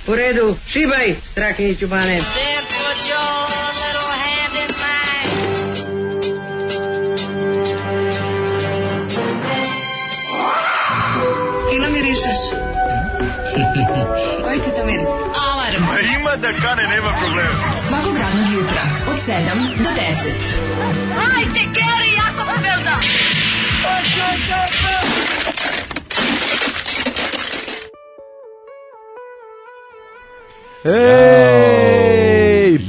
U redu, šibaj, Strahinjiću Bane. Fino mirišeš. Koji ti to miris? Alarm. Ima da kane, nema problema. Svakog radnog jutra od 7 do 10. Hajde, Geri, jako se velda. Ej,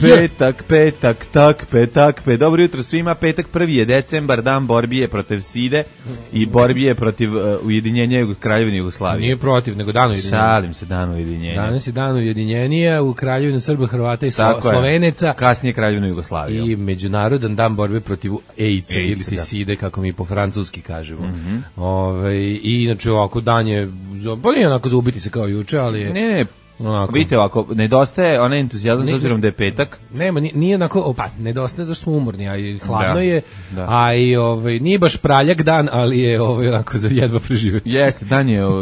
petak. Dobro jutro svima, petak 1. je decembar, dan borbije protiv side i borbije protiv ujedinjenja Kraljevine Jugoslavije. Nije protiv, nego dan ujedinjenja. Šalim se, dan ujedinjenja. Danas je dan ujedinjenja u Kraljevinu Srba, Hrvata i Sloveneca. Kasnije Kraljevinu Jugoslaviju. I međunarodan dan borbe protiv AIDS ili ti side, kako mi po francuski kažemo. I inače ovako dan je, pa nije onako za ubiti se kao juče, ali je... Ne, vidite ovako, nedostaje onaj entuzijazam s obzirom da je petak. Nema, nije onako, nedostaje zašto smo umorni, a i hladno je, a i nije baš praljak dan, ali je onako za jedva preživeti. Jeste,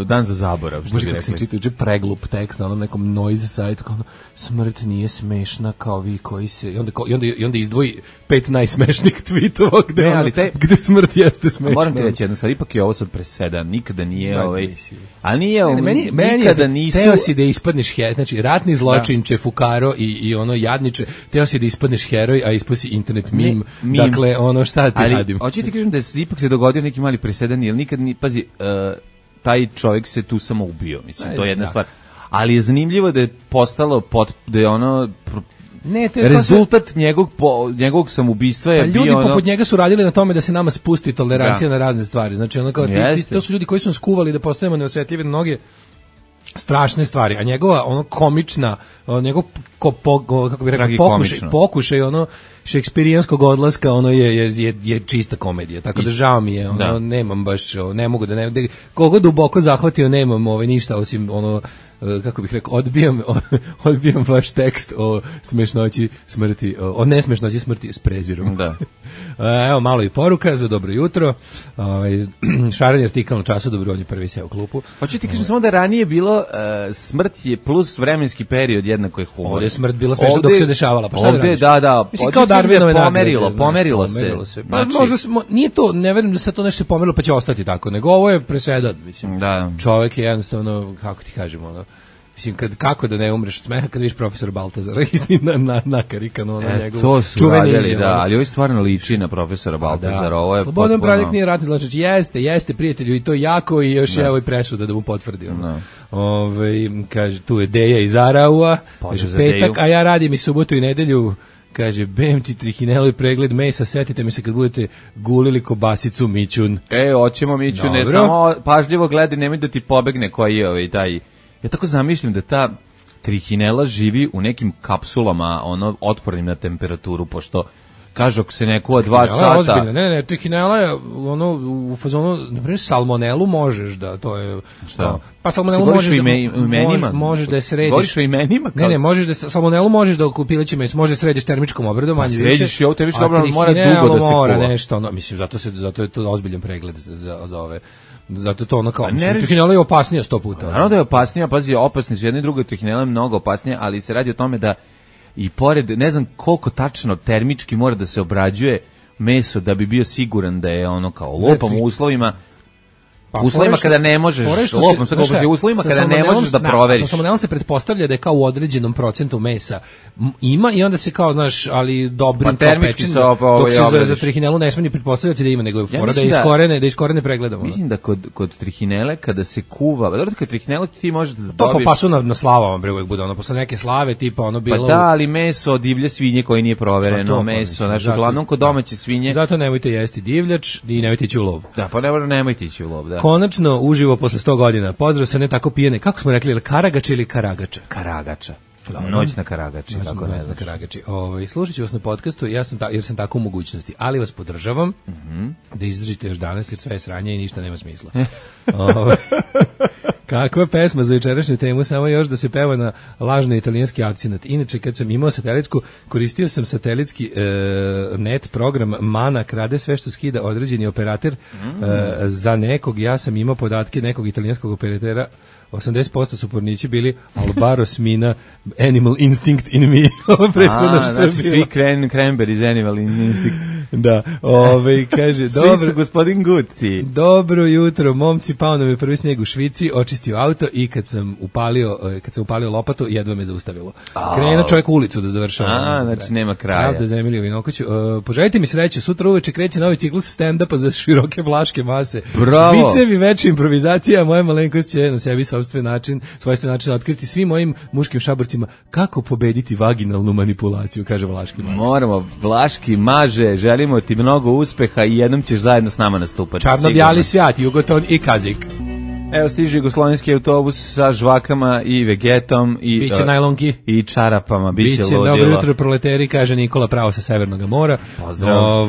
dan za zaborav. Bože, kako sam čitao uče preglup tekst na onom nekom noise sajtu, kao smrt nije smešna kao vi koji se, i onda izdvoji 5 najsmešnijih tweetova gde smrt jeste smešna. Moram ti reći jednu stvar, ipak je ovo sad presedan, nikada nije a nije nikada nisu... Teo si da ispadneš heroj, znači ratni zločinče, fukaro i ono jadniče, teo si da ispadneš heroj, a ispao si internet meme. Dakle, ono šta ti radim. Hoću ti kažem da ipak se dogodio neki mali presedan, jer nikad pazi, taj čovjek se tu samo ubio, mislim, to je jedna stvar. Ali je zanimljivo da je postalo, da je ono... rezultat njegovog samoubistva je bio ljudi poput njega su radili na tome da se nama spusti tolerancija na razne stvari. Znači ono kao to su ljudi koji su nas skuvali da postanemo neosjetljivi na mnoge strašne stvari, a njegova ono komična, njegov kako bih rekao pokušaj ono šekspirijanskog odlaska, ono je čista komedija. Tako da žao mi je, ono nemam baš, ne mogu da koga duboko zahvatio, nemam ništa osim ono, kako bih rekao, odbijam vaš tekst o smešnoći smrti, o nesmešnoći smrti s prezirom. Da. Evo malo i poruka za dobro jutro. Šareni artikal na Času, dobro, on je prvi seo u klupu. Hoću ti kažem samo da ranije bilo smrt je plus vremenski period jednako je humor. Ovdje je smrt bila smešna dok se dešavala, pa šta da radiš? Da. Mislim, kao Darwinove nagrade. Pomerilo se. Pa možda nije to, ne verujem da se to nešto pomerilo pa će ostati tako, nego ovo je presedan, mislim. Da. Čovjek je jednostavno, kako ti kažemo, ono, mislim, kako da ne umreš od smeha kad vidiš profesora Baltazara na karikanu na njegovu. To su radili, ali ovo stvarno liči na profesora Baltazara. Ovo je Slobodan Praljak nije ratni zločinac. Jeste, prijatelju, i to jako, i još evo i presuda da mu potvrdi. Kaže, tu je Deja iz Araua, kaže, petak, a ja radim i subotu i nedelju. Kaže, bem ti trihineloj pregled mesa, setite mi se kad budete gulili kobasicu Mićun. Hoćemo Mićun, ne samo pažljivo gledaj, nemoj da ti pobegne koji je taj... Ja tako zamišljam da ta trihinela živi u nekim kapsulama, otpornim na temperaturu, pošto kažu ako se nekuva 2 sata... Ozbiljno. Ne, trihinela je u fazonu, na primjer, salmonelu možeš da, to je... Šta? Pa salmonelu možeš da je središ... Govoriš o imenima? Ne, možeš da, salmonelu možeš da u pileće meso, možeš da središ termičkom obradom, manje više. Središ i ovo termičkom obradom, mora dugo da se kuva. Nešto, mislim, zato je to ozbiljan pregled za ove... Zato to ono kao, trihinela je opasnija 100 puta. Naravno da je opasnija, pazi, opasni su jedna i druga, trihinela je mnogo opasnija, ali se radi o tome da i pored, ne znam koliko tačno termički mora da se obrađuje meso da bi bio siguran da je ono kao lopam u uslovima, uslovima kada ne možeš, uslovima kada ne možeš da proveriš. Sa salmonelom se pretpostavlja da je kao u određenom procentu mesa ima i onda se kao, znaš, ali dobrim termički se dok se za trihinelu ne smije ni pretpostavljati da ima, nego je fora da iskorene pregledamo. Mislim da kod trihinele kada se kuva, dobro kad trihinelu ti možeš da dobiš... To po pasu na slavama bre uvek bude, ono posle neke slave tipa ono bilo... Pa da, ali meso od divlje svinje koje nije provereno, meso, znači uglavnom kod domaće svinje. Zato nemojte jesti divljač i nemojte ići u lov. Da, pa nemojte ići u lov, da. Konačno uživo posle 100 godina. Pozdrav se ne tako pijene. Kako smo rekli, Karagača ili Karagača? Karagača. Noć na Karagači, kako ne znaš. Slušat ću vas na podcastu jer sam tako u mogućnosti, ali vas podržavam da izdržite još danas jer sve je sranje i ništa nema smisla. Kakva pesma za večerašnju temu, samo još da se peva na lažni italijanski akcenat. Inače, kad sam imao satelitsku, koristio sam satelitski net program Mana, krade sve što skida određeni operator za nekog. Ja sam imao podatke nekog italijanskog operatera 80% su pornići bili Albaros Mina, Animal Instinct in Me. Ovo prethodno što znači je bilo. svi Cranberries, Animal Instinct. Da, kaže, Svi su gospodin Gucci. Dobro jutro, momci, pao nam je prvi snijeg u Švici, očistio auto i kad sam upalio lopatu, jedva me zaustavilo. Krenuo čovjek u ulicu da završava. Znači nema kraja. Pravda za Emiliju Vinokoću. Poželite mi sreću, sutra uveče kreće novi ciklus stand-upa za široke vlaške mase. Bravo. Vicevi, veća improvizacija, moja malenkost će na sebi svojstven način otkriti svim mojim muškim šaborcima kako pobediti vaginalnu manipulaciju, kaže Vlaški maže. Moramo, Vlaški maže, želimo ti mnogo uspeha i jednom ćeš zajedno s nama nastupati. Čarno-bjali svijat, Jugoton i Kazik. Evo stiže jugoslovenski autobus sa žvakama i vegetom i biće najlonki i čarapama, biće ludilo. Dobro jutro proleteri, kaže Nikola pravo sa Severnog mora. Pozdrav.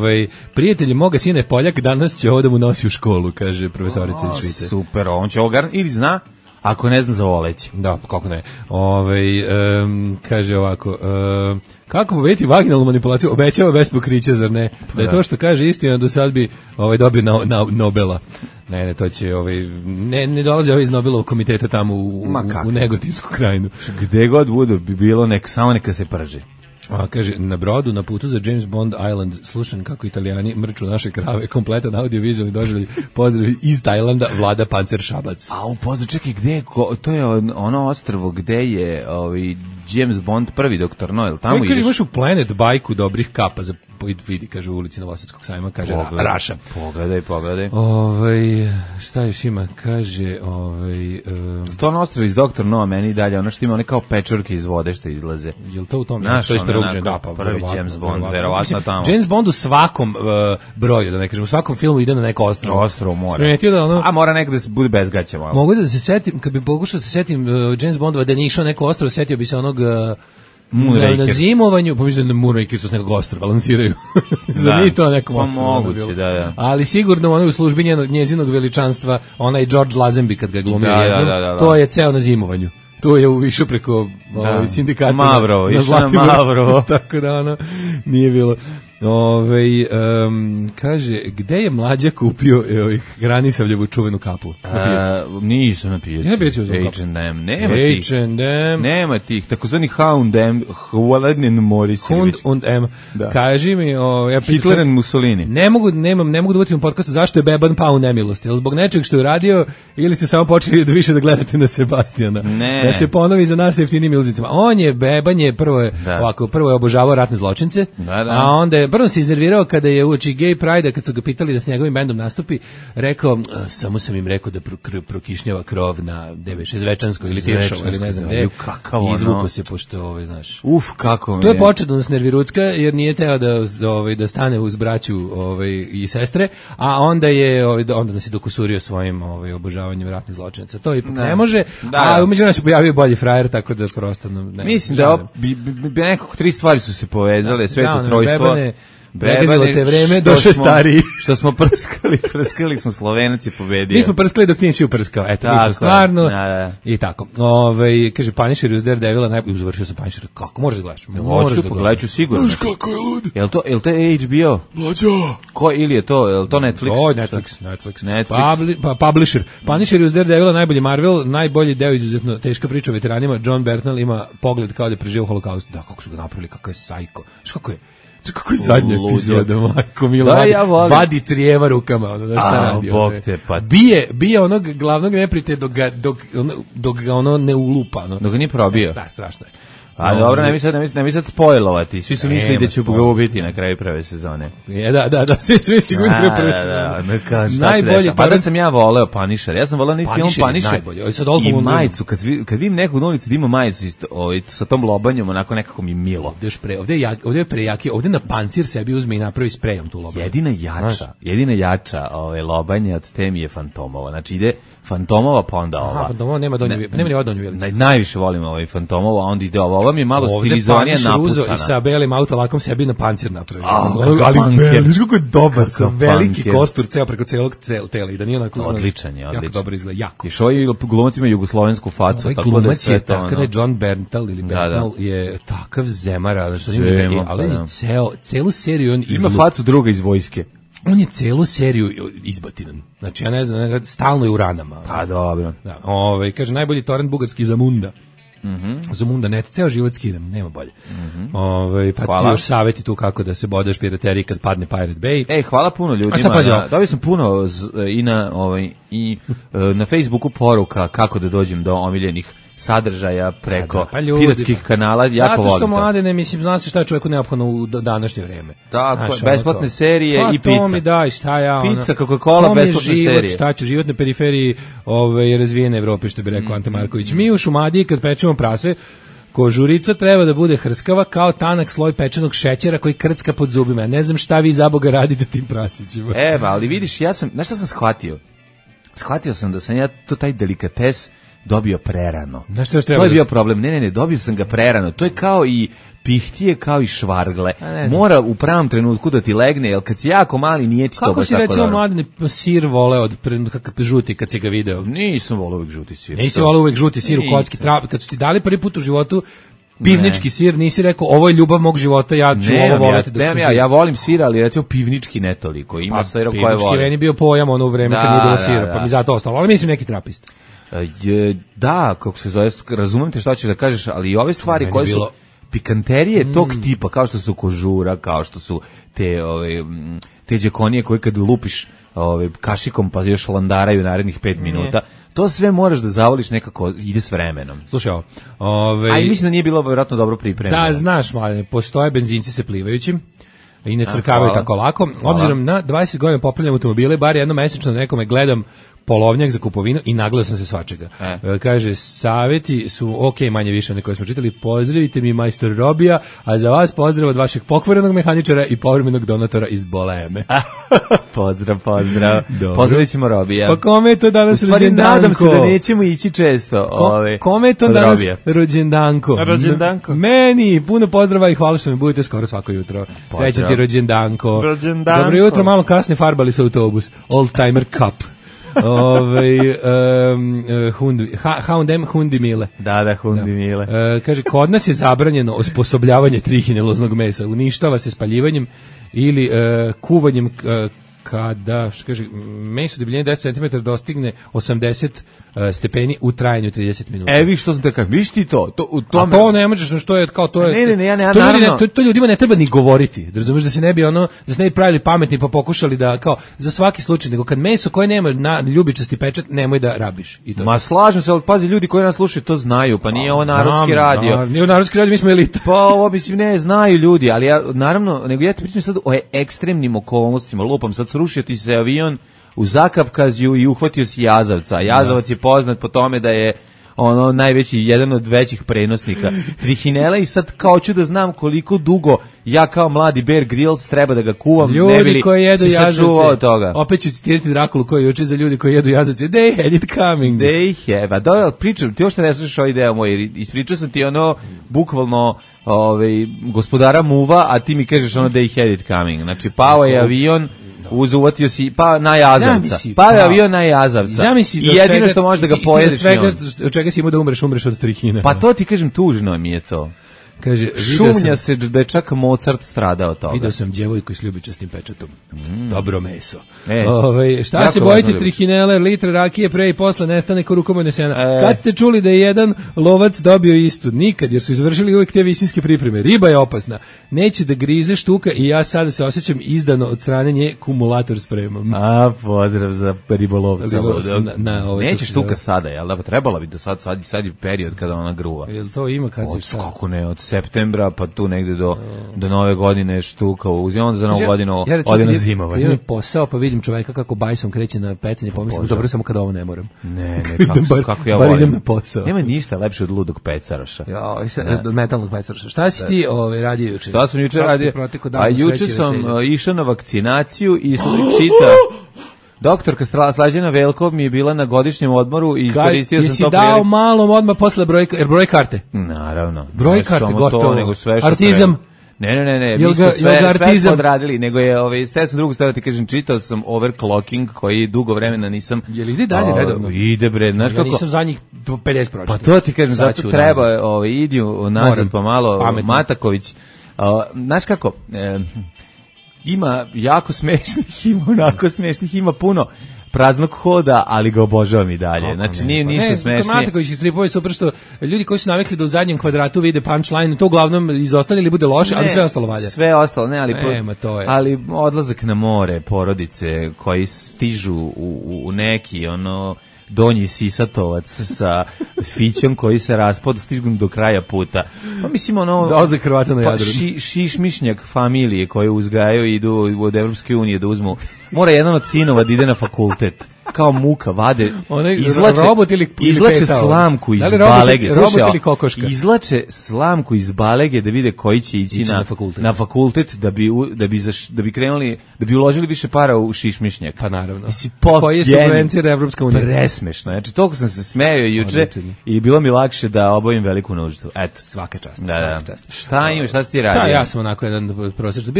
Prijatelji moga sina je Poljak, danas će ovo da mu nosi u školu, kaže profesorica iz Švice. Super, on će ovo ili zna, ako ne zna za voleć. Da, kako ne. Kaže ovako, kako pobediti vaginalnu manipulaciju? Obećava bez pokrića, zar ne? Da je to što kaže istina, do sad bi dobio Nobela. Ne, to će ne dolaze iz Nobelovog komiteta tamo u Negotinsku krajinu. Gde god budu bi bilo samo neka se prži. Kaže, na brodu, na putu za James Bond Island, slušam kako Italijani mrču naše krave, kompletan audio-vizualni doživljaj, pozdrav iz Tajlanda, Vlada Pancer Šabac. Pozdrav, čekaj, to je ono ostrvo gde je James Bond, prvi doktor Noel, tamo ideš. Kaže, imaš u Planet bajku dobrih kapa za vidi, kaže, u ulici Novosadskog sajma, kaže, Raša. Pogledaj. Šta još ima, kaže, to ono ostrvo iz Doktor Noa, meni dalje, ono što ima, one kao pečurke iz vode što izlaze. Jel to u tom? Naš, prvi James Bond, verovatno tamo. James Bond u svakom broju, da ne kažem, u svakom filmu ide na neko ostrvo. Ostrvo mora. A mora neko da se bude bez gaća malo. Mogu da se setim, kad bi pokušao da se setim James Bondova da nije išao neko ostrvo, setio bi se onog na zimovanju, pomislim da Moonraker su s nekog ostrva balansiraju. Za nije to nekom ostrvu. Moguće, da. Ali sigurno ono u službi njezinog veličanstva, onaj George Lazenby kad ga glumio jednom, to je ceo na zimovanju. To je uvišao preko sindikata. Mavrovo, išao na Mavrovo. Tako da nije bilo. Kaže, gde je Mlađa kupio Granisavljevu čuvenu kapu? Nisam na pijaci. H&M, nema tih, takozvani H&M, Hvalednin Morisević. H&M, kaži mi, Hitler and Mussolini. Ne mogu da uvatim u podcastu zašto je beban pao u nemilost, jel zbog nečeg što je uradio ili ste samo počeli više da gledate na Sebastijana? Ne. Da se ponovi za nas jeftinim iluzicama. On je beban, prvo je obožavao ratne zločince, a onda je prvo se iznervirao kada je uoči Gay Pride, kad su ga pitali da s njegovim bendom nastupi, rekao, samo sam im rekao da prokišnjava krov na Šezvečanskoj ili Tiršovo, ili ne znam gde. Izvuko se, pošto, znaš. Kako mi je. To je početno da nas nervirucka, jer nije teo da stane uz braću i sestre, a onda nas je dokusurio svojim obožavanjem ratnih zločinaca. To ipak ne može, a umeđu nas se pojavio bolji frajer, tako da prosto ne. Mislim da nekako 3 stvari su se povezale, sveto trojstvo. Pregazilo te vreme, došao stariji. Što smo prskali smo, Slovenac je pobedio. Mi smo prskali dok ti nisi uprskao. Eto, mi smo stvarno. I tako. Kaže, Punisher uz Daredevila najbolje uzavršio sa Punisher. Kako možeš da gledaš? Hoću, pogledat ću sigurno. Znaš kako je lud. Jel to HBO? Mlađo. Ko ili je to? Jel to Netflix? To je Netflix. Publisher. Punisher uz Daredevila najbolji Marvel, najbolji deo, izuzetno teška priča o veteranima. John Bernthal ima pogled kao da je preživio holokaust. Da, kako su ga napravili, kakav je sajko. Znaš kako je? Kako je zadnja epizoda, majko Milo, vadi crijeva rukama, šta radi. Bije onog glavnog neprijatelja dok ga ne ulupa. Dok ga nije probio. Strašno je. A dobro, ne mi sad spojlovati. Svi su mislili da će ga ubiti na kraju prve sezone. Da, svi će ga ubiti na prve sezone. Najbolji. Pa da sam ja voleo Punisher. Ja sam voleo film Punisher. I majicu. Kad vidim nekog na ulici da ima majicu sa tom lobanjom, onako nekako mi milo. Ovdje je prejaki. Ovdje na pancir sebi uzme i napravi sprejom tu lobanju. Jedina jača lobanja od te mi je Fantomova. Znači ide Fantomova pa onda ova. Fantomova nema ni odonju veličinu. Najviše volim Fantomova, a onda ide ova. Mi je malo stilizovanije napucana. I sa belim autolakom sebi na pancir napravio. Ali kako je dobar, veliki kostur ceo preko celog tela i da nije onako. Odličan je. Jako dobro izgleda, jako. I što je glumac ima jugoslovensku facu, tako da sve to. Tako da je John Bernthal ili Bernthal je takav zemara, ali celu seriju on ima facu druga iz vojske. On je celu seriju izbatinan. Znači, ja ne znam, stalno je u ranama. Pa dobro. Da, kaže, najbolji torrent bugarski Zamunda. Zamunda, net, ceo život skidam, nema bolje. Pa ti još savjeti tu kako da se bodeš pirateriji kad padne Pirate Bay. Hvala puno ljudima. Dobio sam puno i na Facebooku poruka kako da dođem do omiljenih sadržaja preko piratskih kanala, jako volim to. Zato što mladene, mislim, zna se šta je čovjeku neophodno u današnje vreme. Tako, besplatne serije i pizza. To mi daj, šta ja... Pizza, Coca-Cola, besplatne serije. Šta ću, život na periferiji razvijene Evrope, što bi rekao Ante Marković. Mi u Šumadiji, kad pečemo prase, kožurica treba da bude hrskava kao tanak sloj pečenog šećera koji krcka pod zubima. Ne znam šta vi za Boga radite tim prasićima. Ali vidiš, znaš šta sam shvatio? Shvatio sam da sam ja taj delikates dobio prerano. To je bio problem. Ne, dobio sam ga prerano. To je kao i pihtije, kao i švargle. Mora u pravom trenutku da ti legne, jer kad si jako mali nije ti to baš tako dobro. Kako si recimo mladine sir voleo od žuti kad si ga video? Nisam voleo uvek žuti sir. Nisi voleo uvek žuti sir u kocki. Kad su ti dali prvi put u životu pivnički sir, nisi rekao ovo je ljubav mog života, ja ću ovo voliti. Ja volim sir, ali recimo pivnički ne toliko. Ima sira koje volim. Pivnički meni bio pojam ono u vreme kad nije bilo sira, pa mi zato ostalo. Ali mislim neki trapist. Da, kako se zove, razumem te šta ćeš da kažeš, ali i ove stvari koje su pikanterije tog tipa, kao što su kožura, kao što su te džekonije koje kad lupiš kašikom pa još landaraju narednih 5 minuta, to sve moraš da zavoliš, nekako ide s vremenom. Slušaj a i mislim da nije bilo vjerojatno dobro pripremljeno. Da, znaš, mladine, postoje benzinci se plivajućim i ne crkavaju tako lako. Obzirom na 20 godina popravljam automobile, bar jednom mesečno nekome gledam polovnjak za kupovinu i nagledao sam se svačega. Kaže, savjeti su manje više one koje smo čitali. Pozdravite mi majstor Robija, a za vas pozdrav od vašeg pokvarenog mehaničara i povremenog donatora iz Boleme. Pozdrav. Pozdravit ćemo Robija. Pa kome je to danas rođendanko? Nadam se da nećemo ići često. Kome je to danas rođendanko? Meni, puno pozdrava i hvala što mi budete skoro svako jutro. Srećan ti rođendanko. Dobro jutro, malo kasnije farbali se autobus. Old Timer Cup. H&M Hundi Mile. Da, Hundi Mile. Kaže, kod nas je zabranjeno osposobljavanje trihineloznog mesa. Uništava se spaljivanjem ili kuvanjem kada, što kaže, meso debljine 10 cm dostigne 80 stepeni u trajanju 30 minuta. Vi što sam te kažem, viš ti to? A to ne možeš, što je kao to je. Ne, ja naravno. To ljudima ne treba ni govoriti. Da razumeš da se ne bi pravili pametni pa pokušali da kao za svaki slučaj, nego kad meso koje nema na ljubičasti pečat, nemoj da rabiš. I to. Ma slažem se, ali pazi, ljudi koji nas slušaju to znaju, pa nije ovo narodski radio. Nije narodski radio, mi smo elita. Pa ovo mislim ne znaju ljudi, ali ja naravno, nego ja te pričam sad o ekstremnim okolnostima, lupam sad srušio ti se avion u Zakavkazju i uhvatio si jazavca. Jazavac je poznat po tome da je najveći, jedan od većih prenosnika trihinela i sad kao ću da znam koliko dugo ja kao mladi Bear Grylls treba da ga kuvam. Ljudi koji jedu jazavce, opet ću citirati Drakulu koji je uči za ljudi koji jedu jazavce, they had it coming. They have, a dobro, pričam, ti još ne slušaš ovaj deo moj, ispričao sam ti bukvalno gospodara muva, a ti mi kažeš they had it coming, znači pao je avion, uvatio si na jazavca. Je avion na jazavca. I jedino što možeš da ga pojedeš. Od čega si imao da umreš od trihine. Pa to ti kažem, tužno mi je to. Kaže, šumnja se da je čak Mozart stradao toga. Vidio sam djevojku s ljubičastim pečatom. Dobro meso. Šta se bojite trihinele, litre rakije, pre i posle nestane ko rukomojne sena. Kad ste čuli da je jedan lovac dobio istu? Nikad, jer su izvršili uvijek te visinske pripreme. Riba je opasna. Neće da grize štuka i ja sada se osjećam izdano od strane nje, kumulator spremam. Pozdrav za ribolovca. Neće štuka sada, jel da? Trebala bi da sad je period kada ona gruva. Jel to ima kad se šta? Kako ne, od septembra pa tu negde do nove godine štuka, onda za novu godinu ode na zimovanje. Imam posao pa vidim čoveka kako bajsom kreće na pecanje, pomislim dobro samo kada ovo ne moram. Ne, kako ja volim. Bar idem na posao. Nema ništa lepše od ludog pecaraša. Od metalnog pecaraša. Šta si ti radio juče? Šta sam juče radio? A juče sam išao na vakcinaciju i čitao. Doktorka Slađana Velko mi je bila na godišnjem odmoru i iskoristio sam to. Jesi dao malom odmah posle broj karte? Naravno. Broj karte, gotovo. Nego sve što Artizam. Ne, mi smo sve odradili, nego je, ste sam drugu stvar ti kažem, čitao sam overclocking koji dugo vremena nisam. Je li ide dalje redovno? Ide bre, znaš kako? Ja nisam za njih 50 pročitao. Pa to ti kažem, zato treba, idi nazad pa malo, Mataković. Znaš kako, ima jako smešnih, ima onako smešnih, ima puno praznog hoda, ali ga obožavam i dalje. Znači, nije ništa smešnije. Matakovićih stripova je super što ljudi koji su navikli da u zadnjem kvadratu vide punchline, to uglavnom izostavlja ili bude loše, ali sve ostalo valja. Sve ostalo, ne, ali, to je. Ali odlazak na more, porodice koji stižu u neki, donji sisatovac sa fićom koji se raspod stignu do kraja puta. Pa mislim dolazak Hrvata na Jadranu. Šišmišnjak familije koje uzgajaju i idu od Evropske unije da uzmu. Mora jedan od sinova da ide na fakultet. Kao muka, vade, izlače slamku iz balege. Izlače slamku iz balege da vide koji će ići na fakultet da bi krenuli, da bi uložili više para u šišmišnjak. Pa naravno. Koji je subvencija Evropska unija? Presmešno. Znači, toliko sam se smejao juče i bilo mi lakše da obavim veliku nuždu. Eto. Svaka čast. Da. Šta imaš, šta si ti radio? Ja sam onako jedan prosječan.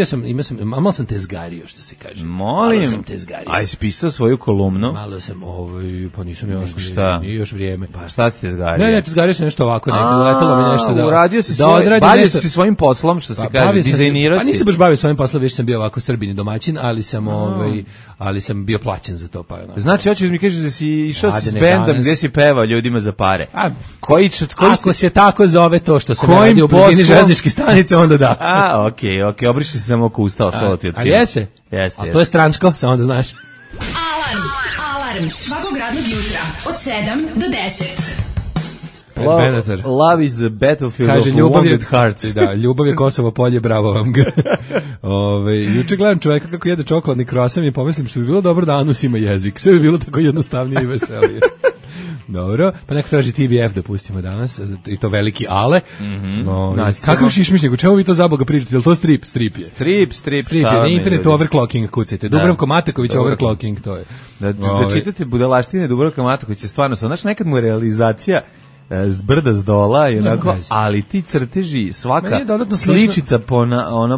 Malo sam tezgario, što se kaže. Molim. Aj, si pisao svoju kolumnu? Malo sam, pa nisam još, nije još vrijeme. Pa šta si tezgario? Ne, tezgario sam nešto ovako, uletalo mi nešto da... Uradio si bavio si svojim poslom, što se kaže, dizajnirao si. Pa nisam baš bavio svojim poslom, više sam bio ovako Srbin i domaćin, ali sam bio plaćen za to. Znači, hoćeš mi kažeš da si išao s bendom gdje si pevao ljudima za pare? Ako se tako zove to što sam radio u blizini železničke stanice, onda da. Okej, obriši se samo oko usta, ostalo ti od cijela. A jeste? A to je strančko, samo da znaš. Alarm svakog radnog jutra od 7 do 10. Love is a battlefield of wounded hearts. Da, ljubav je Kosovo polje, bravo vam ga. Juče gledam čovjeka kako jede čokoladni krosan i pomislim što bi bilo dobro da anus ima jezik. Sve bi bilo tako jednostavnije i veselije. Dobro, pa neko traži TBF da pustimo danas, i to veliki Ale. Kakav šišmišnjak, u čemu vi to za Boga pričate? Je li to strip? Strip je. Strip je, na internetu overclocking kucajte. Dubravko Mataković overclocking, to je. Da čitate budalaštine Dubravka Matakovića, stvarno su, znači nekad mu je realizacija zbrda zdola i onako, ali ti crteži, svaka sličica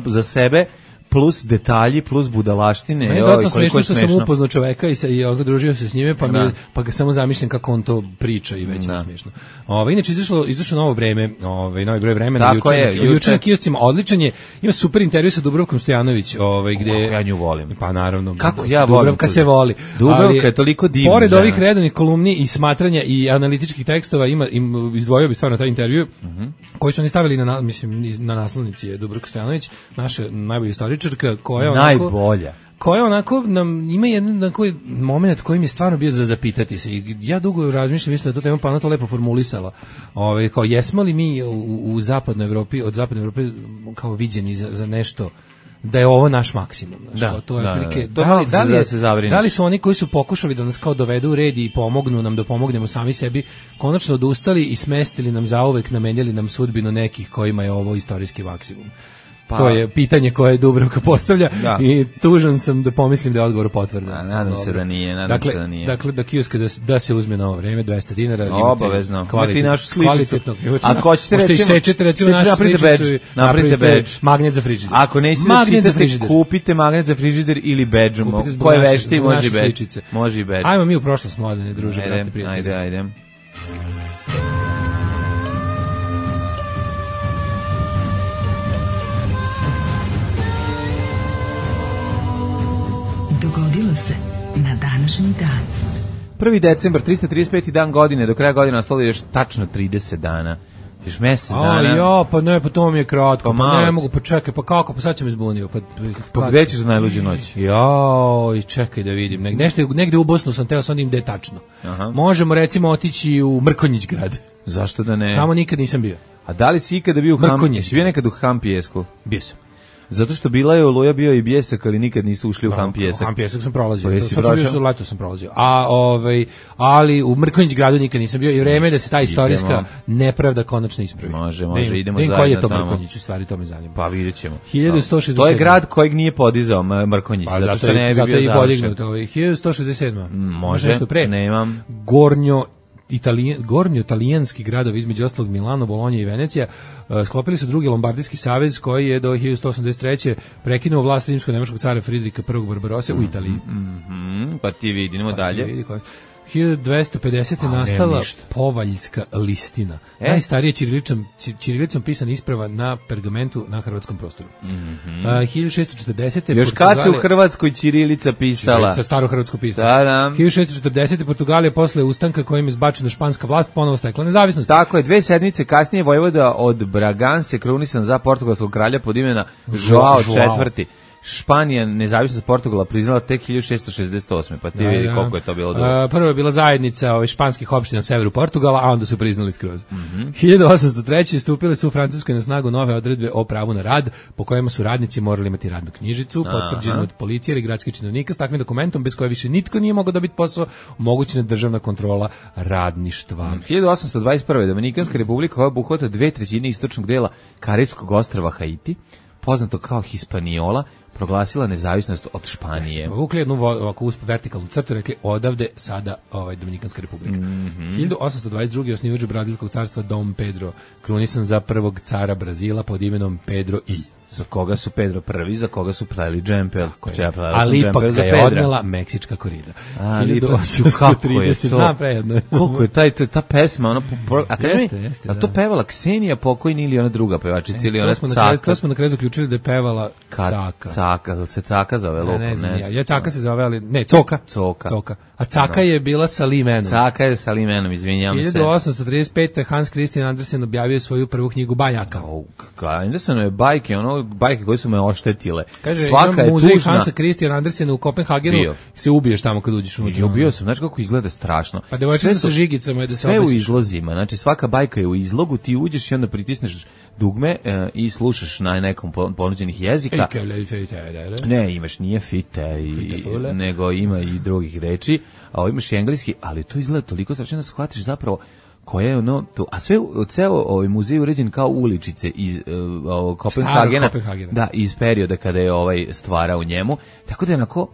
za sebe, plus detalji, plus budalaštine. Meni je dodatno smiješno što sam upoznao čoveka i družio se s njime, pa ga samo zamišljam kako on to priča i već je smiješno. Inače, izašlo novo vreme, novi broj vremena, juče na kioscima, odličan je, ima super intervju sa Dubravkom Stojanović, gde... Ja nju volim. Pa naravno. Kako ja volim. Dubravka se voli. Dubravka je toliko divna. Pored ovih redovnih kolumni i smatranja i analitičkih tekstova, izdvojio bi stvarno taj intervju, koji su oni stavili na naslovnici je Dubravka Stojanović, naša najbolja istoričarka, koja najbolja. Koja onako nam ima jedan moment koji mi je stvarno bio za zapitati se. I ja dugo razmišljam, mislim da to tema pa ona to lepo formulisala. Kao jesmo li mi u zapadnoj Evropi, od zapadne Evrope kao viđeni za nešto da je ovo naš maksimum. Da li su oni koji su pokušali da nas kao dovedu u red i pomognu nam da pomognemo sami sebi, konačno odustali i smestili nam zauvek, namenjali nam sudbinu nekih kojima je ovo istorijski maksimum? To je pitanje koje Dubravka postavlja i tužan sam da pomislim da je odgovor potvrdan. Nadam se da nije. Dakle, da kioska da se uzme na ovo vreme, $200. Obavezno. Imate našu sličicu. Ako hoćete recimo našu sličicu, napravite badge. Magnet za frižider. Ako nećete da čitate, kupite magnet za frižider ili badge. Koje vešti, može i badge. Ajmo mi u prošlost, mladene, druže, brate, prijatelji. Ajde. Dogodilo se na današnji dan. 1. decembar, 335. dan godine, do kraja godine ostalo još tačno 30 dana. Još mjesec dana. Pa to mi je kratko, pa ne mogu, pa čekaj, pa kako, pa sad sam izbunio. Pa gde ćeš za najluđu noć? Čekaj da vidim, negde u Bosnu sam teo, sam gde je tačno. Možemo recimo otići u Mrkonjić grad. Zašto da ne? Tamo nikad nisam bio. A da li si ikada bio u Mrkonjić? Si bio nekad u Hampijesku? Bio sam. Zato što bila je Oluja, bio i Bljesak, ali nikad nisu ušli u Hampijesak. Hampijesak sam prolazio. Leto sam prolazio. Ali u Mrkonjić gradu nikad nisam bio i vreme da se ta istorijska nepravda konačno ispravi. Može, idemo zajedno tamo. Koji je to Mrkonjić, u stvari to me zanima. Pa vidjet ćemo. 1167. To je grad kojeg nije podizao Mrkonjić. Zato što ne bi bio završen. 1167. Može, nemam. Gornjo-italijanski gradovi, između ostalog Milano, Bolonja i Venecija, sklopili su drugi Lombardijski savez koji je do 1183. prekinuo vlast rimsko-nemačkog cara Fridrika I. Barbarosse u Italiji. Pa ti vidimo dalje. 1250. nastala Povaljska listina. Najstarije ćirilicom pisana isprava na pergamentu na hrvatskom prostoru. 1640. Još kad se u Hrvatskoj ćirilica pisala? Sa starohrvatsko pismo. 1640. Portugalija posle ustanka kojim je izbačena španska vlast ponovo stekla nezavisnost. Tako je, 2 sedmice kasnije vojvoda od Braganse krunisan za portugalskog kralja pod imena Joao IV. Španija nezavisnost Portugala priznala tek 1668. Pa ti vidi koliko je to bilo dobro. Prvo je bila zajednica španskih opština na severu Portugala, a onda su priznali skroz. 1803. stupile su u Francuskoj na snagu nove odredbe o pravu na rad, po kojima su radnici morali imati radnu knjižicu, potvrđenu od policije ili gradskih činovnika s takvim dokumentom bez koje više nitko nije mogao dobiti posao, omogućena državna kontrola radništva. 1821. Dominikanska republika koja obuhvata 2/3 istočnog dela Karibskog ostrva Haiti, poznato kao Hispaniola, proglasila nezavisnost od Španije. Vukli jednu ovako vertikalnu crtu, rekli odavde sada Dominikanska republika. 1822. osnivač Brazilskog carstva Dom Pedro, krunisan za prvog cara Brazila pod imenom Pedro I. Za koga su Pedro prvi, za koga su pleli džempel. Ali ipak ga je odnela meksička korida. 1830. Koliko je ta pesma? A kaži mi, je to pevala Ksenija pokojni ili ona druga pevačica ili ona Caka? To smo na kraju zaključili da je pevala Caka. Caka, se Caka zove lupo? Ne znam, ja Caka se zove, ali ne, Coka. A Caka je bila sa Limenom. Caka je sa Limenom, izvinjam se. 1835. Hans Christian Andersen objavio svoju prvu knjigu bajaka. Andersenove bajke, bajke koje su me oštetile. Kaže, svaka je muzej tužna. Hansa Christiana Andersena u Kopenhagenu se ubiješ tamo kad uđeš unutra. Bio sam, znači kako izgleda strašno. Pa devojčica sa žigicama je da se sve u izlozima, znači svaka bajka je u izlogu, ti uđeš i onda pritisneš dugme i slušaš na nekom ponuđenih jezika. Ne, imaš nije fite, nego ima i drugih reči, a imaš i engleski, ali to izgleda toliko strašno da shvatiš zapravo koje je ono to, a sve ceo ovaj muzej uređen kao uličice iz Kopenhagena, da, iz perioda kada je stvara u njemu, tako da je onako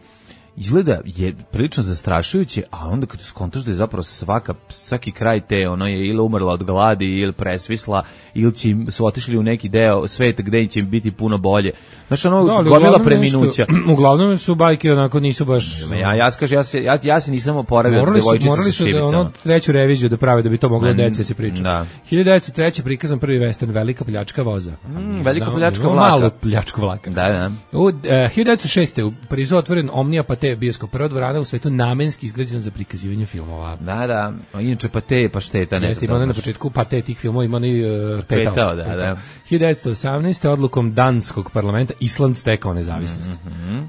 izgleda je prilično zastrašujuće, a onda kad skontaš da je zapravo svaki kraj te ono je ili umrla od gladi ili presvisla ili su otišli u neki deo sveta gde će im biti puno bolje. Znači gomila preminuća. Uglavnom su bajke onako nisu baš. Ja se nisam oporavio od devojčice sa šibicama. Morali su treću reviziju da prave da bi to moglo deci se priča. 1903. prikazan prvi western Velika pljačka voza. Velika pljačka vlaka. Malo pljačku vlaka. Da. U 1906. u Parizu otvoren Omnia Pate bioskop, prva dvorana u svetu namenski izgrađena za prikazivanje filmova. Da. Inače Pate je pašteta. Jeste, ima na početku Pate tih filmova, ima ni petao. Da. 1918. odlukom danskog parlamenta Island stekao nezavisnost.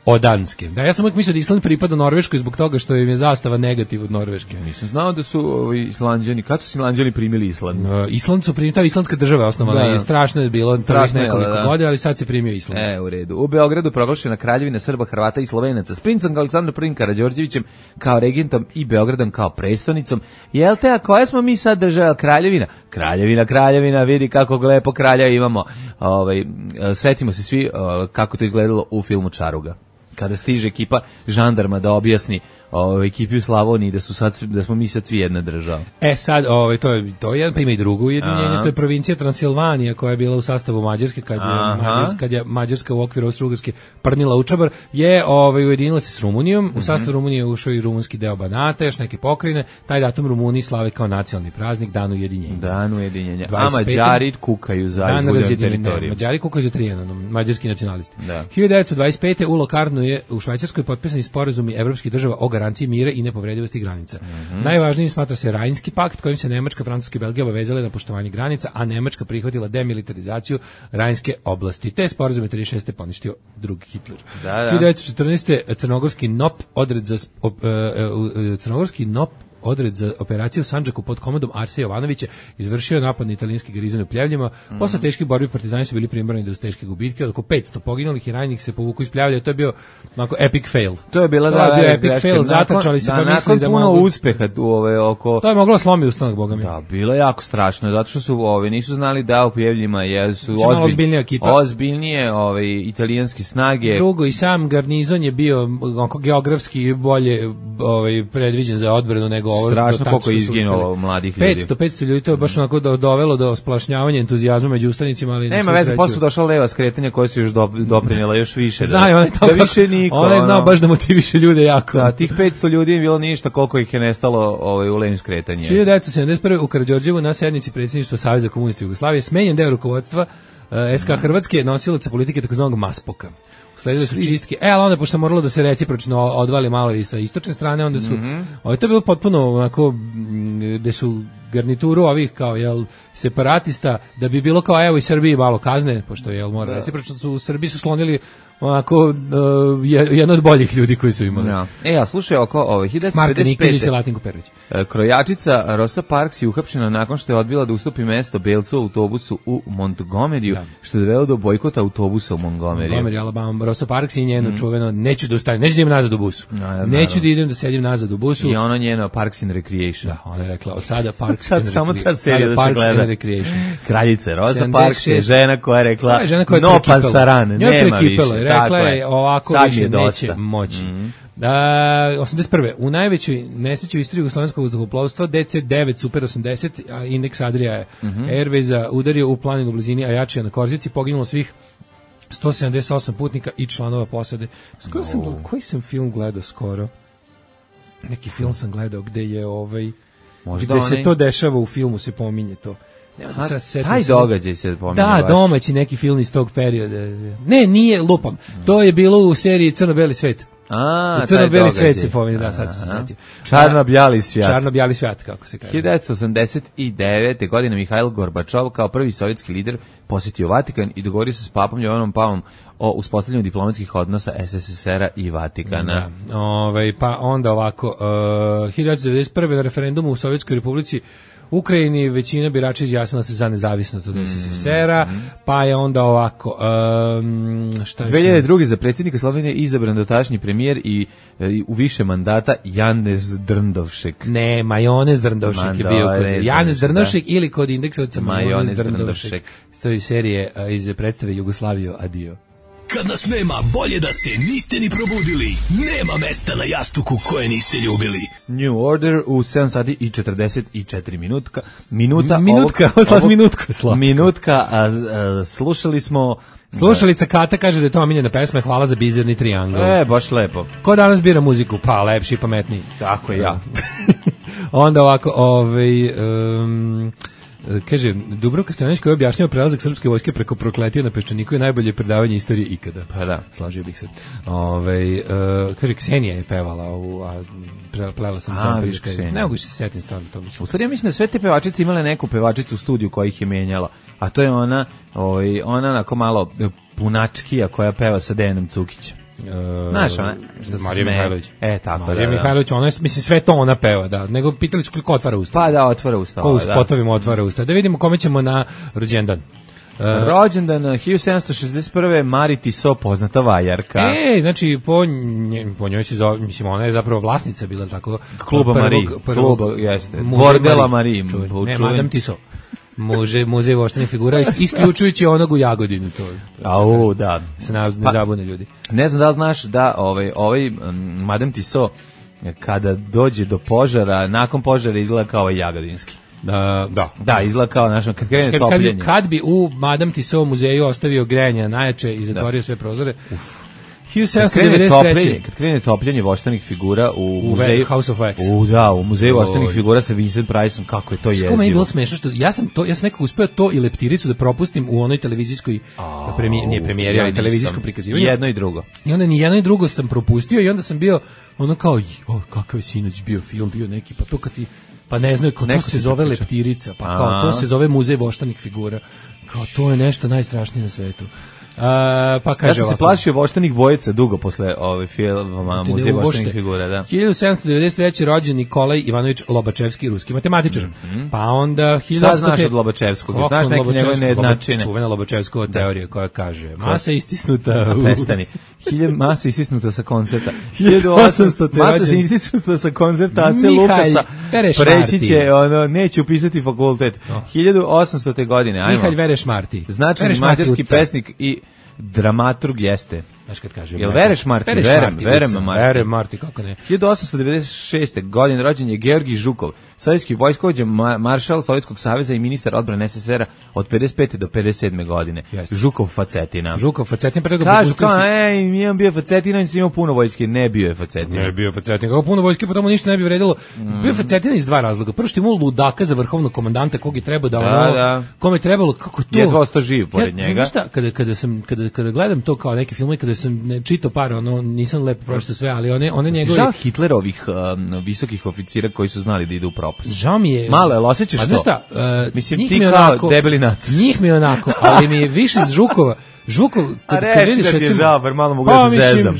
Od Danske. Da, ja sam uvijek mislio da Island pripada Norveškoj zbog toga što im je zastava negativ od Norveške. Nisam znao da su Islanđani, kad su Islanđani primili Island? Island su primili, ta islandska država je osnovana i strašno je bilo nekoliko godina, ali sad se primio Island. U redu. U Beogradu proglašena kraljevina Srba, Hrvata i Slovenaca s princem Aleksandrom I Karađorđevićem kao regentom i Beogradom kao prestonicom. Jel te, a koja smo mi sad država kraljevina? Kraljevina, vidi kako lepo kralja imamo. Setimo se svi kako to izgledalo u filmu Čaruga. Kada stiže ekipa žandarma da objasni ekipi u Slavoniji da smo mi sad svi jedna država. Sad to je pa ima i drugo ujedinjenje, to je provincija Transilvanija koja je bila u sastavu Mađarske kad je Mađarska u okviru Austro-Ugarske prnila u čabar, je ujedinila se s Rumunijom, u sastav Rumunije ušao i rumunski deo Banata, još neke pokrajine, taj datum Rumuniji slave kao nacionalni praznik, Dan ujedinjenja. A Mađari kukaju za izvoljenu teritoriju. Mađari kukaju za Trijanom, mađarski nacionalisti. 1925. u Lokarnu je u Švajcarskoj potpisani sporazumi evropskih država o garanciji mira i nepovredivosti granica. Najvažnijim smatra se Rajnski pakt kojim se Nemačka, Francuska i Belgija obavezale na poštovanje granica, a Nemačka prihvatila demilitarizaciju Rajnske oblasti. Te sporazume 36. poništio drugi Hitler. 1914. Crnogorski NOP odred za operaciju u Sandžaku pod komandom Arsija Jovanovića izvršio napad na italijanski garizon u Pljevljima. Posle teških borbi partizani su bili primorani da uz teške gubitke, oko 500 poginulih i ranjenih se povuku iz Pljevlja. To je bio onako epic fail. To je bio epic fail, zatrčali se pa mislili da puno uspeha oko. To je moglo slomi ustanak, boga mi. Da, bilo je jako strašno, zato što su nisu znali da u Pljevljima su ozbiljnije italijanske snage. Drugo, i sam garnizon je bio geografski bolje predviđen za odbranu nego nego ovo. Strašno koliko je izginulo mladih ljudi. 500 ljudi, to je baš onako dovelo do splašnjavanja entuzijazma među ustanicima, ali nema veze, posle su došla leva skretanja koja su još doprinjela još više. Znaju, da više niko. Ona je znao baš da motiviše ljude jako. Da, tih 500 ljudi je bilo ništa koliko ih je nestalo u levim skretanjem. 1971. u Karađorđevu na sednici predsjedništva Saveza komunista Jugoslavije smenjen deo rukovodstva SK Hrvatske, nosilaca politike takozvanog Maspoka. Usledile su čistke. Ali onda, pošto moralo da se recipročno odvali malo i sa istočne strane, onda su... To je bilo potpuno onako, gde su garnituru ovih kao, separatista, da bi bilo kao, evo i Srbiji malo kazne, pošto, mora recipročno, su u Srbiji su slonili onako jedan od boljih ljudi koji su imali. A slušaj, oko 1955. Marka Nikolić i Latinko Perović. Krojačica Rosa Parks je uhapšena nakon što je odbila da ustupi mesto belcu u autobusu u Montgomeryu, što je dovelo do bojkota autobusa u Montgomery, Alabama. Rosa Parks i njeno čuveno, neću da ustanem, neću da idem nazad u busu. Neću da idem da sedim nazad u busu. I ono njeno Parks and Recreation. Da, ona je rekla, od sada Parks and Recreation. Samo ta serija da se gleda. Kraljica Rosa Parks je žena koja je rekla no pansaran, nema više. Rekla je ovako više neće moći. 81. U najvećoj nesreći u istoriji jugoslovenskog vazduhoplovstva DC-9 Super 80, indeks Adria je Airwaysa udario u planinu u blizini Ajačija na Korzici, poginulo svih 178 putnika i članova posade. Koji sam film gledao skoro? Neki film sam gledao gde je gde se to dešava u filmu, se pominje to. Taj događaj se pominje. Da, domaći neki film iz tog perioda. Ne, nije, lupam. To je bilo u seriji Crno-beli svet. Crno-beli svet se pominje, da, sad sam se sjetio. Čarno-bjali svijet. Čarno-bjali svijet, kako se kaže. 1989. godine Mihajl Gorbačov kao prvi sovjetski lider posjetio Vatikan i dogovorio se s papom Jovanom Pavlom o uspostavljanju diplomatskih odnosa SSSR-a i Vatikana. Pa onda ovako, 1991. na referendumu u Sovjetskoj republici Ukrajini većina birača izjasnila se za nezavisnost od SSSR-a, pa je onda ovako... 2002. za predsjednika Slovenije izabran dotašnji premijer i u više mandata Janez Drndovšek. Ne, Majonez Drndovšek je bio kod Janez Drndovšek ili kod indeksovaca Majonez Drndovšek. To je serije iz predstave Jugoslaviju Adio. Kad nas nema, bolje da se niste ni probudili. Nema mesta na jastuku koje niste ljubili. New Order u 7 sati i 44 minuta. Minutka, slušali smo... Slušalica Kata kaže da je to omiljena pesma, hvala za bizarni triangl. Baš lepo. Ko danas bira muziku? Pa, lepši i pametniji. Tako je, ja. Onda ovako, kaže, Dubravka Stojanović koji je objašnjava prelazak srpske vojske preko Prokletije na Peščaniku je najbolje predavanje istorije ikada. Pa da. Slažio bih se. Kaže, Ksenija je pevala, plela sam Čampiška. Ne mogu se setim stvarno to mislim. U stvari ja mislim da sve te pevačice imale neku pevačicu u studiju koja ih je menjala, a to je ona onako malo punačkija koja peva sa Dejanom Cukićem. Znaš ona? Marija Mihajlović. Tako Marija Mihajlović, ona je, mislim, sve to ona peva, da. Nego pitali su koliko otvara usta. Pa da, otvara usta. Ko u spotovima otvara usta. Da vidimo kome ćemo na rođendan. Rođendan 1761. Mari Tiso, poznata vajarka. Znači po njoj se zove, mislim, ona je zapravo vlasnica bila tako Kluba Marie. Kluba, jeste. Bordela Marie. Ne, Madame Tiso. Muzej voštanih figura, isključujući onog u Jagodini. Da. Se ne zabune ljudi. Ne znam da li znaš da ovaj Madame Tiso kada dođe do požara, nakon požara izgleda kao jagodinski. Da, izgleda kao kad krene topljenje. Kad bi u Madame Tiso muzeju ostavio grejanje najjače i zatvorio sve prozore. 1793. Kad krene topljenje voštanih figura u muzeju House of Wax. U muzeju voštanih figura sa Vincent Priceom, kako je to jezivo. Kako je bilo smešno što ja sam nekako uspeo to i leptiricu da propustim u onoj televizijskoj premijeri, ali televizijsko prikazivanje. Jedno i drugo. I onda ni jedno i drugo sam propustio i onda sam bio ono kao, kakav je sinoć bio film, bio neki, pa to kad ti pa ne znaju, kao to se zove leptirica, pa kao to se zove muzej voštanih figura. Kao to je nešto najstrašnije na svetu. Pa kaže ja sam se plašio voštanih bojica dugo posle filma Muzej voštanih figura, da. 1793. rođen Nikolaj Ivanović Lobačevski, ruski matematičar. Pa onda... Šta znaš od Lobačevskog? Znaš neke njegove nejednačine? Čuvena Lobačevskova teorija koja kaže masa istisnuta... Prestani. Masa istisnuta sa koncerta. 1800. Masa istisnuta sa koncerta AC Lukasa. Preći će, neće upisati fakultet. 1800. godine. Mihalj Vereš Marti. Značajni mađarski pesnik i dramaturg jeste. Znaš kad kaže. Jel vereš Marti? Verem Marti, kako ne. 1896. godine rođen je Georgij Žukov, sovjetski vojskovođa, maršal Sovjetskog saveza i ministar odbrane SSSR-a od 55. do 57. godine. Žukov Facetina. Kažu kao, imam bio Facetina, nisam imao puno vojske. Ne bio je Facetina. Ne bio Facetina. Kako puno vojske, pa tamo ništa ne bi vredilo. Bio Facetina iz dva razloga. Prvo što je imao ludaka za vrhovnog komandanta kog je trebao da kome je trebalo, kako to. Jedva ostao živ pored njega. Šta, kada gledam to kao neki film i kada sam čitao par, nisam lepo pročitao sve, ali one njegove... Žao Hitlerovih visokih oficira koji su znali da ide u propast. Žao mi je... Malo, jel osjećaš to? Šta, mislim, ti kao debeli nac. Njih mi je onako, ali mi je više iz Žukov, kad vidiš, recimo... Žao, bar malo mogu da zezam.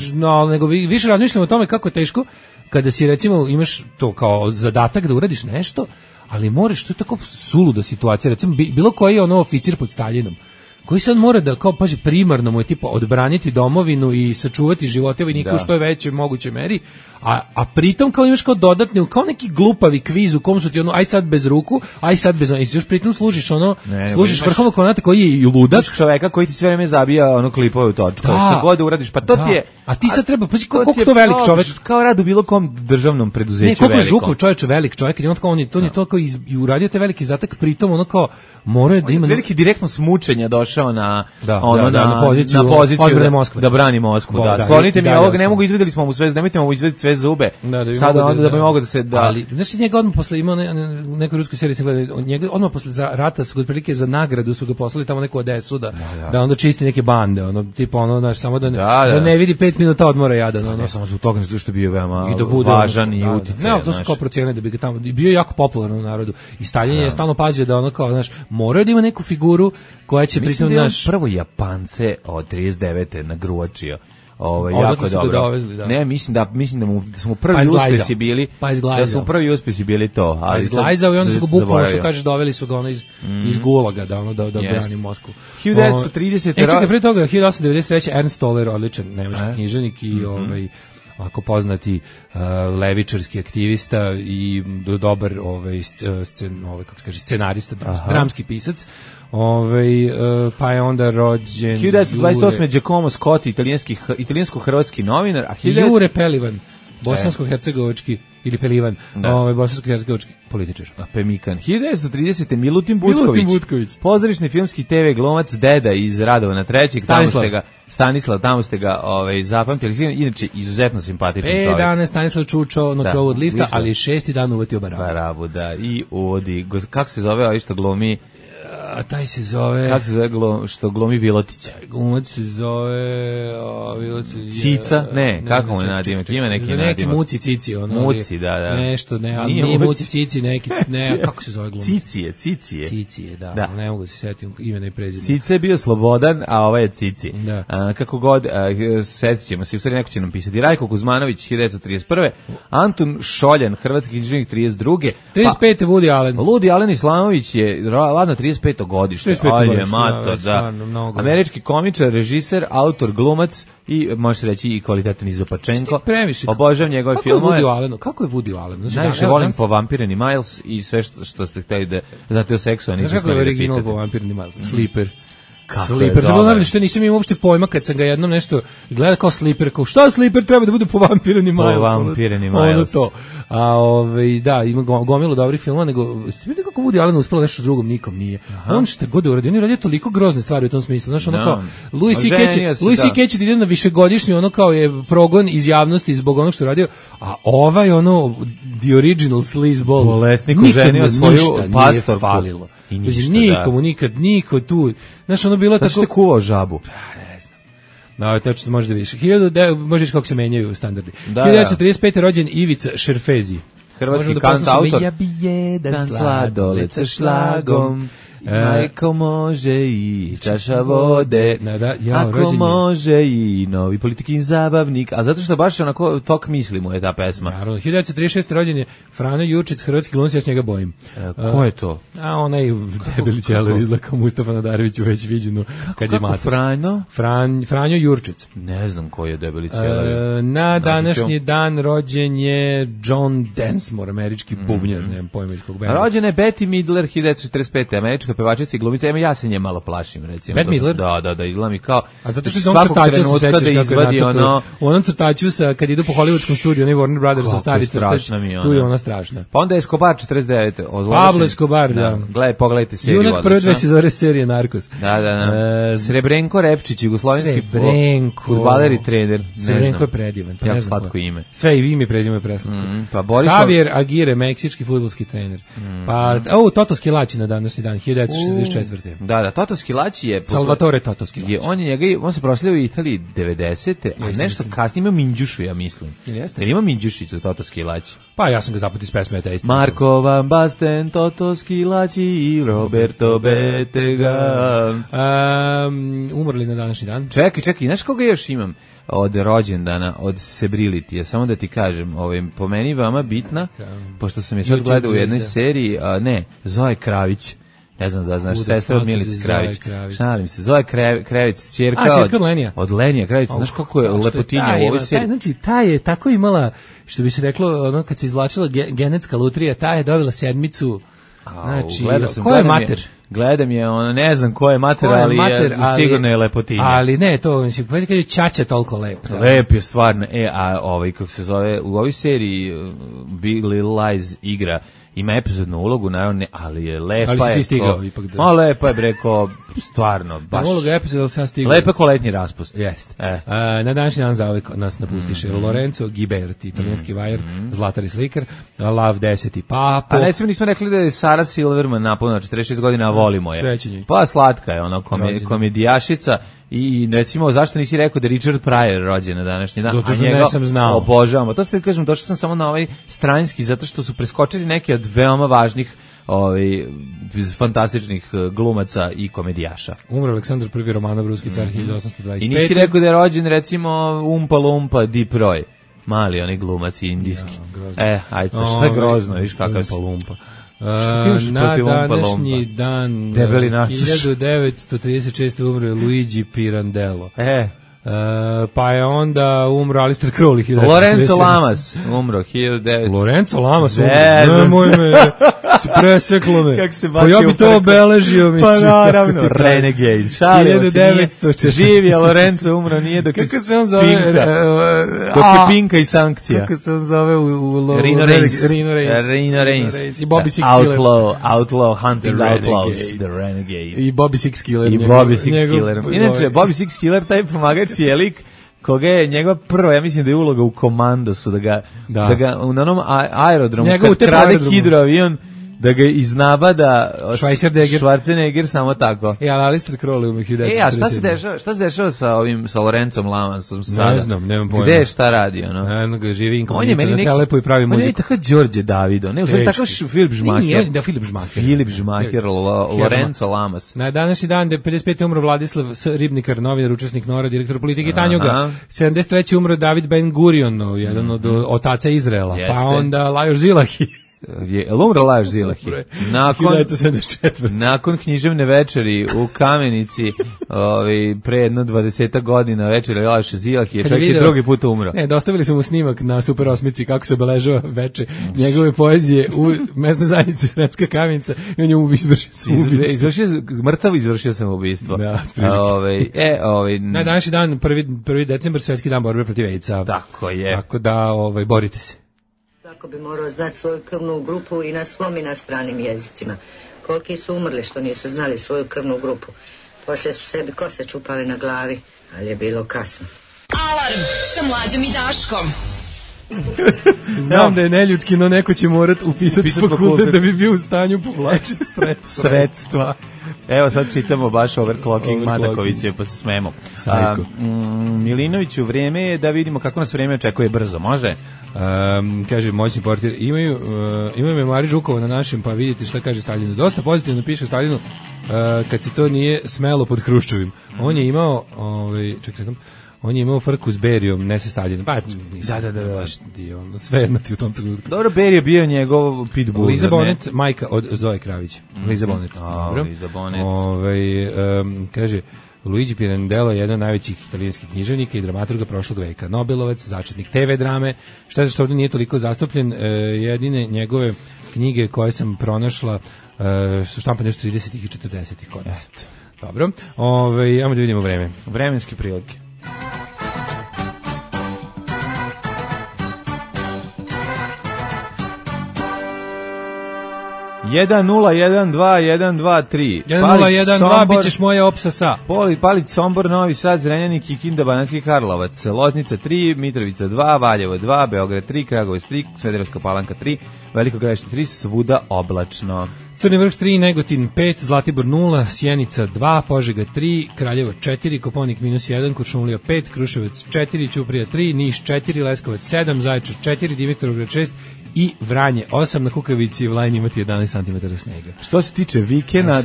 Nego više razmišljam o tome kako je teško kada si, recimo, imaš to kao zadatak da uradiš nešto, ali moraš, to je tako suluda situacija, recimo, bilo koji je oficir pod Staljinom, koji sad mora da, kao paži, primarno mu je tipa odbraniti domovinu i sačuvati živote vojnika u što je većoj mogućoj meri, a pritom kao imaš kao dodatni, kao neki glupavi kviz u kom su ti aj sad bez ruku, aj sad bez i još pritom služiš služiš vrhovnog komandanta koji je i ludak, čoveka koji ti sve vreme zabija klipove u točku, što god uradiš, pa to ti je. A ti sad treba, pazi koliko to velik čovek, kao rad u bilo kom državnom preduzeću velikom. Koliko je Žukov čovjek velik čovjek, i on kao on je to kao i uradio te veliki zatak, pritom kao mora da ima veliki direktno smučenja došao na poziciju da brani Moskvu. Sklonite mi ovog, ne mogu, izvedeli smo mu sve, nemojte mu izvediti sve zube. Sada onda da bi mogao da se ali znači njega odmah posle ima neku rusku seriju sam gledao, njega odmah posle rata su otprilike za nagradu su ga poslali tamo neku Odesu da onda čisti neke bande, tipa samo da ne vidi 5 minuta odmora jadan, ne samo zbog toga što je bio veoma važan i uticaj. Ne, to su kao procenili da bi ga tamo bio jako popularan u narodu. I Staljin je stalno pazio da kao, znaš, mora da ima neku figuru koja će pritom naš prvo Japance od 39. nagruvačio. Jako dobro. Dovezli, ne, mislim da smo prvi uspesi bili. Da su prvi uspesi bili to, ali izglajzao i onda su ga bukvalno, što kažeš, doveli su ga iz Gulaga da brani Moskvu. 1930. Čekaj, pre toga 1893. Ernst Toller, odličan nemački književnik i ako poznati levičarski aktivista i dobar kako se kaže, scenarista, dramski pisac. Pa je onda rođen 1928. Giacomo Scotti, italijansko-hrvatski novinar, a Jure Pelivan, bosansko-hercegovački ili Pelivan, bosansko-hercegovački političar. Pemikan. 1930. Milutin Butković. Pozorišni filmski TV glumac, deda iz Radovana III. Stanislav, tamo ste ga zapamtili. Inače, izuzetno simpatičan čovjek. 5 dana Stanislav čučao na krovu od lifta, ali 6. dan uvatio Barabu. Da. I uvodi, kako se zove, ali što glumi... A taj se zove... Kako se zove što glumi Vilotić? Glumac se zove... Cica? Ne, kako mu je nadimak? Ima neki nadimak. Neki Muci Cici. Muci, da. Nešto, nije Muci Cici, neki... Ne, kako se zove glumac? Cicije, da. Ne mogu se sjetiti imena i prezimena. Cica je bio Slobodan, a ovaj je Cici. Da. Kako god, sjetit ćemo se, u stvari neko će nam pisati. Rajko Kuzmanović, 1931. Antun Šoljan, hrvatski književnik, 32. 35. Woody Allen. Woody Allen Islamović je ladno 35. godište. Američki komičar, režiser, autor, glumac i može se reći i kvalitetan Izopačenko. Obožavam njegove filmove. Kako je Woody Allen? Najviše volim Povampireni Miles i sve što ste hteli da znate o seksu, a nisam kako je original Povampireni Miles? Sleeper. Sleeper, to bilo što nisam imao uopšte pojma kad sam ga jednom nešto gleda kao Sleeper, kao šta Sleeper treba da bude Povampireni Miles? Povampireni Miles. To. Da, ima gomilu dobrih filmova, nego ste vidite kako Woody Allen uspelo nešto drugom, nikom nije. On što god uradio, on je radio toliko grozne stvari u tom smislu. Znaš, ono kao, Louis C.K. će da ide na višegodišnji, ono kao je progon iz javnosti zbog onog što je radio, a the original sleazeball, bolesnik oženio svoju pastorku. Falilo. Nikomu, niko tu. Znaš, ono bilo tako... Znaš te kuvao žabu? Ne znam. No, tačno može da vidiš. Možeš kako se menjaju standardi. 1935. rođen Ivica Šerfezi. Hrvatski kantautor. Ja bi jedan sladoled sa šlagom. Ako može i čaša vode, ako može i novi politikin zabavnik, a zato što baš onako tok misli mu je ta pesma. Naravno, 1936. rođen je Frano Jurčić, hrvatski glumac, ja s njega bojim. Ko je to? A onaj debeli ćeler izlako Mustafa Nadarević u već viđenu kad je mater. Franjo Jurčić. Ne znam ko je debeli ćeler. Na današnji dan rođen je John Densmore, američki bubnjar, nemam pojma iz kog benda. Rođena je Bette Midler, 1945. američka američka pevačica i glumica, ja se nje malo plašim, recimo. Bette Midler? Da, izgleda mi kao... A zato što on crtača se sećaš kako je nacrtao. U onom crtaču kad idu po hollywoodskom studiju, ne Warner Brothers, stari crtač, tu je ona strašna. Pa onda je Escobar 49. Pablo Escobar, da. Pogledajte seriju. Junak prve dve sezone serije Narkos. Da. Srebrenko Repčić, jugoslovenski fudbaler i trener. Srebrenko je predivan. Jako slatko ime. Sve i ime i prezime je preslatko. Pa Boris Javier Aguirre, meksički fudbalski trener. Pa, Toto Schillaci na današnji dan, 1964. Da, Toto Schillaci je... Salvatore Toto Schillaci. On se proslavio u Italiji 90. a nešto kasnije ima Minđušu, ja mislim. Jeste? Jer ima Minđušicu Toto Schillaci. Pa ja sam ga zapamtio iz pesme Te istina. Marco Van Basten, Toto Schillaci i Roberto Bettega. Umrli na današnji dan. Čekaj, znaš koga još imam od rođendana, od Celebrity, samo da ti kažem, po meni vama bitna, pošto sam je sad gledao u jednoj seriji, Zoe Kravić. Ne znam da znaš, sestra od Milice Kravić. Šalim se, Zoe Kravić, ćerka od Lenija. Od Lenija Kravić, znaš kako je lepotinja u ovoj seriji. Znači, ta je tako imala, što bi se reklo, kad se izvlačila genetska lutrija, ta je dobila 7. Znači, ko je mater? Gledam je, ne znam ko je mater, ali sigurno je lepotinja. Ali ne, to mislim, kad je Ćaća toliko lep. Lep je stvarno. Kako se zove, u ovoj seriji Big Little Lies igra, ima epizodnu ulogu, naravno, ali je lepa. Ali si ti stigao ipak da... lepa je, breko, stvarno, baš. Da, uloga epizoda, ali sam stigao. Lepa ko letnji raspust. Jeste. Na današnji dan zauvek nas napustiše Lorenzo Ghiberti, italijanski vajer, zlatar i slikar, Lav 10. Papo. A recimo nismo rekli da je Sarah Silverman napunila 46 godina, a volimo je. Srećenje. Pa slatka je ona komedijašica. I recimo, zašto nisi rekao da je Richard Pryor rođen na današnji dan? Zato što ne sam znao. Obožavamo. To ste kažem, došao sam samo na ovaj stranjski, zato što su preskočili neke od veoma važnih fantastičnih glumaca i komedijaša. Umro Aleksandar I Romanov, ruski car, 1825. I nisi rekao da je rođen, recimo, Umpa Lumpa Deep Roy. Mali onaj glumac indijski. Ajde, šta je grozno, viš kakav si. Umpa Lumpa. Na današnji dan 1936. umro Luigi Pirandello. Pa je onda umro Alistair Crowley. Lorenzo Lamas umro 1900. Lorenzo Lamas umro. Nemoj me, si preseklo me. Pa ja bi to obeležio, mislim. Pa naravno, Renegade. Šalio se, nije. Živio Lorenzo umro, nije dok je Pinka. Kako se on zove? Dok je Pinka i sankcija. Kako se on zove u Rino Reigns. Rino Reigns. I Bobby Six Killer. Outlaw, Hunting Outlaws. The Renegade. I Bobby Six Killer. Inače, Bobby Six Killer, taj pomagač je lik koga je njegova prva, ja mislim da je uloga u Komandosu, da ga na onom aerodromu, kad krade hidroavion, da ga iznabada Schwarzenegger, samo tako. Ali Alistair Crowley umre 1947. A šta se dešava sa Lorencom Lamasom sada? Ne znam, nemam pojma. Gde je, šta radi, Eno ga živi inkognito na telepu i pravi muziku. On je tako Đorđe Davido, ne, on je tako Filip Žmaker. Da, Filip Žmaker. Filip Žmaker, Lorenzo Lamas. Na današnji dan, 55. umro Vladislav Ribnikar, novinar, učesnik NORA, direktor politike Tanjuga. 73. umro David Ben Gurion, jedan od otaca Izraela. Pa onda Lajos Zilahi. Umro Lajos Zilahi. Nakon književne večeri u Kamenici, pre jedno 20 godina večeri Lajos Zilahi je čak i drugi put umro. Dostavili su mu snimak na Super 8 kako se obeležava veče njegove poezije u mesnoj zajednici Sremska Kamenica i on je izvršio samoubistvo. Mrtav izvršio samoubistvo. Na današnji dan, 1. decembar, Svetski dan borbe protiv AIDS-a. Tako je. Tako da, borite se. Tako bi morao znati svoju krvnu grupu i na svom i na stranim jezicima. Koliki su umrli što nisu znali svoju krvnu grupu. Poslije su sebi kose čupali na glavi, ali je bilo kasno. Alarm sa Mlađom i Daškom. Znam da je neljudski, no neko će morat upisati fakultet da bi bio u stanju povlačiti sredstva. Evo sad čitamo baš overclocking Madakovića, pa se smemo. Milinoviću, vrijeme je da vidimo kako nas vrijeme očekuje brzo, može? Kaže moćni portir, imaju memari Žukova na našem, pa vidite šta kaže Staljinu. Dosta pozitivno piše Staljinu kad se to nije smelo pod Hruščovim. On je imao, on je imao frku s Berijom, ne se Staljinom. Pa, da. Sve jedno ti u tom trenutku. Dobro, Berija je bio njegov pitbull. Liza Bonet, majka od Zoe Kravić. Liza Bonet. Dobro. Liza Bonet. Kaže, Luigi Pirandello je jedan od najvećih italijanskih književnika i dramaturga prošlog veka. Nobelovac, začetnik TV drame. Šta je što ovdje nije toliko zastupljen? Jedine njegove knjige koje sam pronašla su štampane još 30-ih i 40-ih kod nas. Dobro, ajmo da vidimo vreme. Vremenske prilike. Jedan, 0, 1, 2, 1, 2, 3. 1, 0, 1, 2, bit ćeš moja opsasa. Palić, Sombor, Novi Sad, Zrenjanin, Kikinda, Banatski Karlovac, Loznica 3, Mitrovica 2, Valjevo 2, Beograd 3, Kragujevac 3, Smederevska Palanka 3, Veliko Gradište 3, svuda oblačno. Crni Vrh 3, Negotin 5, Zlatibor 0, Sjenica 2, Požega 3, Kraljevo 4, Koponik -1, Kuršumlija 5, Kruševac 4, Ćuprija 3, Niš 4, Leskovac 7, Zaječar 4, Dimitrovgrad 6 i Vranje 8, na Kukavici i Vlajni imati 11 cm snega. Što se tiče vikenda,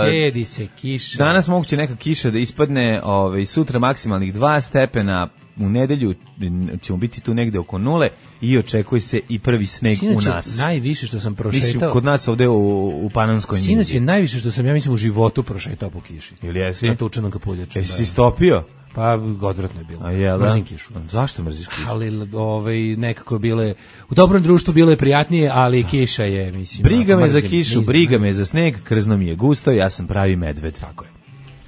cedi se kiša. Danas moguće neka kiša da ispadne, sutra maksimalnih 2 stepena, u nedelju ćemo biti tu negde oko 0 i očekuje se i prvi sneg u nas. Najviše što sam prošetao... Mislim, kod nas ovde u Panonskoj njivi. Sinoć je najviše što sam, ja mislim, u životu prošetao po kiši. Ili jesi? Na tučanom kapuljaču. Jesi si stopio? Pa odvratno je bilo. A jel da? Mrzim kišu. Zašto mrziš kišu? Ali nekako bile, u dobrom društvu bilo je prijatnije, ali kiša je, mislim... Briga me za kišu, briga me za sneg, krzno mi je gusto, ja sam pravi medved. Tako je.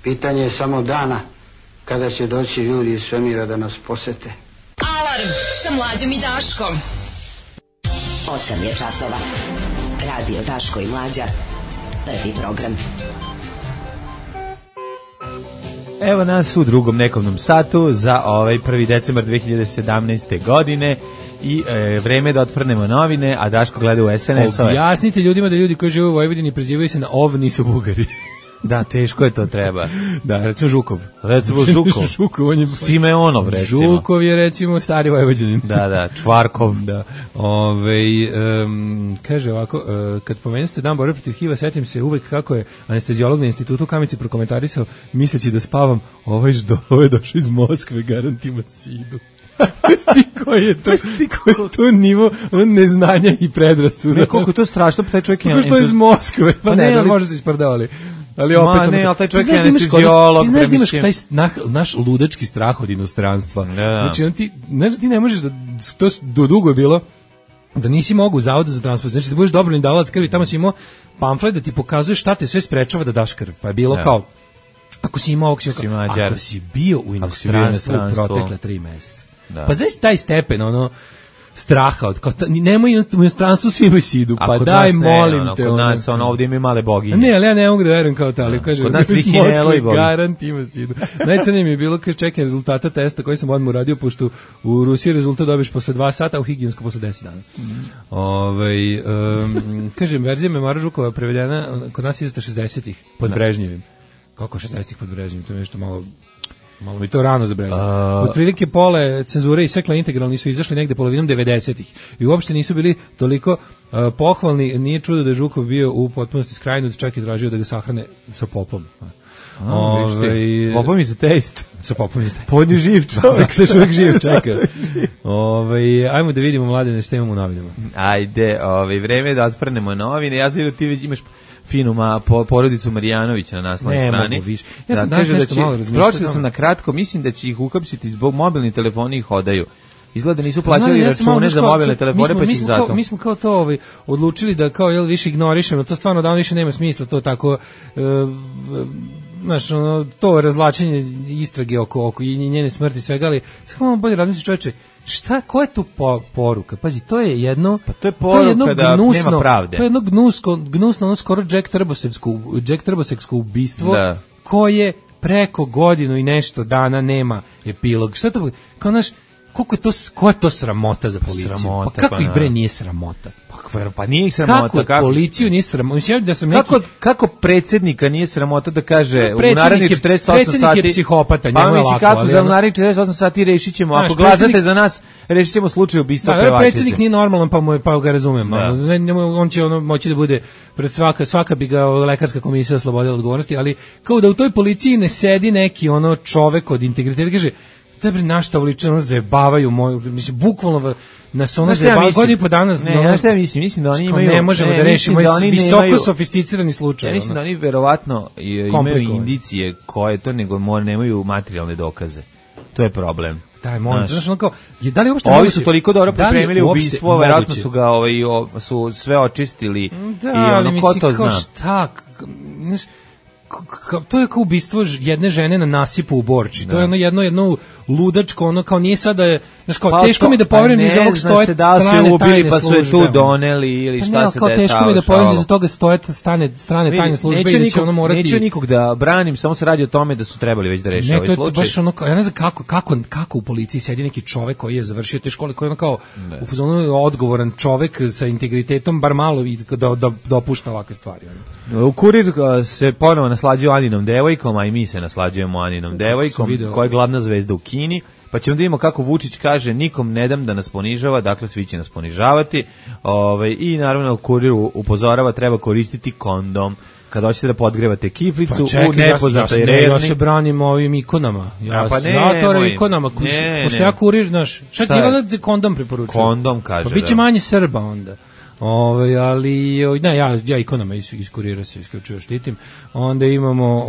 Pitanje je samo dana kada će doći ljudi iz svemira da nas posete. Alarm sa Mlađom i Daškom. 8 je časova. Radio Daško i Mlađa. Prvi program. Evo nas u drugom nekovnom satu za 1. decembar 2017. godine i vreme da otprnemo novine, a Daško gleda u SNS-ove. Objasnite ljudima da ljudi koji žive u Vojvodini prezivaju se na nisu Bugari. Da, teško je to treba. Da, recimo Žukov. Žukov, on je Simeonov, recimo. Žukov je, recimo, stari Vojvođanin. Da, Čvarkov. Da. Kaže ovako, kad pomenuste dan borbe protiv HIV-a, setim se uvek kako je anestezijolog na institutu u Kamici prokomentarisao, misleći da spavam, ovo je došao iz Moskve, garantima sidu. Koji je to nivo neznanja i predrasuda. Ne, koliko je to strašno, pa taj čovjek je... Što je iz Moskve, pa ne, može se ispardavali. Ali opet ali taj čovjek je anestezijolog. Ti znaš da imaš taj naš ludački strah od inostranstva. Znači, ti ne možeš da, to dugo je bilo, da nisi mogu u Zavodu za transport, znači da budeš dobrovoljni davalac krvi, tamo si imao pamflet da ti pokazuje šta te sve sprečava da daš krv, pa je bilo kao, ako si imao, ako si bio u inostranstvu u protekle 3 meseca. Pa znaš taj stepen, straha od nemoj u inostranstvu svi imaju sidu, pa daj molim te. Kod nas ovdje imaju male boginje. Ne, ali ja ne mogu da verujem kao to, ali kaže, kod nas trihinelo i boginje. Garant ima sidu. Najcrnije mi je bilo kad čekam rezultata testa koji sam odmah uradio, pošto u Rusiji rezultat dobiš posle 2 sata, a u Higijensko posle 10 dana. Kažem, verzija Memora Žukova prevedena kod nas izasta 60-ih pod Brežnjevim. Kako 60-ih pod Brežnjevim? To je nešto malo mi to rano zabreglo. Otprilike pole cenzure i sve integralni su izašli negde polovinom 90-ih i uopšte nisu bili toliko pohvalni. Nije čudo da je Žukov bio u potpunosti skrajnut, čak i tražio da ga sahrane sa popom. S popom i za test. Sa popom i za test. Podnju živ čovjek. Sa čovjek živ, čeka. Ajmo da vidimo, Mladene, što imamo u novinama. Ajde, vreme da otprnemo novine. Ja znam da ti već imaš finu porodicu Marijanovića na naslovnoj strani. Ne mogu više. Ja sam danas nešto malo razmišljao. Pročitao sam na kratko, mislim da će ih ukapsiti zbog mobilni telefoni ih hodaju. Izgleda nisu plaćali račune za mobilne telefone, pa će ih zato. Mi smo kao to odlučili da kao više ignorišemo, to stvarno da više nema smisla, to tako, znaš, to razvlačenje istrage oko i njene smrti svega, ali samo bolje razmisliti, čoveče, koja je tu poruka? Pazi, to je jedno... Pa to je poruka da nema pravde. To je jedno gnusno, skoro Jack Trbosevsko ubistvo, koje preko godinu i nešto dana nema epilog. Šta to? Kao naš... Koja je to sramota za policiju? Sramota, kako ih bre nije sramota? Pa nije ih sramota. Kako policiju nije sramota? Mislim da sam kako predsjednika nije sramota da kaže u narednih 48 sati... Predsjednik je psihopata, njemu je lako. Kako za narednih 48 sati rešit ćemo, ako glasate za nas, rešit ćemo slučaj ubistva pevačice. Predsjednik nije normalan, pa ga razumem. On će moći da bude pred svaka bi ga lekarska komisija oslobodila odgovornosti, ali kao da u toj policiji ne sedi neki čovek od integriteta, kaže našta uličeno zajebavaju moju, mislim, bukvalno nas zajebavaju godinu po dana. Ne, šta ja mislim da oni imaju... Ne možemo da rešimo visoko sofisticirani slučaj. Ja mislim da oni verovatno imaju indicije koje to, nego nemaju materijalne dokaze. To je problem. taj moment, znaš, ono kao, da li uopšte ovi su toliko dobro pripremili ubistvo, verovatno su ga su sve očistili da, i ono, ko to zna? Šta, znaš, to je kao ubistvo jedne žene na nasipu u Borči. To je ono jedno ludačko, ono kao nije sada, znaš, kao teško mi da poverujem iz ovog stoje strane tajne službe. Pa su je tu doneli ili šta se dešava. Kao teško mi da poverujem iz toga stoje strane tajne službe i da će ono morati. Neću nikog da branim, samo se radi o tome da su trebali već da reše ovaj slučaj. Ne, to je baš ono, ja ne znam kako u policiji sedi neki čovek koji je završio te škole, koji je ono kao u fazonu odgovoran čovek sa integritetom, bar malo da dopušta ovakve stvari. U Kurir se ponovo naslađuje Aninom devojkom, a i mi se naslađujemo Aninom devojkom, koja je glavna zvezda u Kini, pa ćemo da vidimo kako Vučić kaže nikom ne dam da nas ponižava, dakle svi će nas ponižavati, i naravno Kuriru upozorava treba koristiti kondom kada hoćete da podgrevate kiflicu u nepoznatoj redni. Ja se branim ovim ikonama. Ja to ikonama. Pošto ja Kurir, znaš, šta ti je kondom preporučujem? Kondom kaže, pa biće manje Srba onda. Ali ne, ja ikonama iz Kurira se isključivo štitim. Onda imamo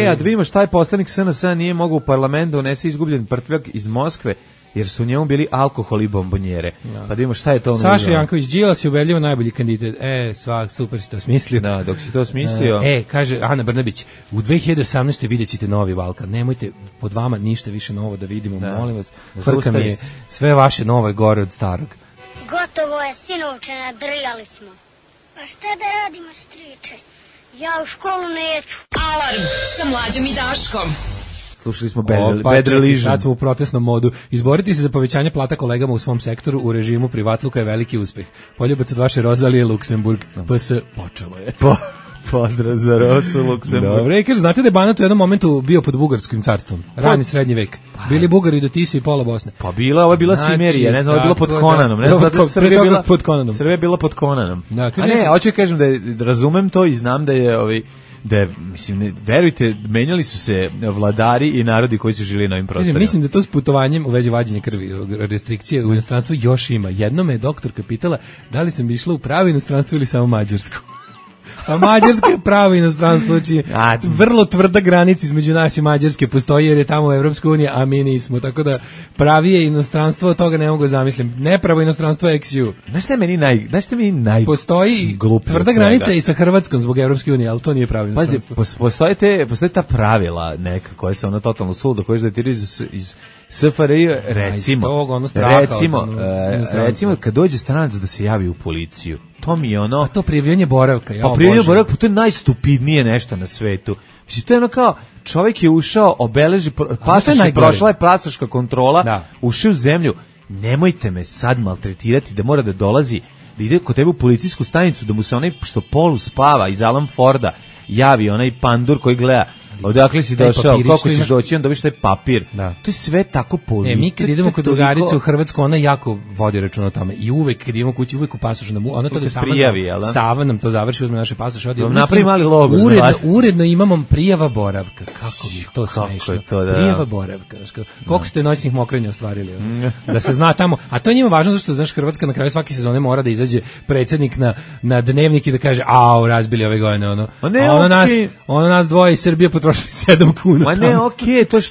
a da vidimo šta je poslanik SNS nije mogao u parlamentu unese izgubljen prtljak iz Moskve jer su u njemu bili alkohol i bombonjere. Ja. Pa da vidimo šta je to. Saša Janković Đilas je ubedljivo najbolji kandidat. Super si to smislio. Da, dok si to smislio. Kaže Ana Brnabić, u 2018. vidjet ćete novi Balkan. Nemojte pod vama ništa više novo da vidimo, molim vas. Frka mi je sve vaše novo je gore od starog. Gotovo je, sinovče, nadrijali smo. Pa šta da radimo, striče? Ja u školu neću. Alarm sa Mlađom i Daškom. Slušali smo Bad Religion. Sad smo u protestnom modu. Izboriti se za povećanje plata kolegama u svom sektoru u režimu privatluka je veliki uspeh. Poljubac od vaše Rozalije Luksemburg. PS počelo je. Pozdrav za Rosu Luksemburg. Dobre, kaže, znate da je Banat u jednom momentu bio pod bugarskim carstvom? Rani srednji vek. Bili Bugari do Tise i pola Bosne. Pa ovo je bila Simerija, ne znam, ovo je bilo pod Konanom. Ne znam da Srbija je bila pod Konanom. A ne, hoću kažem da razumem to i znam da je mislim, verujte, menjali su se vladari i narodi koji su živjeli na ovim prostorima. Mislim da to s putovanjem u vezi vađenja krvi, restrikcije u inostranstvu još ima. Jednom je doktorka pitala da li sam išla u pravo inostranstvo ili samo mađarsku. A Mađarska je pravo inostranstvo, znači vrlo tvrda granica između nas i Mađarske postoji jer je tamo u Evropskoj uniji, a mi nismo, tako da pravije inostranstvo, od toga ne mogu zamislim. Nepravo inostranstvo je XU. Znaš što mi naj postoji tvrda granica i sa Hrvatskom zbog Evropske unije, ali to nije pravo inostranstvo. Postoje ta pravila neka koja se totalno suludo, koje datiraju iz SFRJ, recimo kad dođe stranac da se javi u policiju, to mi je ono... A to prijavljanje boravka, prijavljanje boravka, to je najstupidnije nešto na svetu. Mislim, to je ono kao, čovjek je ušao, obeleži pasoš, prošla je pasoška kontrola, ušao u zemlju, nemojte me sad maltretirati da mora da dolazi, da ide kod tebe u policijsku stanicu, da mu se onaj što polu spava iz Alan Forda javi onaj pandur koji gleda odakle si došao, kako ćeš doći, onda viš taj papir. To je sve tako politika. Mi kad idemo kod drugarice u Hrvatsku, ona jako vodi računa o tome. I uvek kad idemo kući, uvek u pasošu ona to da Sava nam to završi, uzme naše pasoše, odi. Napravi mali logo. Uredno imamo prijava boravka. Kako mi je to smešno. Prijava boravka. Koliko ste noćnih mokrenja ostvarili? Da se zna tamo. A to je njima važno zašto, znaš, Hrvatska na kraju svake sezone mora da izađe predsjednik na dnevnik i da kaže, razbili ove godine, ono nas dvoje iz Srbije potrošili 7 kuna. Ma ne, okej, to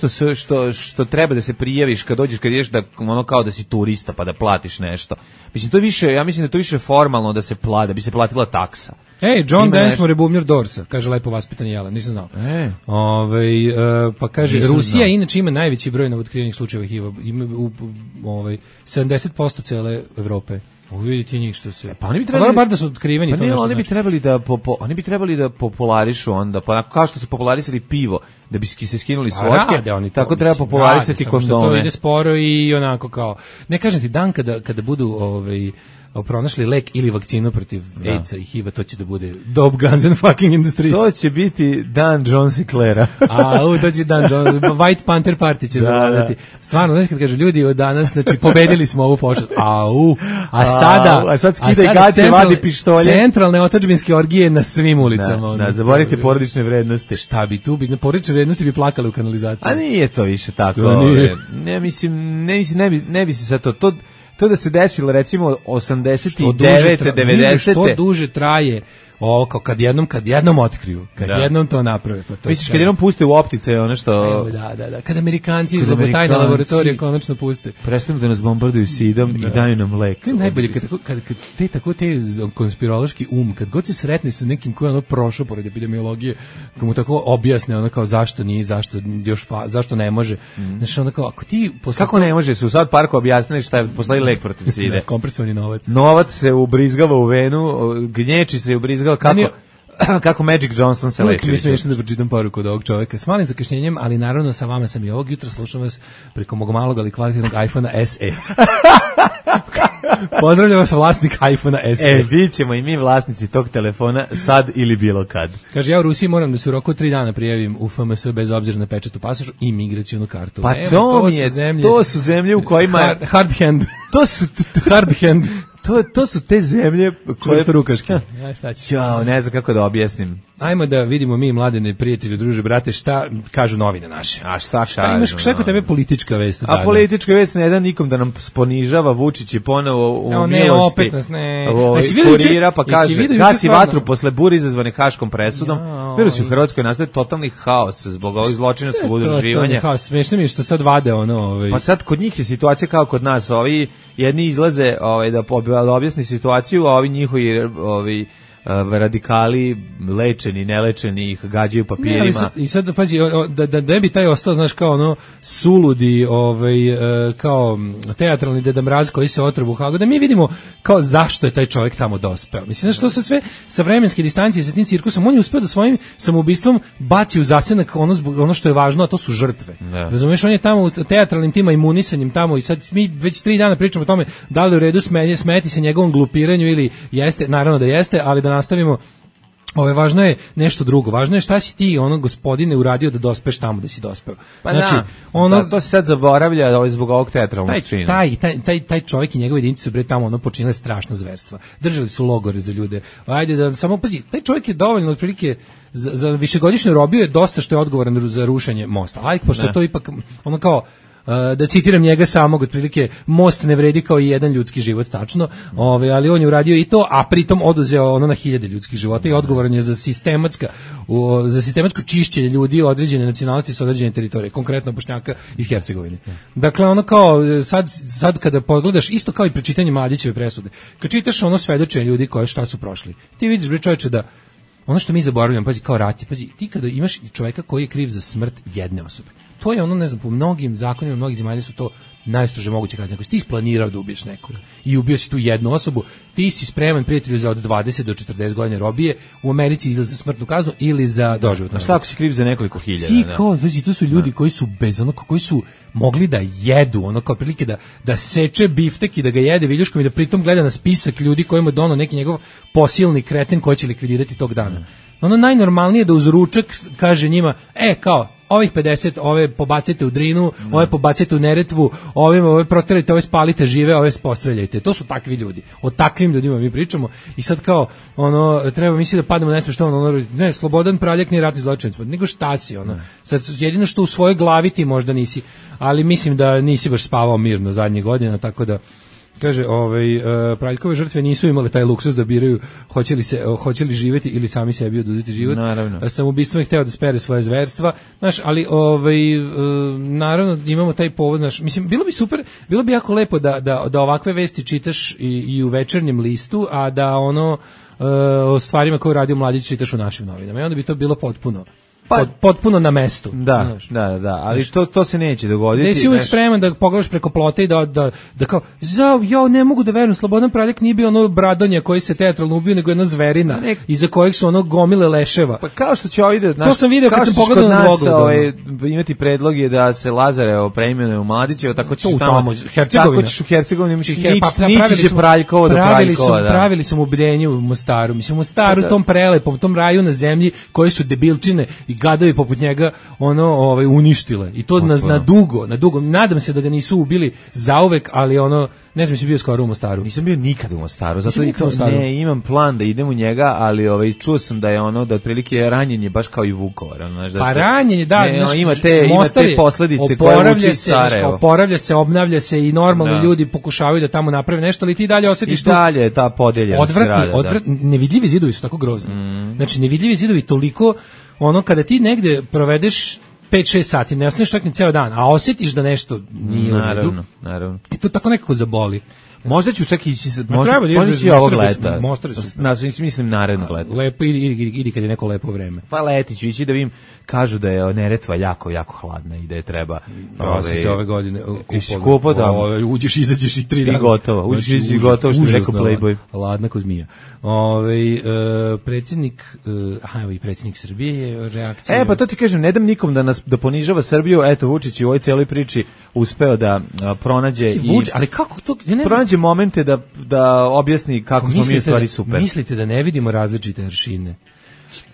što treba da se prijaviš kad dođeš, kad ideš da ono kao da si turista pa da platiš nešto. Mislim, to je više, ja mislim da je to više formalno da se da bi se platila taksa. John Densmore je bubnjer Dorsa, kaže lepo vaspitan Jelen, nisam znao. Pa kaže, Rusija inače ima najveći broj novootkrivenih slučajeva HIV-a, ima 70% cele Evrope. Vidite njih što se. Pa oni bi trebali bar da su otkriveni, to nešto. Oni bi trebali da popularišu onda, pa kao što su popularisali pivo, da bi se skinuli s vodke, tako treba popularisati kondome. To ide sporo i onako kao. Ne kažem ti, dan kada budu pronašli lek ili vakcinu protiv AIDS-a i HIV-a, to će da bude Dope Guns and Fucking in the Streets. To će biti dan John Sinclaira. To će dan John, White Panther Party će zavladati. Stvarno, znaš kad kažu ljudi od danas, znači pobedili smo ovu pošast. A sad skida i gaće, vadi pištolje. Centralne otadžbinske orgije na svim ulicama. Zaboravite porodične vrednosti. Šta bi tu na porodične vrednosti bi plakali u kanalizaciji. A nije to više tako. Ne bi se sad to da se desilo recimo 89. 90. Što duže traje ovo kao kad jednom otkriju, jednom to naprave, pa to. Misliš kad jednom puste u optice ono što Da, kad Amerikanci iz tajne laboratorije konačno puste. Prestanu da nas bombarduju sidom i daju nam lek. Najbolje kad te konspirološki kad god se sretne sa nekim ko je ono prošao pored epidemiologije, kad mu tako objasne ono kao zašto nije, zašto ne može. Znači ono kao ako ti kako ne može, su sad parku objasnili šta je, postoji lek protiv side. Kompresovani novac. Novac se ubrizgava u venu, gnječi se ubrizgava kako Magic Johnson se leči. Mi smo išli da pročitam poruku od ovog čoveka. S malim zakašnjenjem, ali naravno sa vama sam i ovog jutra, slušam vas preko mog malog ali kvalitetnog iPhone-a SE. Pozdravljam vas vlasnik iPhone-a SE. Bit ćemo i mi vlasnici tog telefona sad ili bilo kad. Kaže, ja u Rusiji moram da se u roku 3 dana prijavim u FMS bez obzira na pečat u pasošu i migracionu kartu. Pa to su zemlje u kojima... Hard hand. To su hard hand. To su te zemlje koje rukaške. Ne znam kako da objasnim. Ajmo da vidimo mi, Mladene, prijatelju, druže, brate, šta kažu novine naše. A šta kažu? Imaš šta kod tebe politička vest? A politička vest ne da nikom da nam ponižava, Vučić je ponovo u milosti. Ne, opet nas ne. Kurira pa kaže, gasi vatru posle bure izazvane Haškom presudom. Virusi u Hrvatskoj nastaje totalni haos zbog ovih zločinačkog udruživanja. Smešno mi je što sad vade ono... Pa sad kod njih je situacija kao kod nas, ovi jedni izlaze da objasni situaciju, a ovi njihovi radikali, lečeni, nelečeni, ih gađaju papirima. I sad pazi, da ne bi taj ostao, znaš, kao ono suludi, kao teatralni Deda Mraz koji se otrbu u Hagu, da mi vidimo kao zašto je taj čovjek tamo dospeo. Mislim, što se sve sa vremenske distancije sa tim cirkusom, on je uspeo da svojim samoubistvom baci u zasenak ono što je važno, a to su žrtve. Razumeš, on je tamo u teatralnim tima imunisanjem tamo i sad mi već 3 dana pričamo o tome da li u redu smeti se njegovom glupiranju ili jeste, naravno da jeste, ali da nastavimo. Važno je nešto drugo. Važno je šta si ti, gospodine, uradio da dospeš tamo da si dospeo. Pa znači, to se sad zaboravlja zbog ovog teatralnog čina. Taj čovjek i njegove jedinice su tamo počinile strašno zverstva. Držali su logore za ljude. Ajde da samo pazi, taj čovjek je dovoljno otprilike za višegodišnju robiju je dosta što je odgovoran za rušenje mosta. Ajde, pošto je to ipak kao da citiram njega samog, otprilike most ne vredi kao i jedan ljudski život, tačno, ali on je uradio i to, a pritom oduzeo na 1000 ljudskih života i odgovoran je za sistematsko čišćenje ljudi određene nacionalnosti sa određene teritorije, konkretno Bošnjaka iz Hercegovine. Dakle, sad kada pogledaš, isto kao i pri čitanju Mladićeve presude, kad čitaš svedočenje ljudi koje šta su prošli, ti vidiš, bre čoveče, da ono što mi zaboravljamo, pazi, kao rati, pazi, ti kada imaš čovjeka koji je kriv za smrt jedne osobe, to je ne znam, po mnogim zakonima, mnogih zemalja su to najstrože moguće kazne. Ako si ti isplanirao da ubiješ nekog i ubio si tu jednu osobu, ti si spreman, prijatelju, za od 20 do 40 godina robije u Americi ili za smrtnu kaznu ili za doživotnu. A šta ako si kriv za nekoliko hiljada? Ti kao, to su ljudi koji su koji su mogli da jedu, kao prilike da seče biftek i da ga jede viljuškom i da pritom gleda na spisak ljudi kojima je donao neki njegov posilni kreten koji će likvidirati tog dana. Najnormalnije da uz ručak kaže njima, kao, ovih 50, ove pobacite u Drinu, ove pobacite u Neretvu, ove proterajte, ove spalite žive, ove postreljajte. To su takvi ljudi. O takvim ljudima mi pričamo. I sad kao, treba misli da padnemo nešto što ne, Slobodan Praljak nije ratni zločinac, nego šta si, Sad, jedino što u svojoj glavi ti možda nisi, ali mislim da nisi baš spavao mirno zadnjih godina, tako da kaže, Praljkove žrtve nisu imale taj luksuz da biraju hoće li živjeti ili sami sebi oduzeti život. Naravno. Samoubistvom je hteo da spere svoje zverstva. Znaš, ali naravno imamo taj povod, znaš, mislim, bilo bi super, bilo bi jako lepo da ovakve vesti čitaš i u Večernjem listu, a da o stvarima koje radio Mladić čitaš u našim novinama. I onda bi to bilo potpuno na mestu. Da, ali to se neće dogoditi. Ne si uvijek spreman da pogledaš preko plota i da kao, ne mogu da verujem, Slobodan Praljak nije bio bradonja koji se teatralno ubio, nego jedna zverina iza kojeg su gomile leševa. Pa kao što će ovdje, to sam video kad sam pogledao na Dvogled. Imati predlog je da se Lazarevo preimenuje u Mladićevo, tako ćeš tamo u Hercegovini nići će Praljkovo do Praljkova. Pravili su mu bdenje u Mostaru. Mislim, u Mostaru, tom prelepom, tom raju na zemlji koji su debilčine i gadovi poput njega uništile. I to na dugo. Nadam se da ga nisu ubili zauvek, ali Ne znam, si bio skoro u Mostaru. Nisam bio nikad u Mostaru, zato i to ne imam plan da idem u njega, ali čuo sam da je ono da otprilike ranjenje baš kao i Vukovar, znaš da pa ranjenje, da, ima te posledice koje uči Sarajevo. Oporavlja se, obnavlja se i normalno ljudi pokušavaju da tamo naprave nešto, ali ti dalje osetiš i dalje ta podeljenost. Nevidljivi zidovi su tako grozni. Znači nevidljivi zidovi toliko ono kada ti negde provedeš 5-6 sati, ne ostaneš čak ni ceo dan, a osjetiš da nešto nije u redu. Naravno. I to tako nekako zaboli. Možda ću čak ići, možda i ovog leta. Mislim narednog leta. Lepo, idi kad je neko lepo vreme. Pa leti ću ići da vidim, kažu da je Neretva jako, jako hladna i da je treba... Ja sam se ove godine kupao da... Uđeš, izađeš i 3 dana. I gotovo, uđeš i gotovo, što je rekao Playboy. Ladna ko zmija. Predsjednik, i predsjednik Srbije je reakcija... Pa to ti kažem, ne dam nikom da ponižava Srbiju, eto Vučić u ovoj cijeloj priči uspeo da pronađe ali kako to... pronađe momente da objasni kako smo mi u stvari super. Mislite da ne vidimo različite aršine?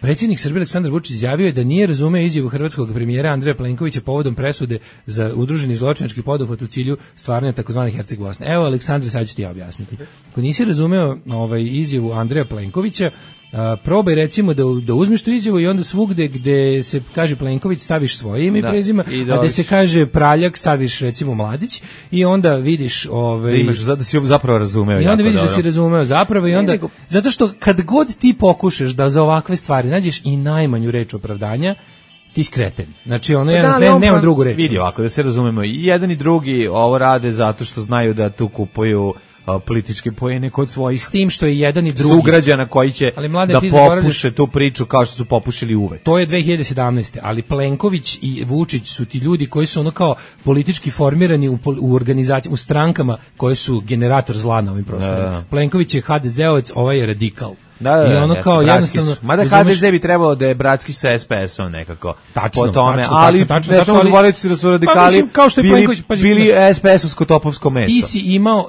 Predsjednik Srbije Aleksandar Vučić izjavio je da nije razumeo izjavu hrvatskog premijera Andreja Plenkovića povodom presude za udruženi zločinački poduhvat u cilju stvaranja takozvane Herceg Bosne. Evo, Aleksandre, sad ću ti ja objasniti. Ako nisi razumeo izjavu Andreja Plenkovića, probaj recimo da uzmeš tu izjavu i onda svugde gde se kaže Plenković staviš svoje ime i prezime, a gde se kaže Praljak staviš recimo Mladić i onda vidiš da si zapravo razumeo. I onda vidiš da si razumeo zapravo i onda zato što kad god ti pokušaš da za ovakve stvari nađeš i najmanju reč opravdanja, ti skreten. Znači ono nema drugu reč. Vidi ovako da se razumemo, i jedan i drugi ovo rade zato što znaju da tu kupuju političke poene kod svojih, s tim što je jedan i drugi sugrađana koji će da popuše tu priču kao što su popušili uvek. To je 2017. Ali Plenković i Vučić su ti ljudi koji su ono kao politički formirani u organizaciji, u strankama koje su generator zla na ovim prostorima. Plenković je HDZ-ovac, ovaj je radikal. I ono kao jednostavno... Mada HDZ bi trebalo da je bratski sa SPS-om nekako. Tačno, po tome, ali nećemo zaboraviti da su radikali bili SPS-ovsko topovsko meso. Ti si imao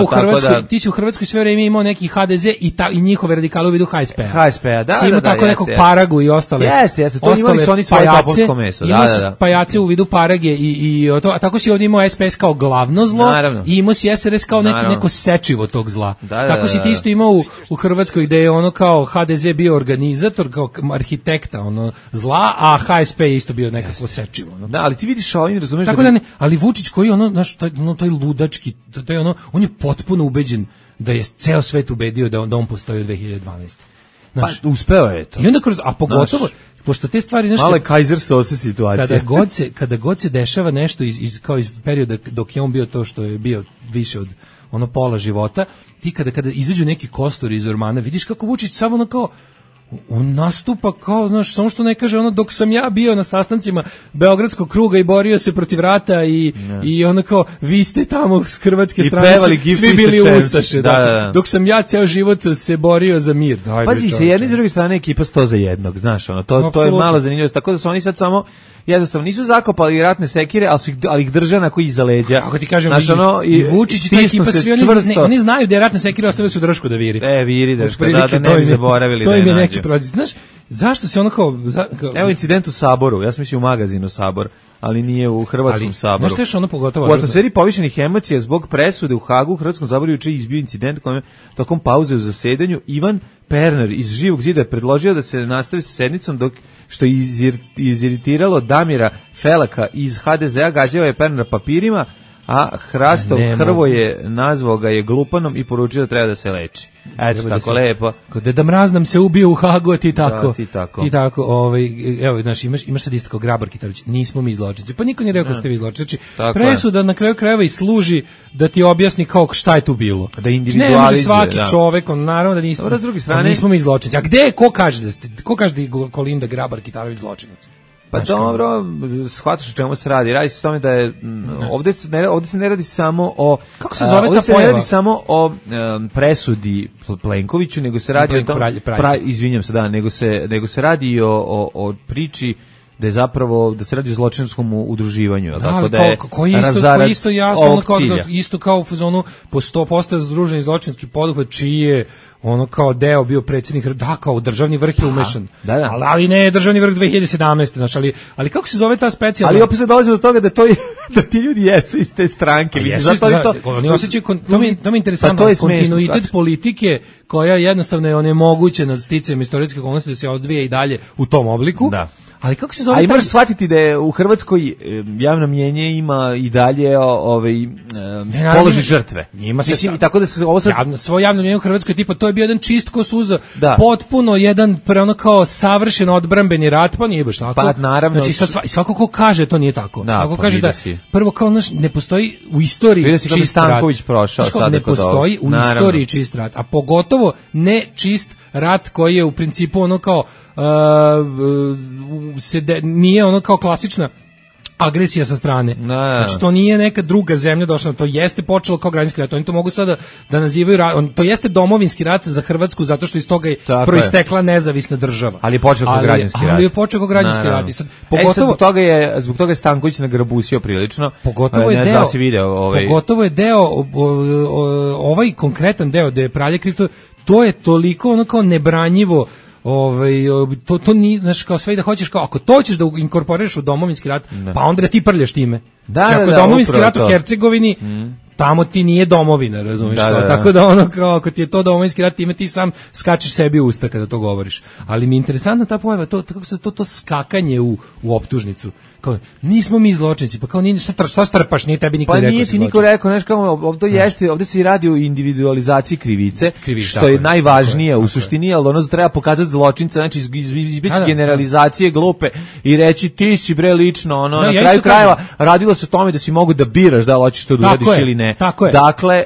u Hrvatskoj, ti si u Hrvatskoj sve vreme imao neki HDZ i njihove radikale u vidu HSP-a. HSP-a, da. Si imao tako nekog Paragu i ostale. Jeste, to imali su oni svoje topovsko meso. Imao si pajace u vidu Parage a tako si ovdje imao SPS kao glavno zlo i imao si SRS kao neko sečivo tog zla. Tako si ti isto imao u Hrvatskoj gde je ono kao HDZ bio organizator, kao arhitekta zla, a HSP je isto bio nekako sečivo. Da, ali ti vidiš ovim, razumeš tako da ne, ali Vučić koji taj ludački, on je potpuno ubeđen da je ceo svet ubedio da on postoji od 2012. Pa uspeo je to. I onda a pogotovo pošto te stvari nešto male Kaiser sose situacije. Kada god se dešava nešto iz perioda dok je on bio to što je bio više od pola života, ti kada izađu neki kostori iz ormana, vidiš kako Vučić samo kao on nastupa kao, znaš, samo što ne kaže dok sam ja bio na sastancima Beogradskog kruga i borio se protiv rata i ono kao, vi ste tamo s hrvatske strane svi bili ustaše. Da. Dok sam ja ceo život se borio za mir. Pazi, se jedne i s druge strane ekipa 100 za jednog, znaš, to je malo zanimljivo, tako da su oni sad samo jednostavno nisu zakopali ratne sekire, ali ih drže na koji iza leđa. Kako ti kažem, i Vučić i ta ekipa, svi oni znaju da je ratne sekire ostavili su Dršku da viri. Viri Drška, da ne bi zaboravili da je nađe. Znaš, zašto se ono kao... Evo incident u Saboru, ja sam mislio u magazinu Sabor, ali nije u Hrvatskom Saboru. Znaš što je pogotovo... U atmosferi povišenih emocija zbog presude u Hagu u Hrvatskom Saboru juče izbio incident kojem tokom pauze u zasedanju Ivan Pernar iz Živog zida je predložio da se nastavi sa sednicom što je iziritiralo Damira Felaka iz HDZ-a, gađao je Pernar papirima, a Hrastov Hrvoje nazvao ga je glupanom i poručio da treba da se leči. Eto, tako lepo. Kod Deda Mraz nam se ubio u Hagu, ti tako. Ti tako, evo, znaš, imaš sad isto kao Grabar Kitarović, nismo mi zločinci. Pa niko nije rekao ste vi zločinci. Presuda na kraju krajeva i služi da ti objasni kao šta je tu bilo. Da individualizuje. Ne može svaki čovek, naravno da nismo mi zločinci. A gde, ko kaže da ste, ko kaže da je Kolinda Grabar Kitarović zločinac? Pa dobro, shvataš o čemu se radi. Radi se o tome da je ovdje se ne radi samo o kako se zove ta pojava? Ne radi samo o presudi Plenkoviću, nego se radi o tom, izvinjam se, nego se radi o priči da je zapravo da se radi o zločinačkom udruživanju, da, tako da je koji isto jasno isto kao u fazonu po 100% združeni zločinski poduhvat čiji je ono kao deo bio predsjednik, da, kao državni vrh je umešan. Da. Ali ne državni vrh 2017. Znaš, ali kako se zove ta specijalna? Ali opet se dolazimo do toga da ti ljudi jesu iz te stranke. Oni osjećaju, to mi interesantno, kontinuitet politike koja jednostavno je onemogućena sticajem istorijske okolnosti da se odvija i dalje u tom obliku. Da. Ali kako se zove? Ali možeš shvatiti da je u Hrvatskoj javno mnjenje ima i dalje položaj žrtve. Mislim, tako da se ovo sad... Svoje javno mnjenje u Hrvatskoj tipa to je bio jedan čist ko suza, potpuno jedan ono kao savršen odbrambeni rat, pa nije baš tako. Pa naravno. Znači svako ko kaže to nije tako. Svako kaže da prvo kao ne postoji u istoriji čist rat. Ne postoji u istoriji čist rat, a pogotovo ne čist rat koji je u principu ono kao nije ono kao klasična agresija sa strane. Znači to nije neka druga zemlja došla, to jeste počelo kao građanski rat. Oni to mogu sada da nazivaju to jeste domovinski rat za Hrvatsku zato što iz toga je proistekla nezavisna država. Ali je počeo kao građanski rat. Ali je počeo kao građanski rat. I sad pogotovo zbog toga je Stanković nagrabusio prilično. Pogotovo je deo ovaj konkretan deo da je Praljak kriv, to je toliko ono kao nebranjivo. To nije, znaš, kao sve da hoćeš, kao ako to ćeš da inkorporiraš u domovinski rat, pa onda ga ti prljaš time. Ako je domovinski rat u Hercegovini, tamo ti nije domovina, razumiješ? Tako da ono kao, ako ti je to domovinski rat, time ti sam skačeš sebi u usta kada to govoriš. Ali mi je interesantna ta pojava, kako se to skakanje u optužnicu. Kao, nismo mi zločinci, pa kao nije, šta strpaš, nije tebi niko rekao. Pa nije ti niko rekao, znaš, kao ovdje se radi o individualizaciji krivice, što je najvažnije u suštini, ali ono treba pokazati zločinca, znači izbjeći generalizacije glupe i reći ti si bre lično, na kraju krajeva radilo se o tome da si mogu da biraš da li hoćeš to da uradiš ili ne. Dakle,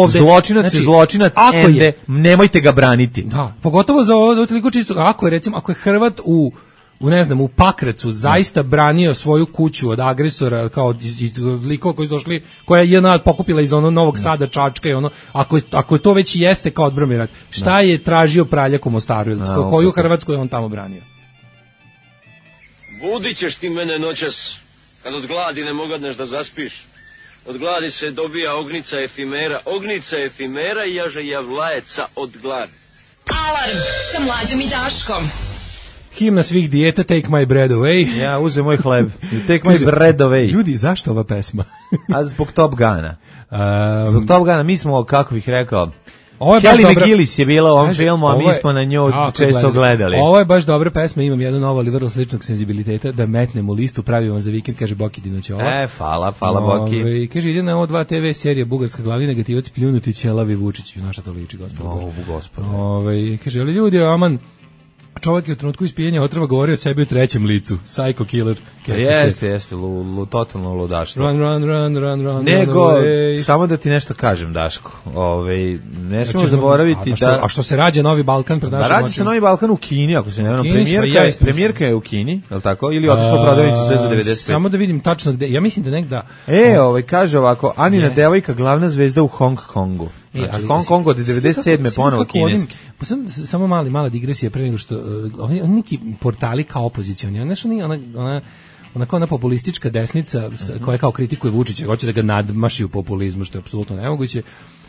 zločinac je zločinac, nemojte ga braniti. Da, pogotovo za ovo toliko čisto, ako je Hrvat u Pakracu zaista branio svoju kuću od agresora, kao iz likova koji su došli, koja je jedna pokupila iz Novog Sada, Čačka i ako to već jeste kao odbrambeni rat, šta je tražio Praljak u Mostaru, koju Hrvatsku je on tamo branio? Budit ćeš ti mene noćas, kad od gladi ne mogadneš da zaspiš. Od gladi se dobija ognica efimera i jaže javlajeca od gladi. Alarm sa Mlađom i Daškom. Himna svih dijeta, Take my bread away. Ja, uzem moj hleb. Take my bread away. Ljudi, zašto ova pesma? A zbog Top Guna. Zbog Top Guna, mi smo, kako bih rekao, Kelly McGillis je bila u ovom filmu, a mi smo na nju često gledali. Ovo je baš dobra pesma, imam jednu novu, ali vrlo sličnog senzibiliteta, da metnemo listu, pravimo za vikend, kaže Boki Dinoćova. Hvala Boki. Kaže, ide na O2 TV serija Bugarska glavni negativac pljunuti ćelavi Vučić. Naša to liči, gospod. Kaže, ali ljudi, aman, čovjek je u trenutku ispijenja otrova govorio o sebi u trećem licu. Psycho killer. Jeste, totalno ludaštvo. Run. Nego, samo da ti nešto kažem, Daško. Ne smemo zaboraviti da... A što se rađa Novi Balkan pred našim očima? Rađa se Novi Balkan u Kini, ako se ne vrlo. Premijerka je u Kini, je li tako? Ili otišlo prodavnicu sve za 95? Samo da vidim tačno gde. Ja mislim da negda... Kaže ovako, Anina devojka, glavna zvezda u Hong Kongu. Znači, Hong Kong od 97. ponovo kineski. Samo mala digresija pre nego što... Oni neki portali kao opozicioni, ona populistička desnica koja kao kritikuje Vučića, hoće da ga nadmaši u populizmu, što je apsolutno nemoguće.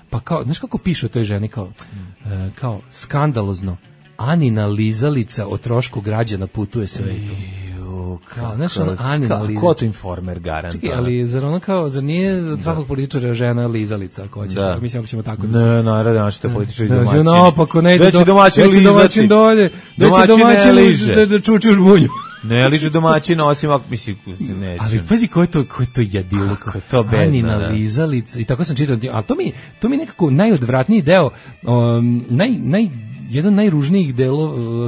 Pa kao, znaš kako piše o toj ženi, kao skandalozno, Anina lizalica o trošku građana putuje svetu. Znaš, Anina lizalica. Ko to Informer garant? Čekaj, ali zar nije za svakog političara žena lizalica? Mislim, ako ćemo tako da... Ne, naći to političari domaćini. Naopako, ne ide domaćin dolje, domaćin da čuči u žbunju. Ne liže domaćina, osim ako, mislim, neće. Ali pazi ko je to jedilo, to bedno, Anina lizalica, i tako sam čitao, ali to mi nekako najodvratniji deo, jedan najružnijih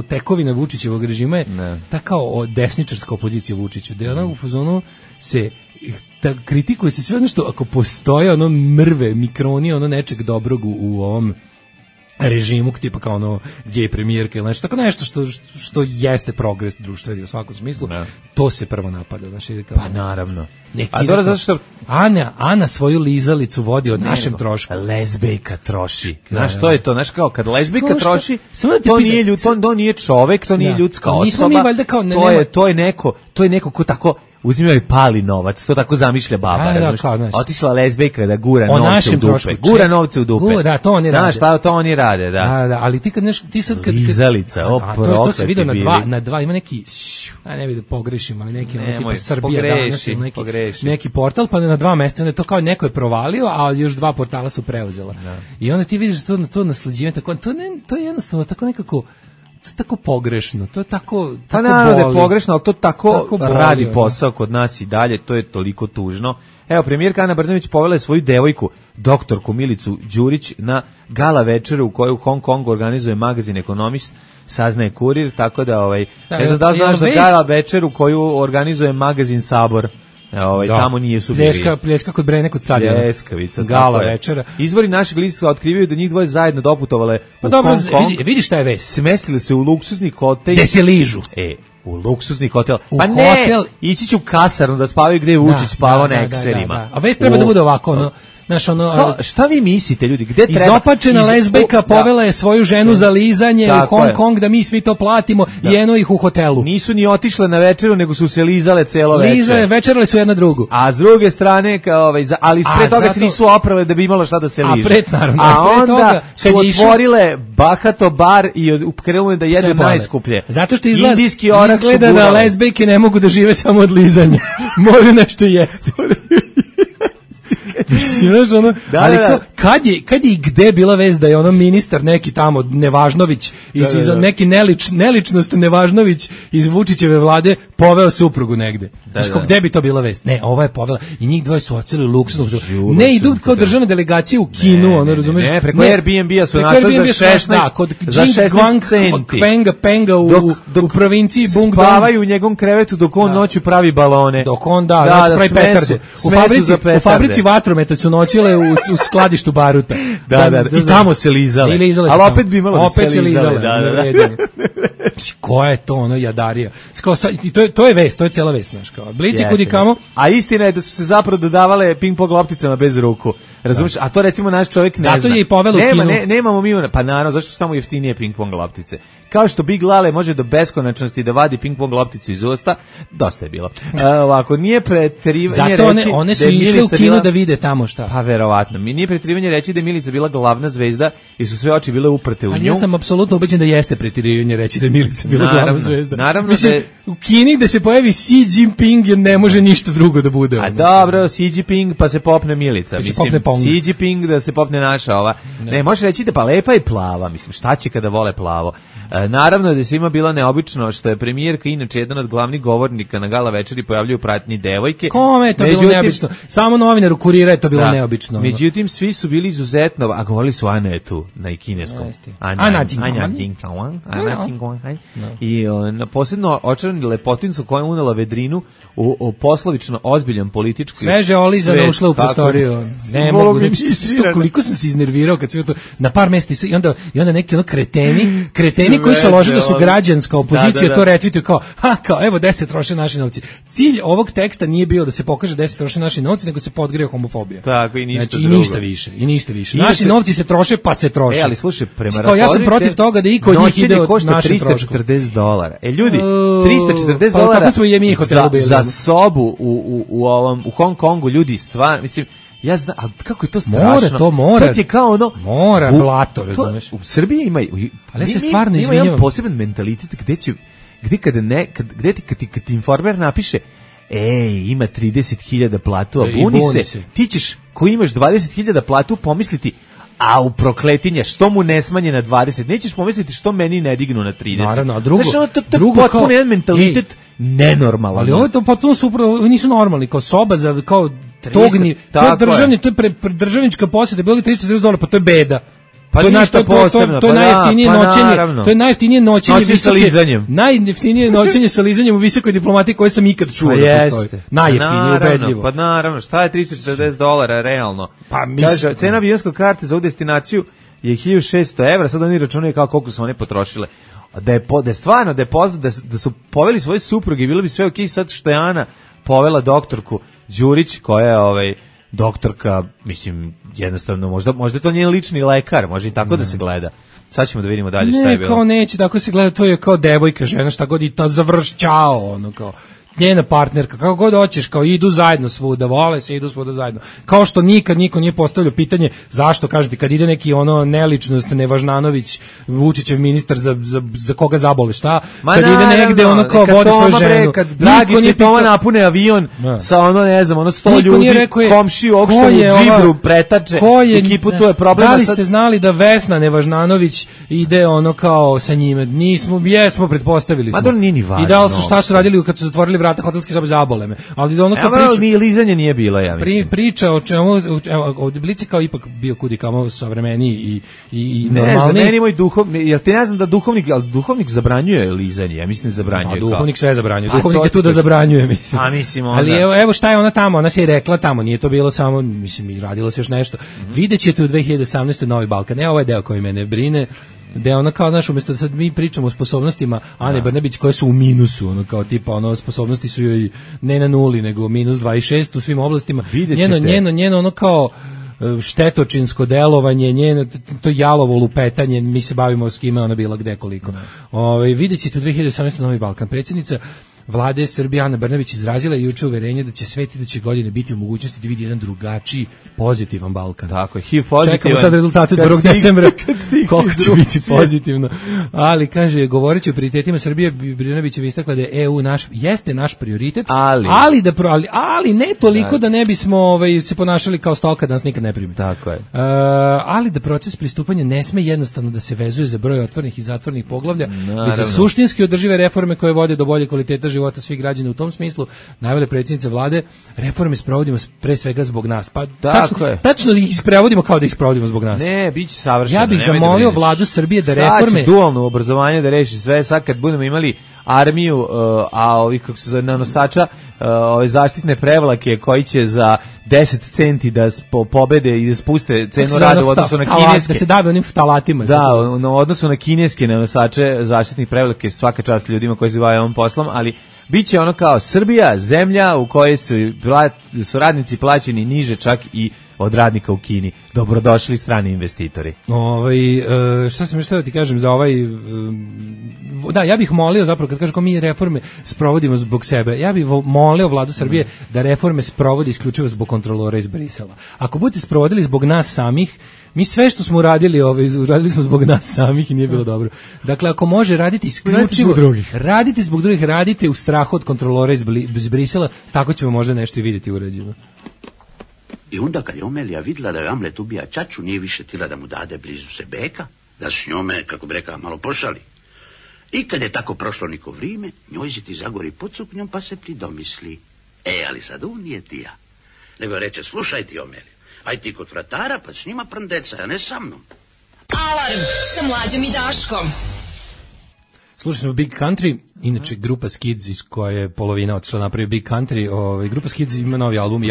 tekovina Vučićevog režima je ta kao desničarska opozicija Vučiću, da je ona u fazonu se kritikuje se sve ono što ako postoje mrve, mikroni nečeg dobrog u ovom režimu, tipa kao gej premijerka ili nešto, tako nešto što jeste progres društveni u svakom smislu, to se prvo napada. Znači, pa naravno. Neki A dobro, zato što Ana svoju lizalicu vodi od našem trošku. Lezbejka troši. Znaš, to je to. Znaš, kao kad lezbejka troši, to to nije čovek, to nije ljudska osoba. Nismo mi valjda kao... To je neko ko tako uzima i pali novac, to tako zamišlja baba. Otišla lezbejka da gura novce u dupe. Gura novce u dupe. Da, to oni rade. Znaš, šta to oni rade, da. Da, ali ti sad kad... Lizalica, to se vidio na dva, ima neki, ne vidim da pogrešim, ali neki tipa Srbija danas, neki portal, pa na 2 mesta, to kao neko je provalio, a još 2 portala su preuzela. I onda ti vidiš to nasleđivanje, to je jednostavno tako nekako, to je tako pogrešno, to je tako pa naravno da je pogrešno, ali to tako radi posao kod nas i dalje, to je toliko tužno. Evo, premijerka Ana Brnabić povela je svoju devojku, doktorku Milicu Đurić, na gala večeru u kojoj u Hong Kongu organizuje magazin Ekonomist, saznaje Kurir, tako da, ne znam da li znaš za gala večeru koju organizuje magazin Sabor. Tamo nije su bili. Pljeska kod Brene kod stadiona. Pljeskavica. Gala večera. Izvori našeg lista otkrivaju da njih dvoje zajedno doputovale u dobro, Hong Kong. Vidi šta je vest. Smestili se u luksuzni hotel. Gde se ližu. U luksuzni hotel. Pa ne, ići će u kasarnu da spavaju gde je Vučić spavao na ekserima. A vest treba da bude ovako, znaš, šta vi mislite, ljudi? Gde treba? Izopačena lezbejka povela je svoju ženu za lizanje u Hong Kong da mi svi to platimo i eno ih u hotelu. Nisu ni otišle na večeru, nego su se lizale celo večer. Večerali su jedna drugu. A s druge strane, ali pre toga se nisu oprale da bi imalo šta da se liže. A onda su otvorile bahato bar i krenule da jedu najskuplje. Zato što izgleda da lezbejke ne mogu da žive samo od lizanja. Moraju nešto jesti. Ali kad je i gde bila vest da je ono ministar neki tamo Nevažnović neki neličnost Nevažnović iz Vučićeve vlade poveo suprugu negde. Gde bi to bila vest? Ne, ova je povela i njih dvoje su oceli luksuzno. Ne idu kao državne delegacije u Kinu, razumeš? Ne, preko Airbnb-a su našli za 16 centi. Penga u provinciji Bungdong. Spavaju u njegovom krevetu dok on noću pravi balone. Dok on pravi petarde. U fabrici vatrometa su noćile u skladištu baruta. I tamo se lizale. Ali opet bi imalo da se lizale. Koja je to jadarija? To je vest, to je cijela vest, znaš, kao Blici kudi kamo. A istina je da su se zapravo dodavale ping-pong lopticama bez ruku. Razumiješ? A to recimo naš čovjek ne zna. Zato je i povelo u Kinu. Nemamo mi pa naravno, zašto su tamo jeftinije ping-pong loptice? Kao što Big Lale može do beskonačnosti da vadi ping-pong lopticu iz usta, dosta je bilo. Ovako, nije preterivanje reći zato one su išle u Kinu da vide tamo šta. Pa verovatno. Nije preterivanje reći da je Milica bila glavna zvezda i su sve oči bile uprte u nju. Ali ja sam apsolutno ubeđen da jeste preterivanje reći da je Milica bila glavna zvezda. Naravno. Mislim, u Kini gde se pojavi Xi Jinping ne može ništa drugo da bude. A dobro, Xi Jinping pa se popne Milica. Mislim, Xi Jinping da se popne naša ova. Ne, možeš reći da pa lepa i plava. Mislim, šta će kada vole plavo? Naravno da je svima bilo neobično što je premijerka inače jedan od glavnih govornika na gala večeri pojavljuje u pratnji devojke. Kome je to bilo neobično? Samo novinaru Kurira je to bilo neobično. Međutim, svi su bili izuzetno, a govorili su Anetu na kineskom. Ana Jingwang. I posebno očarani lepotincu koja je unela vedrinu u poslovično ozbiljan politički sveže olizano ušla u prostoriju. Ne mogu, koliko sam se iznervirao kad sve to na par mesta i onda neki kreteni koji se lože da su građanska opozicija to retweetuju kao evo 10 troše naši novci. Cilj ovog teksta nije bio da se pokaže 10 troše naši novci, nego se podgrije homofobija. Tako i ništa drugo. I ništa više. Naši novci se troše pa se troše. Ali slušaj, prema računici ja sam protiv toga da iko od njih ide od naših troškova. $340. Ljudi, $340 za sobu u Hong Kongu, ljudi, stvarno, mislim, ja znam, ali kako je to strašno? Mora. To je kao ono... Mora, blato, razumeš? U Srbiji ima... Ali se stvarno izvinjavam. Ima jedan poseban mentalitet gde kad ti informer napiše ima 30.000 platu, a buni se. Ti ćeš, ko imaš 20.000 platu, pomisliti, a u prokletinja, što mu ne smanje na 20? Nećeš pomisliti što meni ne dignu na 30. Naravno, a drugo... Znaš, to je potpuno jedan mentalitet nenormalan. Ali ovo je to potpuno supravo, nisu normalni, kao soba za, kao togni, to je državni, to je državnička posjeta, bilo je $340, pa to je beda. Pa to je najjeftinije noćenje. To je najjeftinije noćenje sa lizanjem. Najjeftinije noćenje sa lizanjem u visokoj diplomatiji koje sam ikad čuo da postoji. Najjeftinije, ubedljivo. Pa naravno, šta je $340 realno? Pa mislim, cena avionske karte za ovu destinaciju je €1.600, sad oni računaju kao koliko su one potrošile. Da je stvarno, da su poveli svoje supruge, bilo bi sve okej, sad što je Ana povela doktorku Đurić, koja je doktorka, mislim, jednostavno, možda to nije lični lekar, može i tako da se gleda. Sad ćemo da vidimo dalje šta je bilo. Ne, kao neće, tako se gleda, to je kao devojka, žena, šta god i ta završćao, ono kao njena partnerka, kako god hoćeš, kao idu zajedno svuda, vole se, idu svuda zajedno. Kao što nikad niko nije postavljao pitanje zašto, kažete, kad ide neki neličnost, Nevažnanović, Vučićev ministar, za koga zabole, šta? Ma kad naravno, ide negde, kao vodi svoju ženu. Kad Dragice Toma napune avion sa 100 ljudi, komšiju, ovog što u džibru pretače, ekipu, tu je problem. Da li ste znali da Vesna Nevažnanović ide kao sa njime? Jesmo, pretpostavili smo. Ma to nije ni važno. I da li su šta su radili kad su zatvorili vrata hotelske sobe, zabole me. Ali da kao priča, ni lizanje nije bilo, ja mislim. Priča o čemu, od Blici kao ipak bio kudikamo savremeniji i normalni. Ne, za meni moj duhovnik, jel ti ne znam da duhovnik zabranjuje lizanje, ja mislim da zabranjuje. Duhovnik sve zabranjuje, duhovnik je tu da zabranjuje, mislim. A mislim onda. Ali evo šta je ona tamo, ona se je rekla tamo, nije to bilo samo, mislim, i radilo se još nešto. Videćete u 2018. Novi Balkan, ovo je deo koji mene brine, da ona kao, znaš, umjesto da sad mi pričamo o sposobnostima Ane Brnabić koje su u minusu, kao tipa, sposobnosti su joj ne na nuli, nego minus 26 u svim oblastima. Njeno kao štetočinsko delovanje, njeno to jalovo lupetanje, mi se bavimo s kime ona bila gde koliko. Vidjet ćete u 2018. Novi Balkan. Predsjednica Vlade Srbije Ana Brnabić izrazila juče uverenje da će svet iduće godine biti u mogućnosti da vidi jedan drugačiji, pozitivan Balkan. Tako je, HIV pozitivan. Čekamo sad rezultate od 1. decembra, koliko će biti pozitivno. Ali, kaže, govoreći o prioritetima Srbije, Brnabić je istakla da je EU jeste naš prioritet, ali ne toliko da ne bismo se ponašali kao stoka da nas nikad ne primi. Tako je. Ali da proces pristupanja ne sme jednostavno da se vezuje za broj otvorenih i zatvorenih poglavlja, već za suštinski održive reforme koje vode do bolje kvaliteta života svih građana. U tom smislu navele predsjednice vlade, reforme sprovodimo pre svega zbog nas. Pa tačno ih sprovodimo kao da ih sprovodimo zbog nas. Ne, biće savršeno. Ja bih zamolio vladu Srbije da reforme... Sad će dualno obrazovanje da reši sve, sad kad budemo imali armiju, a ovih, kako se zove, nanosača, ove zaštitne prevlake koji će za 10 centi da pobede i da spuste cenu rada u odnosu na kineske. Da se dave onim ftalatima. Da, u odnosu na kineske nanosače zaštitnih prevlake, svaka čast ljudima koji se bave ovom poslom, ali biće ono kao Srbija, zemlja u kojoj su radnici plaćeni niže čak i od radnika u Kini. Dobrodošli strani investitori. Šta sam još htio ti kažem za da, ja bih molio zapravo kad kažem kao mi reforme sprovodimo zbog sebe, ja bih molio vladu Srbije da reforme sprovodi isključivo zbog kontrolora iz Brisela. Ako budete sprovodili zbog nas samih, mi sve što smo uradili smo zbog nas samih i nije bilo dobro. Dakle, ako može raditi isključivo radite zbog drugih, radite u strahu od kontrolora iz Brisela, tako ćemo možda nešto i vidjeti urađeno. I onda kad je Omelija vidjela da je Amlet ubija ćaću, nije više tila da mu dade blizu se beka, da s njome, kako bi rekao, malo pošali. I kad je tako prošlo neko vrijeme, njoj se ti zagori pod suknjom pa se pridomisli. Ali sad on nije ti ja. Nego reče, slušaj ti Omelija, aj ti kod vratara pa s njima prndeca, a ne sa mnom. Alarm sa Mlađom i Daškom. Slušali smo Big Country, inače grupa Skids iz koje je polovina otišla napravi Big Country. Grupa Skids ima novi album i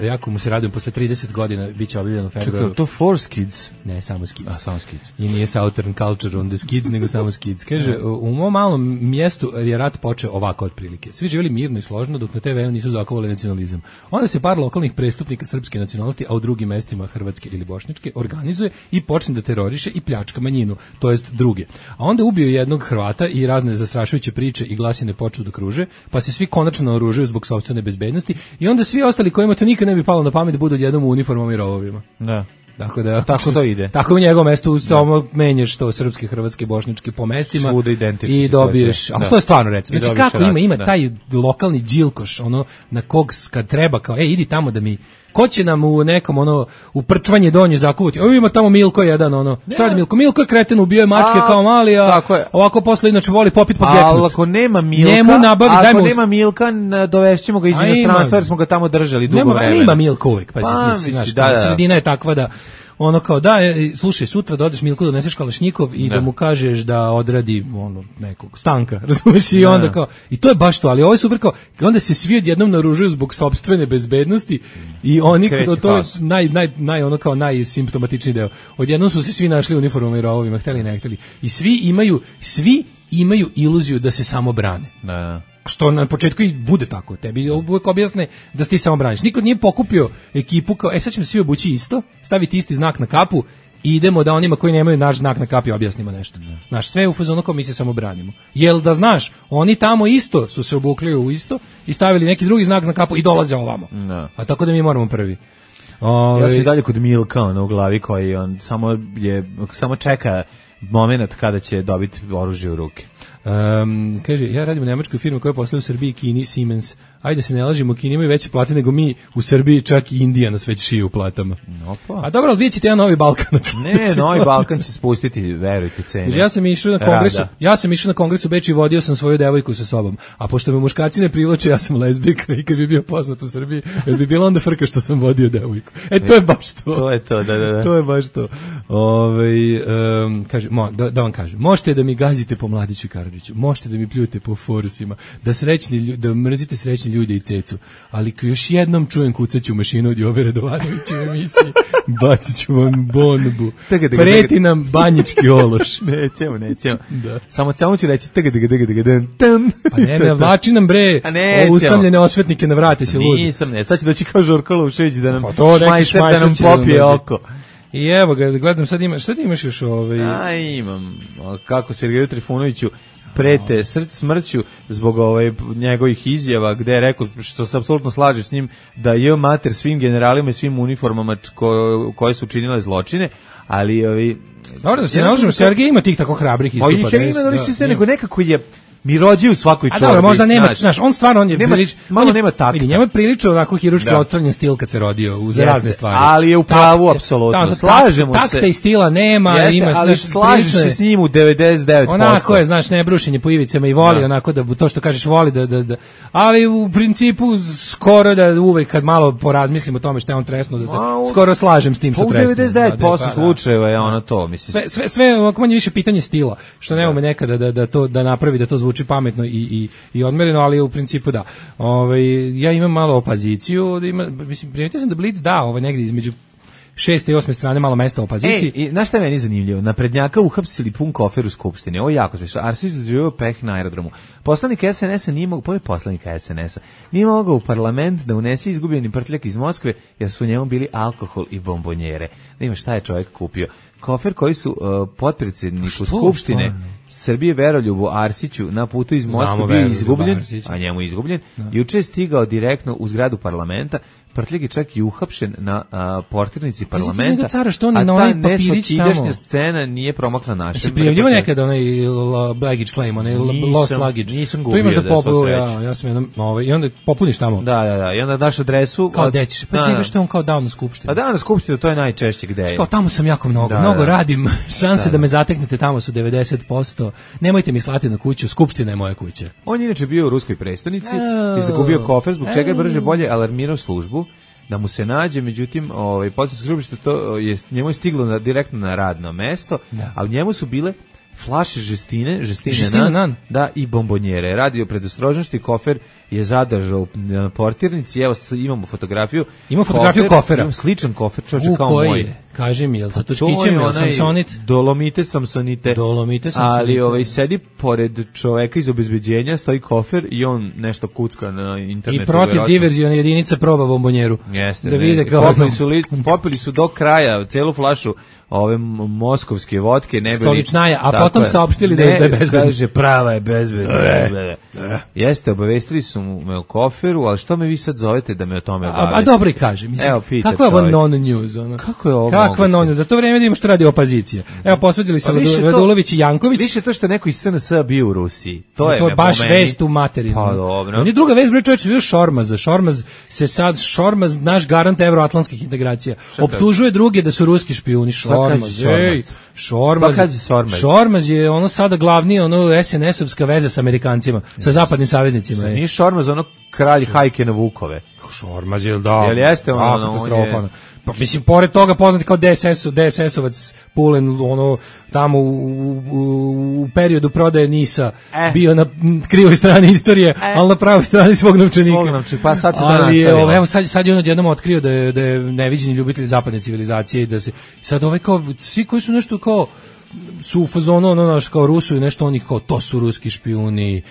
jako mu se radujem, posle 30 godina biće objavljeno u februaru. Čekaj, to For Skids? Ne, samo Skids. Samo Skids. I nije Southern Culture on the Skids, nego samo Skids. Kaže, u mom malom mjestu je rat počeo ovako otprilike. Svi živjeli mirno i složno dok na TV-u nisu zakovali nacionalizam. Onda se par lokalnih prestupnika srpske nacionalnosti, a u drugim mestima hrvatske ili bošnjačke, organizuje i počne da teroriše i pljačka manjinu, to jest druge. A onda ubio jednog Hrvata i razne zastrašujuće priče i glasine počnu da kruže, pa se svi konačno naoružuju zbog sopstvene bezbednosti i onda svi ostali kojima to nikad ne bi palo na pamet da budu odjednom u uniformama i rovovima. Da. Tako to ide. Tako u njegovom mestu samo menjaš to srpske, hrvatske, bošnjačke po mestima i dobiješ, ali to je stvarno recimo. Znači kako ima taj lokalni džilkoš, na kog kad treba kao, idi tamo da mi, ko će nam u nekom u prčvanje donje zakuvati, ima tamo Milko jedan, šta radi Milko? Milko je kreten, ubio je mačke kao mali, a ovako posle inače voli popit pa geknut. Ali ako nema Milka, dovešćemo ga iz inostranstva jer smo ga tamo držali dugo vremena. Nema Milko uvijek, sredina je takva da kao slušaj, sutra da odeš Milku doneseš kalašnjikov i da mu kažeš da odradi nekog stanka, razumiješ, i onda kao, i to je baš to, ali ovo je super kao, onda se svi odjednom naoružuju zbog sopstvene bezbednosti i oni, to je najsimptomatičniji deo, odjednom su se svi našli u uniformama i rovovima, hteli ne hteli, i svi imaju iluziju da se samo brane. Što na početku i bude tako. Tebi uvijek objasne da ti samo braniš. Niko nije pokupio ekipu kao, sad ćemo svi obući isto, staviti isti znak na kapu i idemo da onima koji nemaju naš znak na kapi objasnimo nešto. Znaš, sve u fazonu kao mi se samo branimo. Jel da znaš, oni tamo isto su se obukli u isto i stavili neki drugi znak na kapu i dolaze ovamo. No. A tako da mi moramo prvi. Ja sam i dalje kod Milka u glavi koji on samo čeka moment kada će dobiti oružje u ruke. Kaže, ja radim u nemačkoj firmi koja posluje u Srbiji, Kini, Siemens. Ajde se ne lažemo, Kini imaju veće plate nego mi u Srbiji, čak i Indija nas već šije u platama. Opa. A dobro, ali vidjet ćete jedan novi Balkanac. Ne, novi Balkan će spustiti, verujte, cene. Kaže, ja sam išao na kongresu u Beču i vodio sam svoju devojku sa sobom. A pošto me muškarci ne privlače, ja sam lezbijka i kad bi bio poznat u Srbiji, bi bilo onda frka što sam vodio devojku. To je baš to. To je to, da. To je baš to. Kaže, da vam kažem, možete da mi gazite po Mladiću i Karadžiću, možete da mi pljujete po forsima, da mrzite srećni ljude i cecu, ali još jednom čujem kucaću mašinu od Jove Radovanovića u emisiji, bacit ću vam bombu. Preti nam banjički ološ. Nećemo. Da. Samo ću reći pa ne, vlači nam bre usamljene osvetnike na vrate se ludi. Sad će doći kao Žorko Lušević da nam šmajser da nam popije oko. I evo ga, gledam sad šta ti imaš još imam, kako Sergeju Trifunoviću prete smrću zbog njegovih izjava gde je rekao, što se apsolutno slaže s njim, da je mater svim generalima i svim uniformama koje su činile zločine, ali dobro, da se ne možemo, Sergej ima tih tako hrabrih istupa. Nego nekako je mirođi u svakoj čorbi. A dobro, možda nema, znaš, on stvarno nema takta. Vidi, njemu je prilično onako hiruški odstranjen stil kad se rodio za razne stvari. Ali je u pravu apsolutno. Slažemo se. Takta i stila nema, ali slažeš se s njim u 99%. Onako je, znaš, ne brušenje po ivicama i voli onako da to što kažeš voli da ali u principu skoro da uvek kad malo porazmislimo o tome što je on tresnuo da se skoro slažem s tim što tresnuo. U 99% slučajeva je ono to, mislim. Sve ovako manje više pitanje stila, što ne ume nekada da napravi da to zvuči pametno i odmereno, ali u principu da. Ja imam malo opoziciju, primetio sam da Blic da negdje između 6. i 8. strane malo mesta opoziciji. I znaš šta je meni zanimljivo? Naprednjaka uhapsili pun kofer u Skupštini. Ovo je jako smiješno. Arsić doživio peh na aerodromu. Poslanik SNS-a nije mogao u parlament da unese izgubljeni prtljak iz Moskve, jer su u njemu bili alkohol i bombonjere. Da ima šta je čovjek kupio. Kofer koji su potpredsjedniku Skupštine Srbije Veroljubu Arsiću na putu iz Moskve bio izgubljen, a njemu izgubljen, juče je stigao direktno u zgradu parlamenta. Prtljak je čak i uhapšen na portirnici parlamenta, a ta nesvakidašnja scena nije promakla našem. Si prijavljivo nekada onaj baggage claim, onaj lost luggage? Nisam gubio, ja sam jednom, i onda popuniš tamo. Da, i onda daš adresu. Kao gde ćeš, pa ti što je on kao dao na skupštinu. A dao na skupštinu, to je najčešće gde je. Kao tamo sam jako mnogo radim, šanse da me zateknete tamo su 90%, nemojte mi slati na kuću, skupština je moja kuća. On je inače bio u ruskoj prestonici i zagubio kofer, zbog čega je brže bolje alarmirao službu da mu se nađe, međutim, što to je njemu je stiglo direktno na radno mesto, a u njemu su bile flaše žestine nan, da, i bombonjere. Radio predostrožnosti, kofer je zadržao na portirnici. Evo imamo fotografiju. Ima fotografiju kofera. Imam sličan kofer, čoče kao moj. Kaži mi, jel sa točkićem, jel Samsonit? Dolomite, ali sedi pored čoveka iz obezbeđenja, stoji kofer i on nešto kucka na internetu. I protiv diverzione jedinica proba bombonjeru. Jeste, da vide kao popili su do kraja celu flašu ove moskovske vodke, ne bili stoličnaja, a potom saopštili da je bezbedna. Kaže, prava je bezbedna. Jeste, obavestili su me u koferu, ali što me vi sad zovete da me o tome obavestite? A dobro i kaže, mislim, kakva je ovo non-news? Kako je ovo? Kakva non-news? Za to vreme vidimo što radi opozicija. Evo, posveđali se Radulović i Janković. Više to što neko iz SNS bio u Rusiji. To je baš vest u materinu. Pa dobro. On je druga vest, bre čovječe, bio Šormaz, naš garant evroatlantskih integracija. Optužuje druge da su ruski špijuni. Šormaz je ono sada glavni SNS-ovska veza sa Amerikancima, sa zapadnim saveznicima. Nije Šormaz ono kralj hajke na Vukove. Šormaz je, da. Jel jeste ono? Katastrofa. Pa mislim, pored toga poznati kao DSS-ovac Pulen, ono, tamo u periodu prodaje NIS-a bio na krivoj strani istorije, ali na pravoj strani svog novčanika. Pa sad se to nastavilo. Evo, sad je on odjednom otkrio da je neviđeni ljubitelj zapadne civilizacije i da se, sad kao, svi koji su nešto kao, su u fazonu ono kao Rusu i nešto onih kao to su ruski špijuni,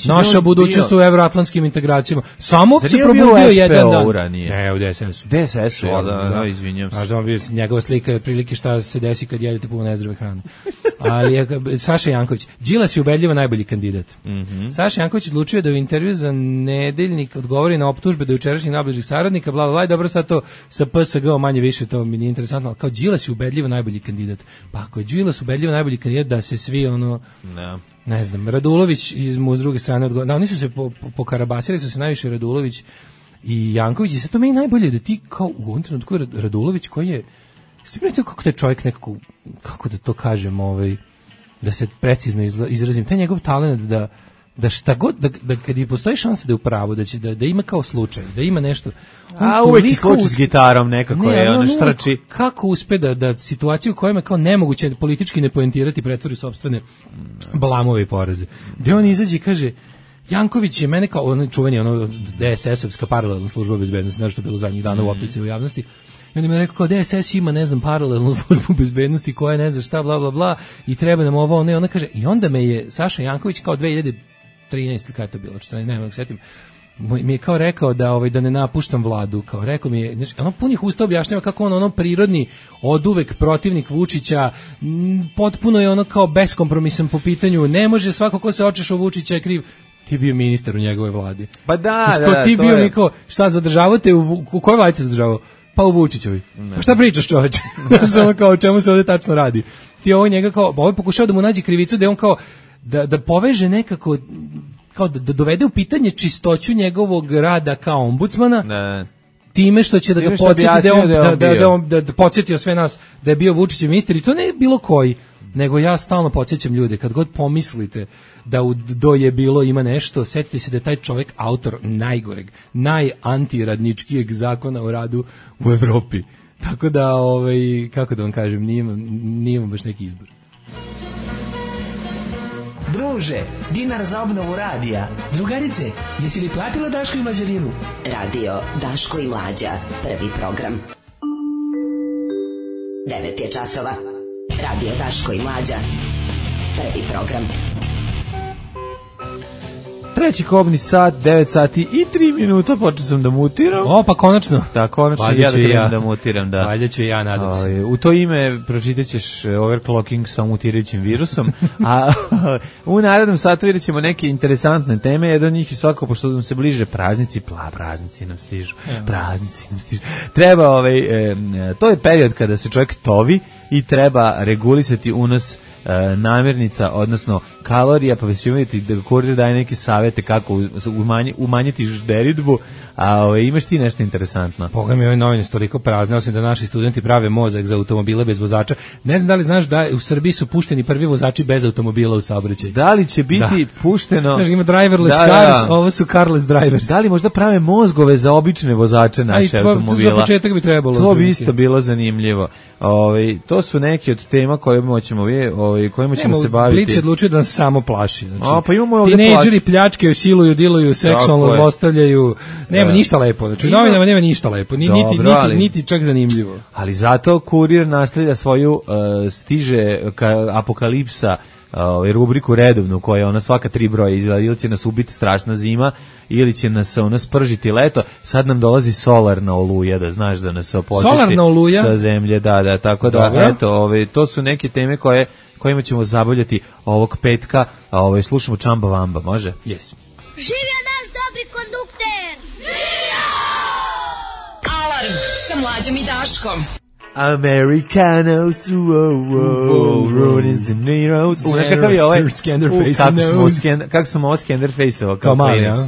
naša budućnost u evroatlantskim integracijama. Samo se probudio jedan dan. Ne, u DSS-u. DSS-u, da, izvinjam se. Znaš da bi njegova slika je otprilike šta se desi kad jedete puno nezdrave hrane. Ali je Saša Janković, Đilas je ubedljivo najbolji kandidat. Saša Janković odlučio da u intervju za Nedeljnik odgovori na optužbe do jučerašnjih najbližih saradnika, bla bla bla, dobro sad to sa PSG manje više, to mi nije interesantno, ali kao Đilas je ubedljivo najbolji kandidat. Pa ako je Đilas ubedljivo najbolji kandidat, da se svi ono ne znam, Radulović mu s druge strane odgovor. Da, oni su se pokarabasili su se najviše Radulović i Janković i sad to meni najbolje da ti kao u ovom trenutku Radulović koji je ste primetili kako taj čovjek nekako, kako da to kažem, da se precizno izrazim, taj njegov talent da šta god, da kad i postoji šansa da je u pravu, da će da ima kao slučaj, da ima nešto. Uvijek je slučaj s gitarom nekako je, ono štrči. Kako uspe da situaciju u kojima je kao nemoguće politički ne poentirati pretvori sopstvene blamove i poraze. Gde on izađe i kaže, Janković je mene kao, ono čuveni, ono DSS-ovska paralelna služba bezbednosti, znaš što je bilo zadnjih dana u optici u javnosti, i on mi je rekao kao DSS ima, ne znam, paralelnu službu bezbednosti koja ne zna šta, bla, bla, bla, i treba nam ovo, ona kaže, i onda me je Saša Janković kao 2013, kada je to bilo, 14, ne setim, mi je kao rekao da ne napuštam vladu, kao rekao mi je, ono punih usta objašnjava kako on ono prirodni, oduvek protivnik Vučića, potpuno je ono kao beskompromisan po pitanju, ne može svako ko se očeš u Vučića je kriv, ti bio ministar u njegovoj vladi. Pa da, ti bio niko, šta zadržavate, u kojoj vladi te zadržavao? Pa u Vučićevi. Pa šta pričaš, čoveče? Znaš, ono kao o čemu se ovdje tačno radi? Ti ovo njega kao, ovo je pokušao da mu nađe krivicu, da je on kao, da poveže nekako, kao da dovede u pitanje čistoću njegovog rada kao ombudsmana, time što će da ga podsjeti da podsjetio sve nas da je bio Vučićev ministar, i to ne bilo koji, nego ja stalno podsjećam ljude, kad god pomislite da do je bilo ima nešto, setite se da je taj čovjek autor najgoreg, najantiradničkijeg zakona o radu u Evropi. Tako da, kako da vam kažem, nije vam baš neki izbor. Druže, dinar za obnovu radija. Drugarice, jesi li platila Daško i Mlađarinu? Radio Daško i Mlađa, prvi program. 9 je časova. Radio Daško i Mlađa, prvi program. Treći kobni sat, 9 sati i 3 minuta, počeo sam da mutiram. O, pa konačno. Da, konačno ja da krenem da mutiram, da. Valjda ću ja, nadam se. U to ime pročitat ćeš overclocking sa mutirajućim virusom, a u narednom satu vidjet ćemo neke interesantne teme, jedan od njih je svako, pošto nam se bliže praznici, praznici nam stižu, Treba, to je period kada se čovjek tovi i treba regulisati unos namirnica, odnosno kalorija, pa vas uvijeti da kurir daje neke savjete kako umanjiti žderidbu, a imaš ti nešto interesantno. Boga mi, ove novine su toliko prazne, osim da naši studenti prave mozak za automobile bez vozača. Ne znam da li znaš da u Srbiji su pušteni prvi vozači bez automobila u saobraćaj. Da li će biti pušteno? Znaš, ima driverless cars, ovo su carless drivers. Da li možda prave mozgove za obične vozače naše automobila? Za početak bi trebalo. To bi isto bilo zanimljivo. To su neki od tema kojima ćemo se baviti. Blic je odlučio da nas samo plaši. Znači, pa imamo ovdje tinejdžeri pljačkaju, siluju, diluju, seksualno zlostavljaju. Nema ništa lepo. Znači, novinama nema ništa lepo. Niti čak zanimljivo. Ali zato kurir nastavlja svoju stiže apokalipsa rubriku redovnu koja je ona svaka 3 broja izgleda, ili će nas ubiti strašna zima ili će nas spržiti leto. Sad nam dolazi solarna oluja, da znaš, da nas opočisti sa zemlje, da, tako da eto, to su neke teme kojima ćemo zabavljati ovog petka, slušamo Čamba Vamba, može? Yes. Živio naš dobri kondukter! Živio! Alarm sa Mlađom i Daškom. Americanos, Rodins and Neros. Znaš kakav je ovaj? Kako sam ovo Skenderface-ovo kao klinac.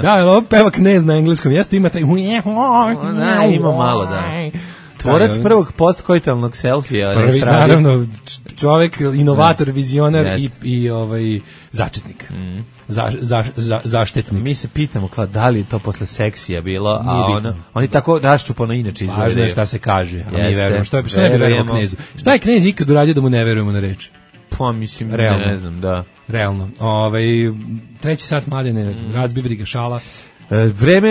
Da, ali ovo peva Knez na engleskom. Jeste ima taj... Ima malo, da. Tvorac prvog postkoitalnog selfija. Prvi, naravno, čovjek, inovator, vizionar i začetnik. Zaštetnik. Mi se pitamo kao da li je to posle seksija bilo, a oni tako raščupano inače izgledaju. Važno je šta se kaže, a mi verujemo. Što ne bi verovao Knezu? Šta je Knez ikad uradio da mu ne verujemo na reč? Pa mislim, ne znam, da. Realno. Treći sat, Mladene, razbi briga, šala. Vreme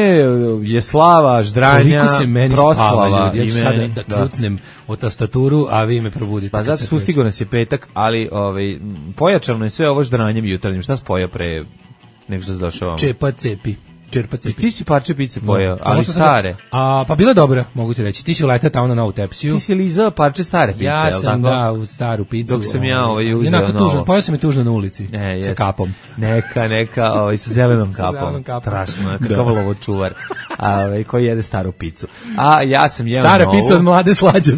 je slava, ždranja, koliko se meni proslava. spava, ljudi. Ja ću sada da kljucnem o tastaturu, a vi me probudite. Pa zato sustigo nas je petak, ali pojačano je sve ovo ždranjem jutarnjim. Šta spoja pre nego što se došao vamo? Čepa cepi. Čerpa cepi. Ti si parče pice pojeo, ali stare. Pa bila dobra, mogu ti reći. Ti si uletao tamo na novu tepsiju. Ti si lizao parče stare pice, ja sam, da, u staru picu. Dok sam ja uzeo novo. Tužno, pojeo sam je tužno na ulici, sa kapom. Neka, sa zelenom kapom. Strašno, kakav lovočuvar, koji jede staru picu. A ja sam jeo stara novu. Pica od mlade slađe,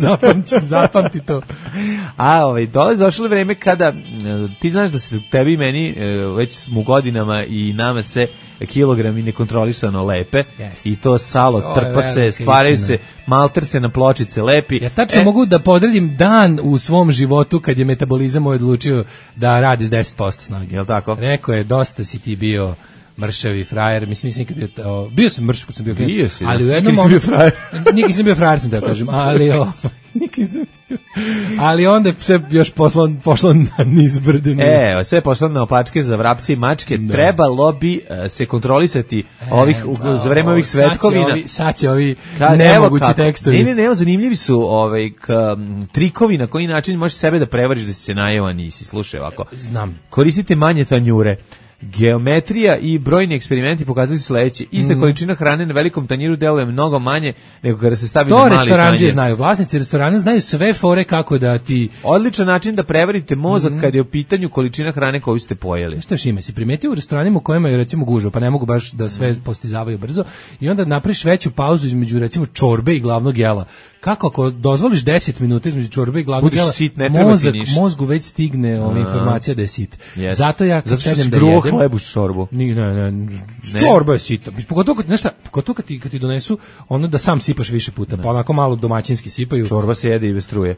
zapamti to. Došlo vreme kada, ti znaš da se tebi i meni, već smo u godinama i nama se kilogrami nekontrolisano lepe i to salo trpa se, stvaraju se, malter se na pločice lepi. Ja tačno mogu da podredim dan u svom životu kad je metabolizam odlučio da radi s 10% snage. Jel' tako? Rekao je, dosta si ti bio mršavi frajer, mislim kad bio sam mršav kad sam bio klinac, ali u jednom momentu nikad sam bio frajer, sam da kažem, ali onda sve još pošlo na niz brdenu. Sve je pošlo na opačke za vrapce i mačke. Da. Trebalo bi se kontrolisati za vreme ovih svetkovina. Sad će ovi nemogući tekstovi. Ne, zanimljivi su trikovi na koji način možeš sebe da prevariš da si se najeo, nisi. Slušaj ovako. Znam. Koristite manje tanjure. Geometrija i brojni eksperimenti pokazali su sledeće. Ista količina hrane na velikom tanjiru deluje mnogo manje nego kada se stavi na mali tanjir. To restorandžije znaju, vlasnici restorana znaju sve fore kako da ti... Odličan način da prevarite mozak kad je u pitanju količina hrane koju ste pojeli. Što još ima, si primetio u restoranima u kojima je recimo gužva, pa ne mogu baš da sve postizavaju brzo i onda napraviš veću pauzu između recimo čorbe i glavnog jela. Kako ako dozvoliš 10 minuta između čorbe i glavnog jela, mozgu već stigne informacija da je sit. Zato ja kad sedem da jedem... hlebu čorbu. Ne. Čorba je sita. Pogotovo kad ti donesu ono da sam sipaš više puta, pa onako malo domaćinski sipaju. Čorba se jede i bez struje.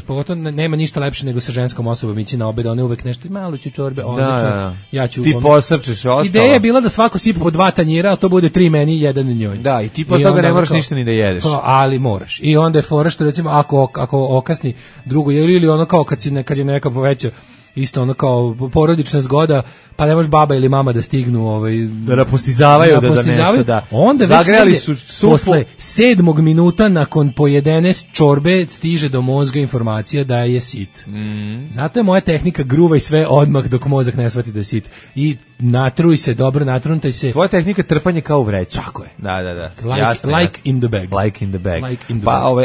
Pogotovo nema ništa lepše nego sa ženskom osobom ići na obed, one uvek nešto malo ću čorbe, odlično. Ja ću. Ti posrčeš ostalo. Ideja je bila da svako sipa po 2 tanjira, a to bude 3 meni i 1 njoj. Da, i ti posle toga ne moraš ništa ni da jedeš. Ali moraš. I onda je fora što recimo ako okasni drugo ili ono kao kad je neka veća isto ono kao porodična zgoda, pa ne može baba ili mama da stignu da napostizavaju, da donesu, da. Onda zagreli su supu. Posle 7. minuta nakon pojedene čorbe stiže do mozga informacija da je sit. Zato je moja tehnika gruvaj sve odmah dok mozak ne shvati da je sit. I natruj se, dobro natruntaj se. Tvoja tehnika trpanje kao u vreću. Tako je. Da. Like in the bag. Like in the bag.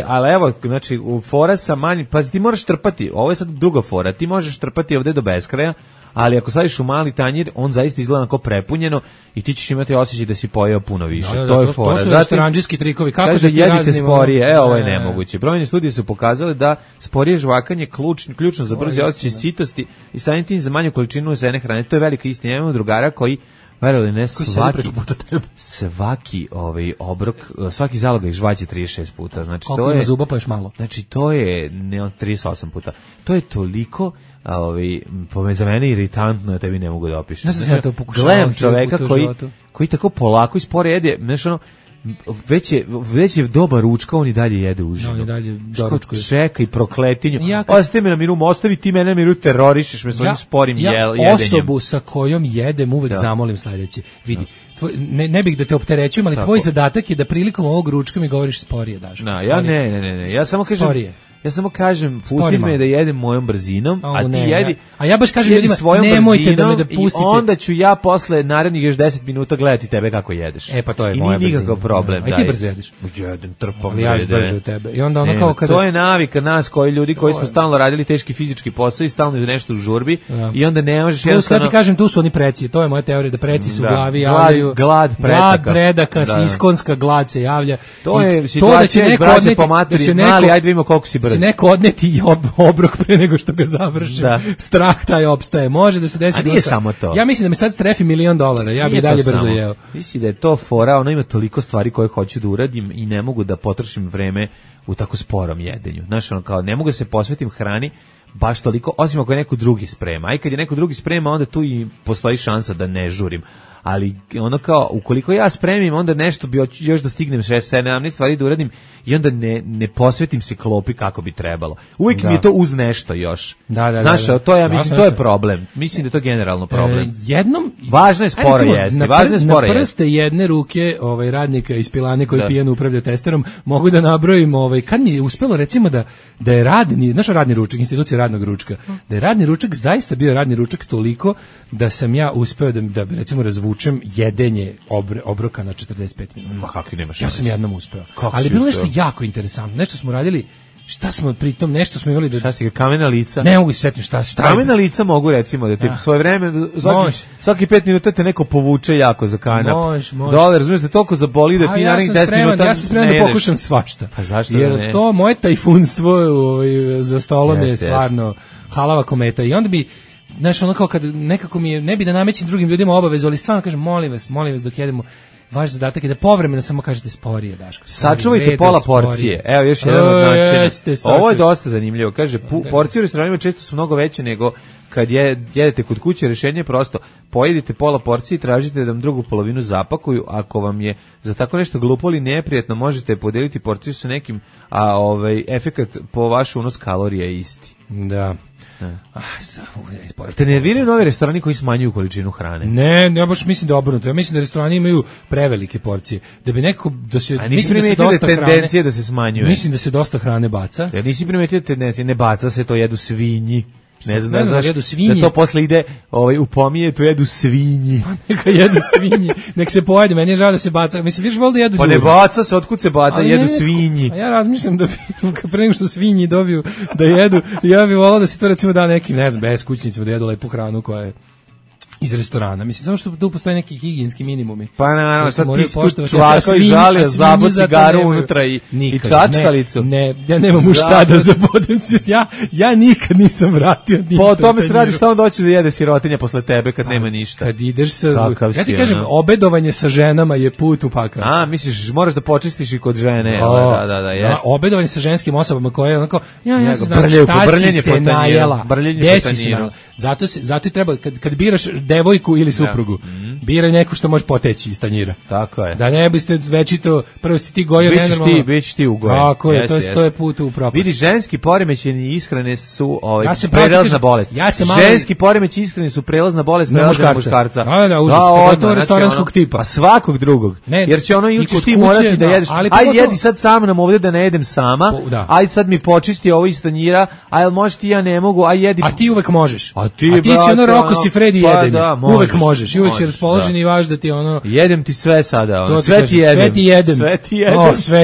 Ali evo, znači, u fora sa manjim, pa ti moraš trpati, ovo je sad druga fora, ti možeš trpati ovde do beskraja, ali ako staviš u mali tanjir, on zaista izgleda kao prepunjeno i ti ćeš imati osjećaj da si pojeo puno više. To je fora. To su restoranđijski trikovi. Kako kaže, jedite sporije, ovo je nemoguće. Brojne studije su pokazale da sporije žvakanje ključno za brzi osjećaj sitosti i samim tim za manju količinu uzene hrane. To je velika istina. Imamo drugara koji verovali ne, svaki obrok, svaki zalogaj žvaće 36 puta. Znači, koliko ima zuba pa još malo? Znači, to je 38 puta. To je toliko za mene iritantno, ja tebi ne mogu da opišem. Znači, gledam čoveka koji tako polako i spore jede, znači ono, već je dobar ručka, on i dalje jede užinu. On i dalje doručkuje. Čeka i prokletinju. Ostavi me na miru, ostavi ti mene na miru, terorišeš me svojim sporim jedenjem. Ja osobu sa kojom jedem uvek zamolim sledeće. Vidi, ne bih da te opterećujem, ali tvoj zadatak je da prilikom ovog ručka mi govoriš sporije, Daško. Ne. Ja samo kažem... Ja samo kažem, pusti me da jedem mojom brzinom, a ti jedi. A ja baš kažem ljudima, nemojte da me da pustite. I onda ću ja posle narednih još 10 minuta gledati tebe kako jedeš. Pa to je moja brzina. I nikakav problem. A ti brzo jedeš? Jedem, trpam. Ja još brže od tebe. I onda ono kao kada... To je navika nas koji smo stalno radili teški fizički posao i stalno nešto u žurbi i onda ne možeš jednostavno... Ja ti kažem, tu su oni preci. To je moja teorija, da preci su u glavi javljaju. Glad predaka, iskonska glad se javlja. To je situacija iz braće po materi. Mali, ajde vidimo koliko si brz. Neko odneti obrok pre nego što ga završim. Strah taj opstaje. Može da se desi. A nije samo to. Ja mislim da me sad strefi $1 milion. Ja bih dalje brzo jeo. Mislim da je to fora, ono ima toliko stvari koje hoću da uradim i ne mogu da potrošim vreme u tako sporom jedenju. Znaš, ono kao, ne mogu da se posvetim hrani baš toliko, osim ako je neko drugi sprema. A i kad je neko drugi sprema, onda tu i postoji šansa da ne žurim. ali ono kao, ukoliko ja spremim, onda nešto bi još da stignem 6-7 stvari da uradim i onda ne posvetim se klopi kako bi trebalo. Uvijek mi je to uz nešto još. Znaš, to ja mislim, to je problem. Mislim da je to generalno problem. Važno je sporo jesti. Na prste jedne ruke radnika iz pilane koji pijano upravlja testerom, mogu da nabrojim, kad mi je uspelo recimo da je naš radni ručak, institucija radnog ručka, da je radni ručak zaista bio radni ručak toliko da sam ja uspeo da recimo razvučem jedenje obroka na 45 minuta. Pa kako nemaš? Ja sam jednom uspeo. Ali bilo nešto jako interesantno. Nešto smo radili. Šta smo pritom, nešto smo imali da... Šta si ga, kamena lica? Ne mogu se setim šta. Kamena lica mogu recimo da ti svoje vreme, svaki 5 minuta te neko povuče jako za kanap. Može. Dole, razumiješ da toliko zaboli da ti narednih 10 minuta ja sam spreman da pokušam svašta. Pa zašto jer da ne? To moje tajfunstvo za stolom je stvarno halava kometa. I onda bi, znaš, ono kao kad nekako mi je, ne bi da namećem drugim ljudima obavezu, ali stvarno kažem, molim vas dok jedemo, vaš zadatak je da povremeno samo kažete sporije, Daško. Sačuvajte pola porcije. Evo još jedan od načina. Ovo je dosta zanimljivo. Kaže, porcije u restoranima često su mnogo veće nego kad jedete kod kuće. Rješenje je prosto. Pojedite pola porcije i tražite da vam drugu polovinu zapakuju. Ako vam je za tako nešto glupo ili neprijatno, možete podeliti porciju sa nekim, a efekat po vaš unos kalorija je isti. Da. Te nerviraju novi restorani koji smanjuju količinu hrane? Ne, ja baš mislim da je obrnuto. Ja mislim da restorani imaju prevelike porcije. Da bi nekako A nisi primetio da tendencije da se smanjuje? Mislim da se dosta hrane baca. Ja nisi primetio tendencije, ne baca se, to jedu svinji. Ne znam da jedu svinji. Da to posle ide u pomije, to jedu svinji. Neka jedu svinji, nek se pojede, meni je žao da se baca. Mislim, viš vol da jedu ljudi. Pa ne baca se, otkud se baca, jedu svinji. A ja razmišljam da pre nego što svinji dobiju da jedu, ja bih volao da se to recimo da nekim, ne znam, beskućnicima da jedu lepu hranu koja je iz restorana. Mislim, samo što tu postoje neki higijenski minimumi. Pa naravno, sad ti tu čvaka i žalio, zabod cigaru unutra i čačkalicu. Ne, ja nemam u šta da zabodem. Ja nikad nisam vratio. Po o tome se radi šta on doći da jede sirotinja posle tebe kad nema ništa. Kad ideš sa... Ja ti kažem, obedovanje sa ženama je put u pakao. A, misliš, moraš da počistiš i kod žene. Da, jeste. Obedovanje sa ženskim osobama koje je onako, ja se znam šta si se najela. Gde si se najela. Zato i treba, kad biraš devojku ili suprugu, biraj neku što može poteći iz tanjira. Tako je. Da ne biste večito, prvo si ti gojo nenormalno. Bićeš ti ugojen. Tako je, to je put u propast. Vidi, ženski poremećeni ishrane su prelazna bolest. Ženski poremećeni ishrane su prelazna bolest muškarca. Da, užas. Pogotovo restoranskog tipa. A svakog drugog. Jer će ono juče ti morati da jedeš. Ajde, jedi sad sam nam ovdje da ne jedem sama. Ajde sad mi počisti ovo iz tanjira. Ajde, možeš ti, ja ne mogu. Ajde, jedi. A ti uvek možeš. A ti si ono Roko si Fredi jedenje. Uvek možeš. I uvek si raspoložen i vaš da ti ono... Jedem ti sve sada. Sve ti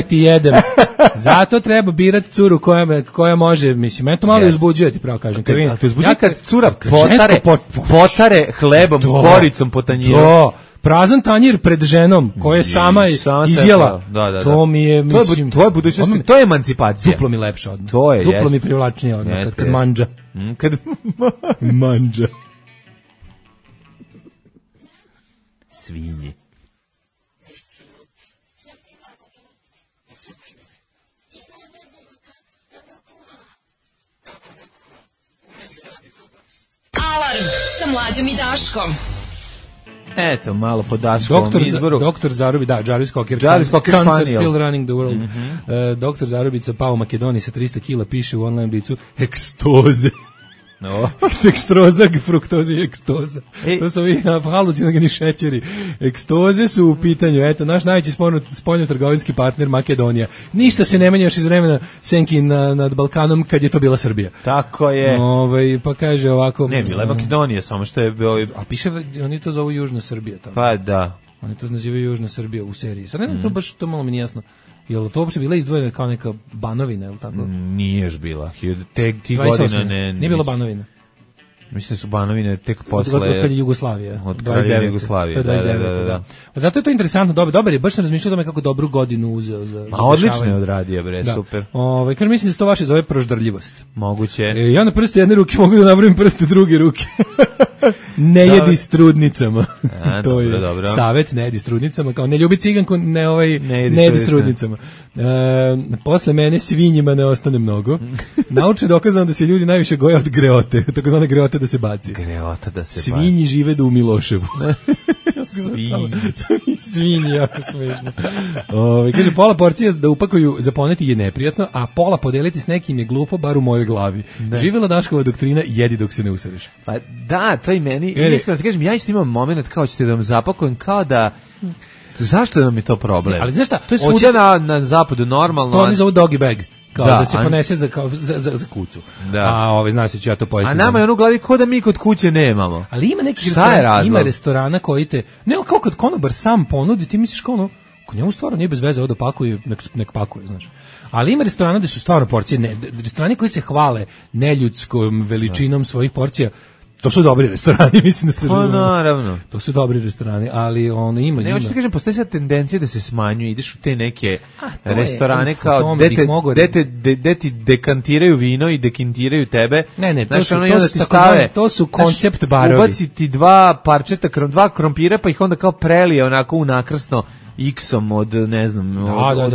ti jedem. Zato treba birati curu koja može, mislim, meni to malo uzbuđuje, ti pravo kažem. A to uzbuđuje kad cura potare hlebom, koricom po tanjiru. Prazan tanjir pred ženom koja je sama izjela. To mi je, mislim... To je budućnost, to je emancipacija. Duplo mi lepše odmah. To je, duplo mi privlačnije odmah, kad manđa. Kad manđa. Svinji. Alarm sa Mlađom i Daškom. Eto, malo po Daškovom izboru. Doktor Zarubi, da, Jarvis Cocker, Cancer still running the world. Doktor Zarubica pao u Makedoniji sa 300 kila, piše u online blicu, ekstoze. Dekstroza, fruktoza i ekstoza. To su ovi halucinogeni šećeri. Ekstoze su u pitanju. Eto, naš najveći spoljnotrgovinski partner Makedonija. Ništa se ne menja još iz vremena senki nad Balkanom kad je to bila Srbija. Tako je. Pa kaže ovako... Ne, bila je Makedonija, samo što je bio... A piše, oni to zovu Južna Srbija. Tamo. Pa da. Oni to nazivaju Južna Srbija u seriji. Sad ne znam, to baš, to malo mi nije jasno. Je li to uopšte bila izdvojena kao neka Banovina, je li tako? Nije još bila. Ti godina ne... Nije bilo Banovina. Mislim da su Banovine tek posle... Od kad je Jugoslavija. Od kraja Jugoslavije, da. Zato je to interesantno, dobar je, baš sam razmišljao o tome kako dobru godinu uzeo za odlično je odradio, bre, super. Kažem, mislim da se to vaše zove proždarljivost. Moguće. Ja na prste jedne ruke mogu da nabrojim prste druge ruke. Ne jedi s trudnicama. To je savjet, ne jedi s trudnicama, kao ne ljubi ciganku, ne jedi s trudnicama. Posle mene svinjima ne ostane mnogo. Naučno je dokazano da se ljudi najviše goje od greote, takozvane greote da se baci. Greota da se Svinji žive u Miloševu. Svinji. Svinji, jako smešno. Kaže, pola porcija da upakuju za poneti je neprijatno, a pola podeliti s nekim je glupo, bar u mojoj glavi. Živjela Daškova doktrina, jedi dok se ne usereš. Pa da, to i meni. Iskreno ti kažem, ja isto imam moment kao ćete da vam zapakujem, kao da... Zašto nam je to problem? Ali znaš šta? To je svuda na zapadu normalno. To oni zovu doggy bag. Kao da se ponese za kucu. Da. A zna se ću ja to pojesti. A nama je ono u glavi ko da mi kod kuće nemamo. Ali ima neki restorana koji te, ne kao kad konobar sam ponudi, ti misliš kao ono, ko njemu stvarno nije bez veze ovo da pakuje, nek pakuje, znaš. Ali ima restorana gde su stvarno porcije, restorani koji se hvale neljudskom veličinom svojih porcija. To su dobri restorani, mislim da se razumemo. Naravno. To su dobri restorani, ali ono ima. Ne, hoću ti kažem, postoji sad tendencija da se smanjuje, ideš u te neke restorane kao gde ti dekantiraju vino i dekintiraju tebe. Ne, to su koncept barovi. Ubaci ti dva krompira, pa ih onda kao prelije onako u nakrsno X-om od, ne znam,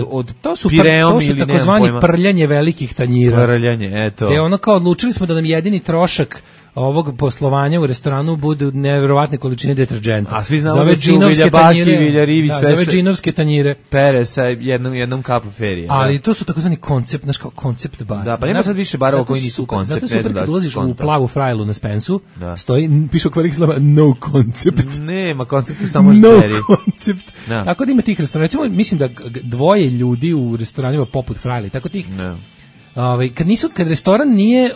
od Pireom ili nemam pojma. To su takozvani prljanje velikih tanjira. Prljanje, eto. Ono kao odlučili smo da nam jedini trošak ovog poslovanja u restoranu budu neverovatne količine deterdženta. A svi znamo da su Viljabaki, Viljarivi, sve za džinovske tanjire. Pere sa jednom kapom ferije. Ali to su takozvani koncept, znaš kao koncept bar. Da, pa nema sad više barova koji nisu koncept. Zato super kad ulaziš u plavu frajlu na Spensu, stoji, piše oko velikih slova, no concept. Nema koncepta, samo žderi. No concept. Tako da ima tih restorana. Recimo, mislim da dvoje ljudi u restoranima poput frajli, tako tih... Kad restoran nije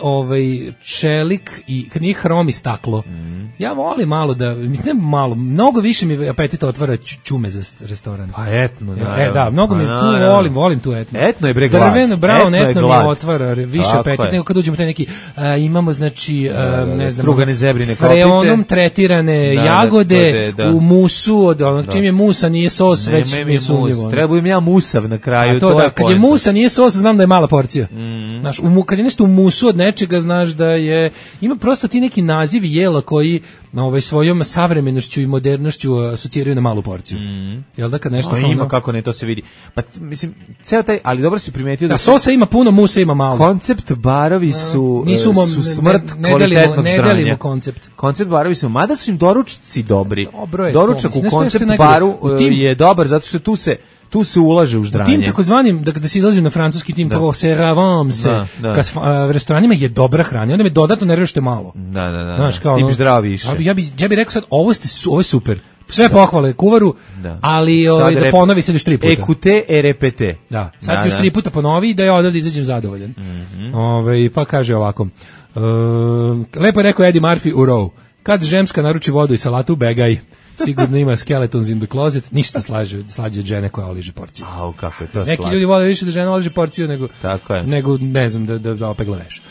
čelik i kad nije hrom i staklo, ja volim malo da, ne malo, mnogo više mi apetita otvara ćume za restoran. Pa etno, da, mnogo mi tu volim tu etno. Etno je bre glad. Drveno, brown etno mi otvara više apetita nego kad uđemo taj neki, imamo znači, ne znam, strugane zebrine kopite, freonom tretirane jagode u musu, od onog čim je musa nije sos, već mi je sumnjivo. Trebam ja musav na kraju, to je kad je musa nije sos, znam da je mala porcija. Znaš, kad je nešto u musu od nečega, znaš da je, ima prosto ti neki nazivi jela koji svojom savremenošću i modernošću asociraju na malu porciju. Jel da kad nešto ima kako ne, to se vidi. Pa mislim, ceo taj, ali dobro si primetio da sosa ima puno, musa ima malo. Koncept barovi su smrt kvalitetnog ne delimo koncept. Koncept barovi su, mada su im doručci dobri. Doručak u koncept baru je dobar zato što tu se ulaže u ždranje. U tim takozvanim, da se izlazi na francuski tim proseravance, restoranima je dobra hrana, onda me dodatno nervira što je malo. Da. Znaš, kao ti bi zdrav više. Ja bih rekao sad, ovo je super. Sve pohvale kuvaru, ali da ponovi sad još 3 puta. Ekute e repete. Da, sad još 3 puta ponovi i da ja odavde izađem zadovoljan. Pa kaže ovako, lepo je rekao Eddie Murphy u Row, kad žemska naruči vodu i salatu, begaj. Sigurno ima skeletons in the closet, ništa slađe od žene koja oliže porciju. Kako je to neki ljudi vole više da žena oliže porciju nego ne znam, da opegla veš.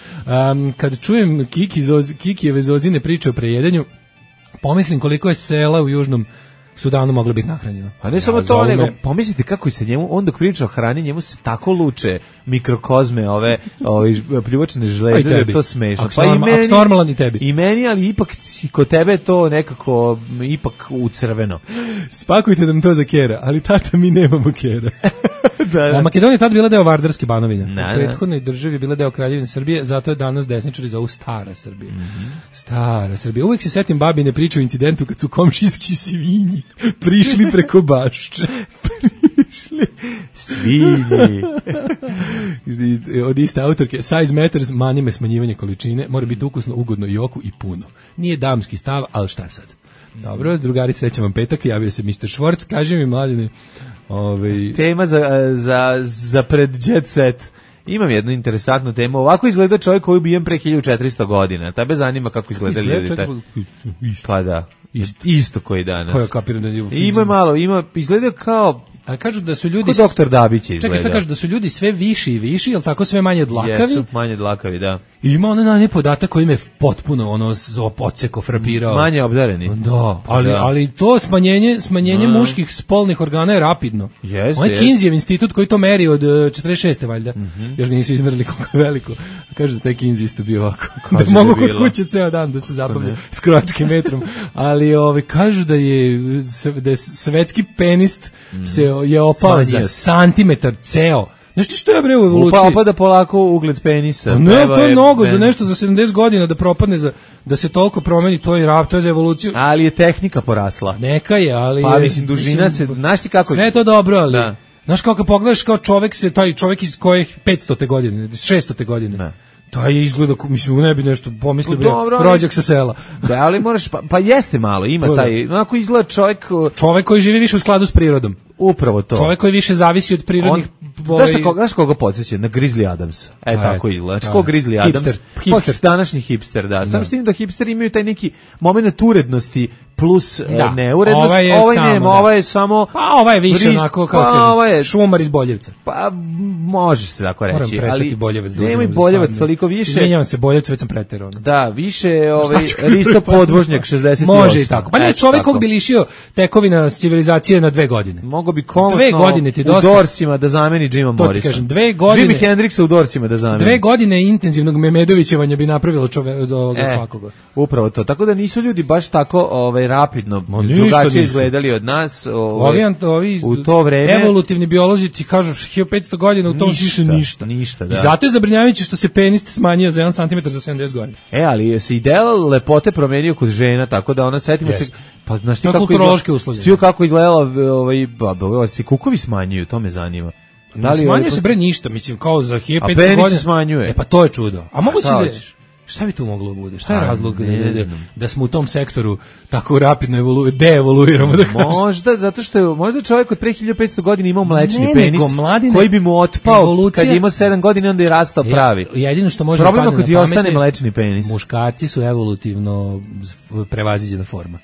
Kad čujem Kikijeve Zozine priče o prejedanju, pomislim koliko je sela u Južnom Sudanu moglo biti nahranjeno. A ne samo to, nego pomislite kako se njemu, on dok priča o hrani, njemu se tako luče mikrokozme, ove pljuvačne žleze, da je to smešno. Pa i meni, normalan i tebi. I meni, ali ipak kod tebe je to nekako ipak u crveno. Spakujte nam to za kera, ali tata mi nemamo kera. A Makedonija je tad bila deo Vardarske Banovine. U prethodnoj državi je bila deo Kraljevine Srbije, zato je danas desničari zovu Stara Srbija. Stara Srbija. Uvijek se setim babine priče o incidentu kad su komšijski svinji prišli preko bašče. Svinji. Od iste autorke, size matters, manime smanjivanje količine, mora biti ukusno, ugodno i oku i puno. Nije damski stav, ali šta sad? Dobro, drugari, srećam vam petak, javio se Mr. Švorc, kaže mi mladine. Tema za pred jet set. Imam jednu interesantnu temu. Ovako izgleda čovjek koji je ubijen pre 1400 godina. Tebe zanima kako izgleda ljudi. Pa da, isto koji danas. Pa ja kapiram da je izgleda kao... A kažu da su ljudi... Ko doktor Dabić izgleda. Čekaj, šta kažu, da su ljudi sve viši i viši, jel tako, sve manje dlakavi? Jesu, manje dlakavi, da. I ima onaj podatak koji me potpuno podseko, frapirao. Manje obdareni. Da, ali to smanjenje muških spolnih organa je rapidno. On je Kinseyjev institut koji to meri od 46. valjda. Još ga nisu izmerili koliko je veliko. Kažu da taj Kinsey isto bio ovako. Da mogu kod kuće ceo dan da se zabavlja s krojačkim metrom. Ali kažu da je svetski penist se je opao za santimetar ceo. Nešto što je bre u evoluciji. Opada polako ugled penisa. Ne, to je mnogo za nešto za 70 godina da propadne, da se toliko promeni, to je za evoluciju. Ali je tehnika porasla. Neka je, ali pa mislim dužina se, znaš ti kako. Sve je to dobro, ali da. Znaš kako pogledaš kao taj čovjek iz kojih 500. godine, 600. godine. Ne. To je izgleda, mislim, ne bi nešto pomislio, rođak sa sela. Da, ali moraš, pa jeste malo, ima taj, onako izgleda čovjek koji živi više u skladu s prirodom. Upravo to. Čovjek koji više zavisi od prirodnih... Znaš koga podsjeća? Na Grizzly Adamsa. Tako izgleda. Znači, ko Grizzly Adams? Hipster. Današnji hipster, da. Samo s tim da hipsteri imaju taj neki moment urednosti plus neurednost. Ovaj je samo... Pa ovaj je više onako, kao šumar iz Boljevca. Pa, može se tako reći. Moram prestati Boljevac. Nema i Boljevac toliko više. Izvinjavam se, Boljevc već sam preterao. Da, više Risto Podvožnjak 68. Može i tako. Pa ne, čovjek kog bi lišio tekovina civilizacije na 2 godine. Mogu bi kompletno u Dorsima da zameni Jima Morrisa. To ti kažem, 2 godine. Jimi Hendrixa u Dorsima da zameni. 2 godine intenzivnog Memedovićevanja bi napravilo od ovoga svakoga. Upravo to. Tako da nisu ljudi baš tako rapidno drugačije izgledali od nas u to vreme. Evolutivni biolozi ti kažu 1500 godina u tom smislu ništa. Da. I zato je zabrinjavajuće što se penis smanjio za 1 cm za 70 godina. Ali se ideal lepote promenio kod žena, tako da ona setimo se pa znaš ti kako izgledala se kukovi smanjuju, to me zanima. Da li smanjuje se bre ništa, mislim kao za 1500 godina. Smanjuje. Pa to je čudo. A moguće šta bi tu moglo bude? Šta je razlog da smo u tom sektoru tako rapidno deevoluiramo? Možda zato što je čovjek od pre 1500 godina imao mlečni penis koji bi mu otpao kad je imao 7 godina, onda je rastao pravi. Jedino što može problem ako ti ostane mlečni penis. Muškarci su evolutivno prevaziđena forma.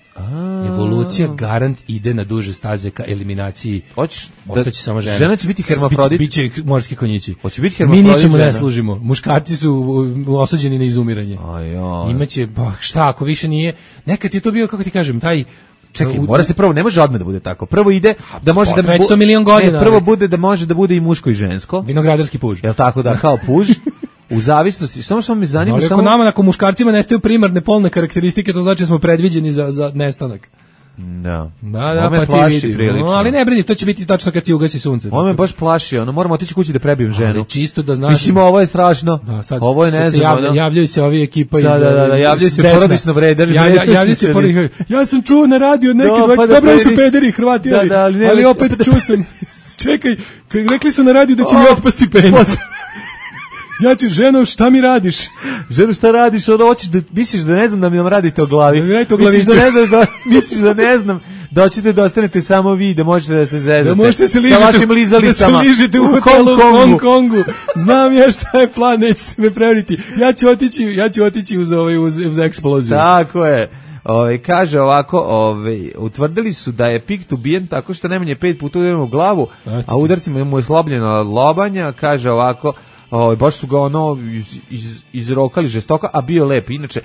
Evolucija garant ide na duže staze ka eliminaciji. Ostaće samo žena. Žena će biti hermafrodit. Biće morski konjići. Hoće biti hermafrodit. Mi ničemu ne služimo. Muškarci su osuđeni na izumiranje. Imaće, šta ako više nije. Nekad je to bio, kako ti kažem, taj... Čekaj, mora se prvo, ne može odmah da bude tako. Prvo ide da može da bude 100 milion godina. Prvo bude da može da bude i muško i žensko. Vinogradarski puž. Jel tako da, kao puž. U zavisnosti, samo što me zanima... Ali ako nama, ako muškarcima nestaju primarne polne karakteristike, to znači da smo predviđeni za nestanak. Da. Da, pa ti vidi. Ali ne brini, to će biti tačno kad se ugasi sunce. On me baš plaši, moramo otići kući da prebijem ženu. Ali čisto da znaš... Mislim, ovo je strašno. Ovo je ne znam. Javljaju se ovi ekipa iz... Da, javljaju se porodično vredani. Javljaju se porodično. Ja sam čuo na radio od neke dvojke, dobro su pederi Hrvati, ali opet čuo sam... Čekaj, rekli su na radio da će mi otpasti penis. Ja ću, ženo, šta mi radiš? Ženo, šta radiš? Onda hoćeš da, misliš da ne znam da mi nam radite o glavi. Misliš da ne znam da hoćete da ostanete samo vi, da možete da se zezate. Da možete se ližite, sa vašim lizalicama. Da se ližite u hotelu u Hong Kongu. Znam ja šta je plan, nećete me prevariti. Ja ću otići uz eksploziju. Tako je. Kaže ovako, utvrdili su da je Pikt ubijen tako što najmanje 5 puta udarimo u glavu, a udarcima mu je slobljeno lobanja. Kaže ovako, baš su ga izrokali žestoka, a bio lep. Inače,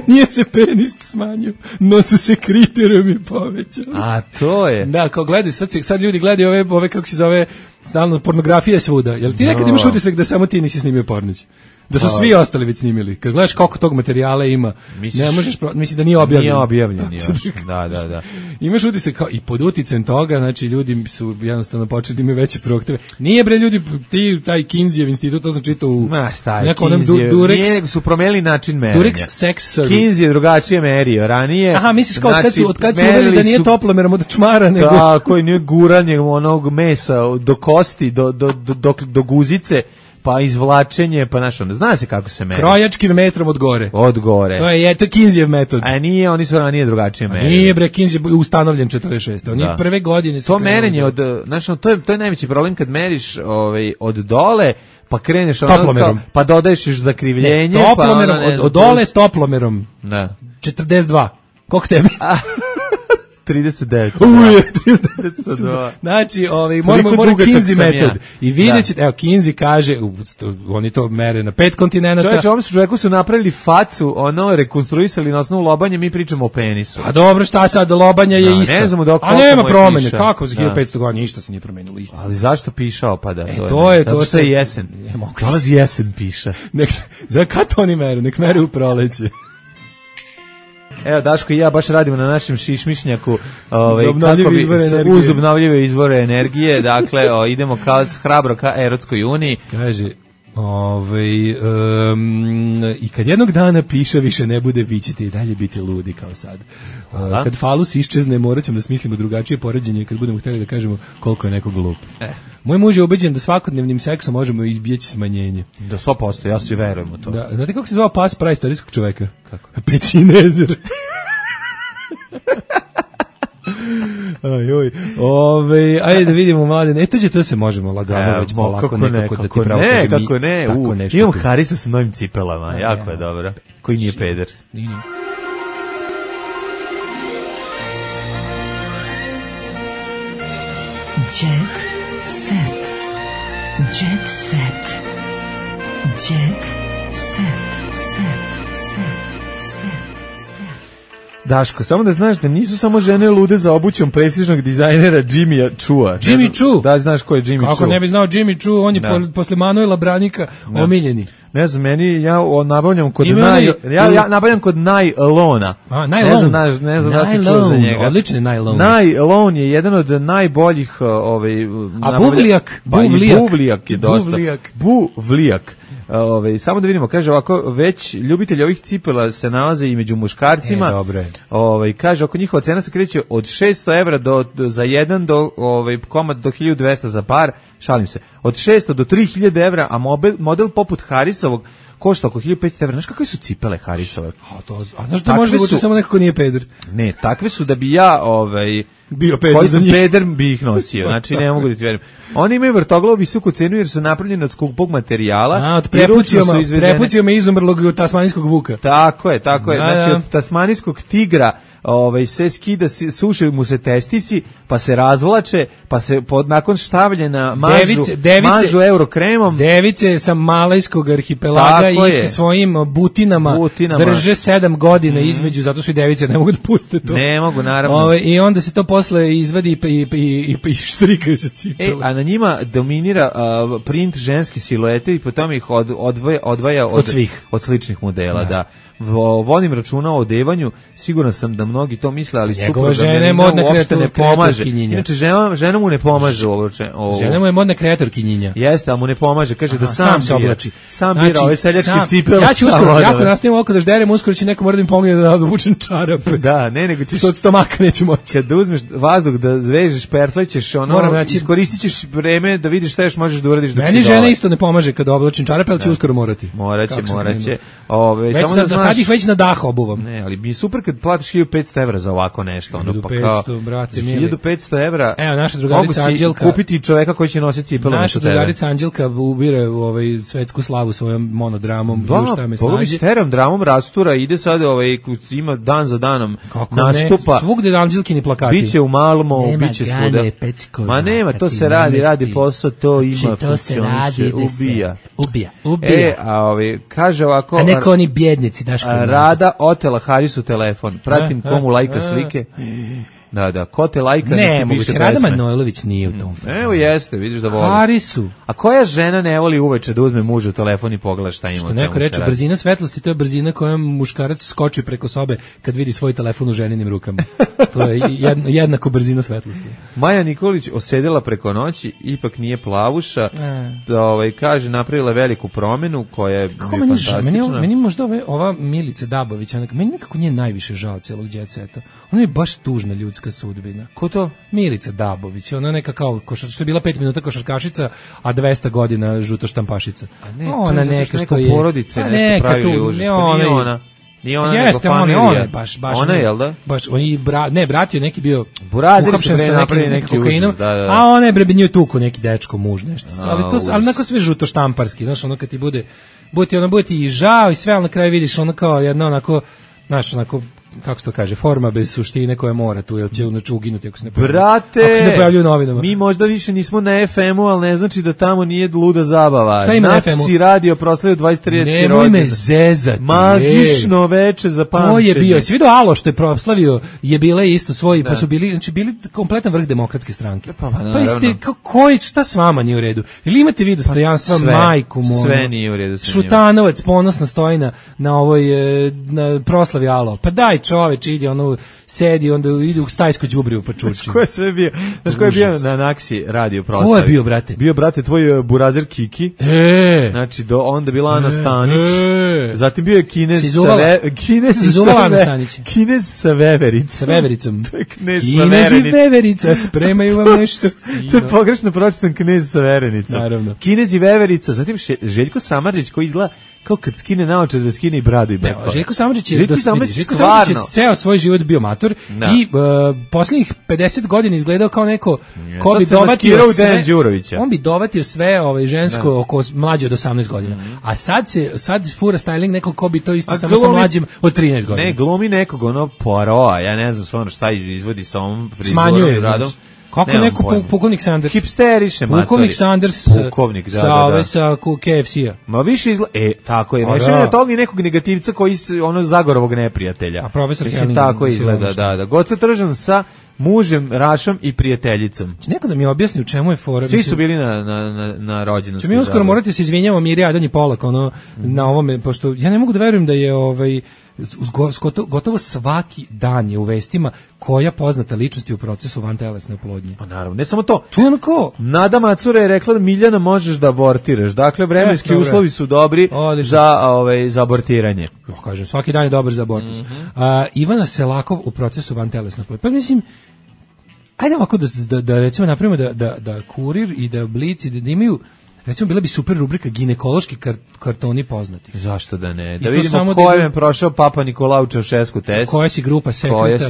nije se penis smanjio, no su se kriterijumi povećali. A to je. Da, kao gledaju, sad ljudi gledaju ove kako se zove, stalno pornografija svuda. Jel ti nekad imaš utisak da samo ti nisi snimio pornić? Da su svi ostali već snimili. Kad gledaš koliko tog materijala ima, ne možeš, misli da nije objavljen. Nije objavljen još. Da. Imaš utisak kao i pod uticajem toga, znači ljudi su jednostavno počeli da imaju veće prohteve. Nije bre ljudi, taj Kinseyjev institut, to sam čitao u nekom onom Durex. Su promenili način merenja. Durex sex survey. Kinsey je drugačije merio ranije. Aha, misliš kao od kad su uveli da nije toplomerom od čmara, nego... Tako, nije guranje onog mesa do kosti, do guzice, pa izvlačenje, pa zna se kako se meri. Krojačkim metrom od gore. Od gore. To je Kinseyjev metod. A nije, oni su ranije drugačije merili. Nije bre, Kinsey je ustanovljen 46. Oni prve godine su... To merenje to je najveći problem kad meriš od dole, pa kreneš pa dodaješ još zakrivljenje. Ne, toplomerom, od dole toplomerom. Da. 42. Koliko tebi? 39. Znači, mora Kinsey metod. I vidjet ćete, evo, Kinsey kaže, oni to mere na 5 kontinenta. Čovječe, ovom čovjeku su napravili facu, rekonstruisali na osnovu lobanja, mi pričamo o penisu. Pa dobro, šta sad, lobanja je isto. Ne znamo dok a nema promene, kako za 1500 godina, ništa se nije promenilo isto. Ali zašto pišao, pa da? To se jesen. Dolazi jesen piša. Za kad to oni mere? Nek mere u proleće. Evo, Daško i ja baš radimo na našem šišmišnjaku uz obnovljive izvore energije. Dakle, idemo hrabro ka Erotskoj uniji. Kaže, i kad jednog dana piša više ne bude, vi ćete i dalje biti ludi kao sad. Kad falus iščezne, morat ćemo da smislimo drugačije poređenje kad budemo htjeli da kažemo koliko je neko glup. Moj muž je ubeđen da svakodnevnim seksom možemo izbjeći smanjenje. Da 100%, ja svi verujem u to. Da, znate kako se zvao pas praistorijskog čoveka? Kako? Pećinezer. Ajde da vidimo, Mladen. To se možemo lagano već polako nekako da ti pravo kažem. Kako ne. Imam Harisa sa novim cipelama, jako je dobro. Koji nije peder. Nije. Jet set. Jet set. Jet set. Daško, samo da znaš da nisu samo žene lude za obućom prestižnog dizajnera Jimmya Chua. Jimmy Choo? Da, znaš ko je Jimmy Choo. Kako ne bi znao Jimmy Choo, on je posle Manuela Branika omiljeni. Ne znam, ja nabavljam kod Nylona. Nylon. Ne znam da si čuo za njega. Odlični Nylon. Nylon je jedan od najboljih A Buvlijak? Buvlijak je dosta. Buvlijak. Samo da vidimo, kaže ovako, već ljubitelji ovih cipela se nalaze i među muškarcima. Dobre. Kaže, oko njihova cena se kreće od 600 evra za jedan komad do 1200 za par, šalim se, od 600 do 3000 evra, a model poput Harrisovog košta oko 1500 evra. Znaš kakve su cipele Harrisove? A znaš da može da bude samo nekako nije peder? Ne, takve su da bi ja bio peder koji za sam njih. peder bi ih nosio, znači ne mogu da ti verujem. Oni imaju vrtoglavu visoku cenu jer su napravljeni od skupog materijala. Od prepucijama izumrlog tasmanijskog vuka. Tako je. Znači od tasmanijskog tigra se skida, suše mu se testisi, pa se razvlače, pa se nakon štavljena mažu eurokremom. Device sa malajskog arhipelaga i svojim butinama drže 7 godina između, zato što i device ne mogu da puste to. Ne mogu, naravno. I onda se to posle izvadi i štrikaju se cipele. A na njima dominira print ženske siluete i potom ih odvaja od sličnih modela, da. Volim računa o odevanju, siguran sam da mnogi to misle, ali njegova žena je modna kreatorkinjinja. Inače, žena mu ne pomaže ovo. Žena mu je modna kreatorkinjinja. Jeste, ali mu ne pomaže, kaže da sam se oblači. Sam bira ove seljačke cipele. Ja ću uskoro, jako nastavim oko da žderem, uskoro će neko mora da mi pomogne da obučem čarape. Da, nego ćeš... To od stomaka neću moći. Kad da uzmeš vazduh, da zvežeš, pertlećeš, iskoristit ćeš vreme da vidiš šta još možeš da uradiš. Meni žena isto ne pomaže kad oblačim čarape, ali će uskoro morati. Moraće. Sad ih već na dah obuvam. Ne, ali mi je super kad platiš 1500 evra za ovako nešto. 1500, brate, mili. 1500 evra. Evo, naša drugarica Anđelka. Kupiti čoveka koji će nositi cipele. Naša drugarica Anđelka ubire svetsku slavu svojom monodramom. Bogovi sterom dramom rastura, ide sad, ima dan za danom nastupa. Svugde Anđelkini plakati. Biće u Malmo, biće svuda. Ma nema, to se radi posao, to ima, funkcioniše, ubija. Kaže ovako... A neko oni bjednici, Daško. Rada otela Harisu telefon. Pratim komu lajka slike. Da, ko te lajka ne moguće, Rada Manojlović nije u tom fazonu. Evo jeste, vidiš da voli. Harisu. A koja žena ne voli uveče da uzme mužu telefon i pogleda šta ima? Što neko reče, brzina svetlosti, to je brzina kojom muškarac skoči preko sobe kad vidi svoj telefon u ženinim rukama. To je jednako brzina svetlosti. Maja Nikolić osedela preko noći, ipak nije plavuša, kaže, napravila veliku promenu koja je fantastična. Meni možda ova Milica Dabović, meni nekako nije najviše žao celog Jet Seta. Ona je baš tužna ljudska sudbina. Ko to? Milica Dabović. Ona neka kao što je bila 5 minuta košarkašica, a 200 godina žuto štampašica. Ona neka što je porodice nešto pravi užas. Nije ona nego familija. Ona baš. Ona je, jel da? Baš, brat je neki bio Burazir su pre napravili neki užas, da. A ona je nju tuku neki dečko, muž, nešto. Ali neko sve žuto štamparski, znaš, ono kad ti bude ti i žao i sve, ali na kraju vidiš ono kao jedno onako, znaš, onako, kako se to kaže, forma bez suštine koja mora tu, jel će uginuti ako se ne pojavljuju u novinama. Mi možda više nismo na FM-u, ali ne znači da tamo nije luda zabava. Šta ima na FM-u? Naci radio proslavio 23. rođendan. Nemoj me zezati. Magično veče za pamćenje. Ko je bio? Si vidio Alo što je proslavio, je bila isto svoj, pa su bili kompletan vrh demokratske stranke. Pa naravno. Šta s vama nije u redu? Ili imate vi dostojanstva, majku moju? Sve nije u redu. Šutanovac ponosno stoji na ovoj na proslavi Alo. Pa dajte čoveč ide, ono, sedi, onda ide u stajsko đubrivo pa čuči. Ko je sve bio? Znaš ko je bio na Naksi radio proslavi? Ko je bio, brate? Bio, brate, tvoj burazer Kiki. Znači, onda bila Ana Stanić. Zatim bio je Kinez sa Vevericom. Sa Vevericom. Kinez i Veverica, spremaju vam nešto. To je pogrešno pročitan Knez sa Verenicom. Naravno. Kinez i Veverica, zatim Željko Samardžić koji izgleda kao kad skine naočar da skine i bradu i brko. Željko Samardžić je ceo svoj život bio mator i posljednjih 50 godina izgledao kao neko ko bi dovatio sve. On bi dovatio sve žensko oko mlađe od 18 godina. A sad fura styling nekog ko bi to isto samo sa mlađim od 13 godina. Ne, glumi nekog Poirota, ja ne znam stvarno šta izvodi sa ovom frizurom. Smanjuje, kako neko pukovnik Sanders. Hipsteriše, matori. Pukovnik Sanders sa KFC-a. Ma više izgleda, tako je, nešto je tog i nekog negativca koji Zagorovog neprijatelja. A profesor Helling. Tako izgleda, da. Goca Tržan sa mužem, Rašom i prijateljicom. Neko da mi objasni u čemu je fora. Svi su bili na rođendanstvu. Mi uskoro morate se izvinjavamo Mirja Adan i Polak na ovome, pošto ja ne mogu da verujem da je gotovo svaki dan je u vestima koja poznata ličnost je u procesu vantelesne oplodnje. Pa naravno, ne samo to. To je onako. Nada Macura je rekla da Miljana možeš da abortiraš. Dakle, vremenski uslovi su dobri za abortiranje. Kažem, svaki dan je dobar za abortus. Ivana Selakov u procesu vantelesne oplodnje. Pa mislim, ajde ovako da recimo napravimo da Kurir i da Blic i da imaju, recimo bila bi super rubrika ginekološki kartoni poznati. Zašto da ne? Da vidimo ko je prošao Papa Nikolau Čaušesku test. Koja si grupa sekreta,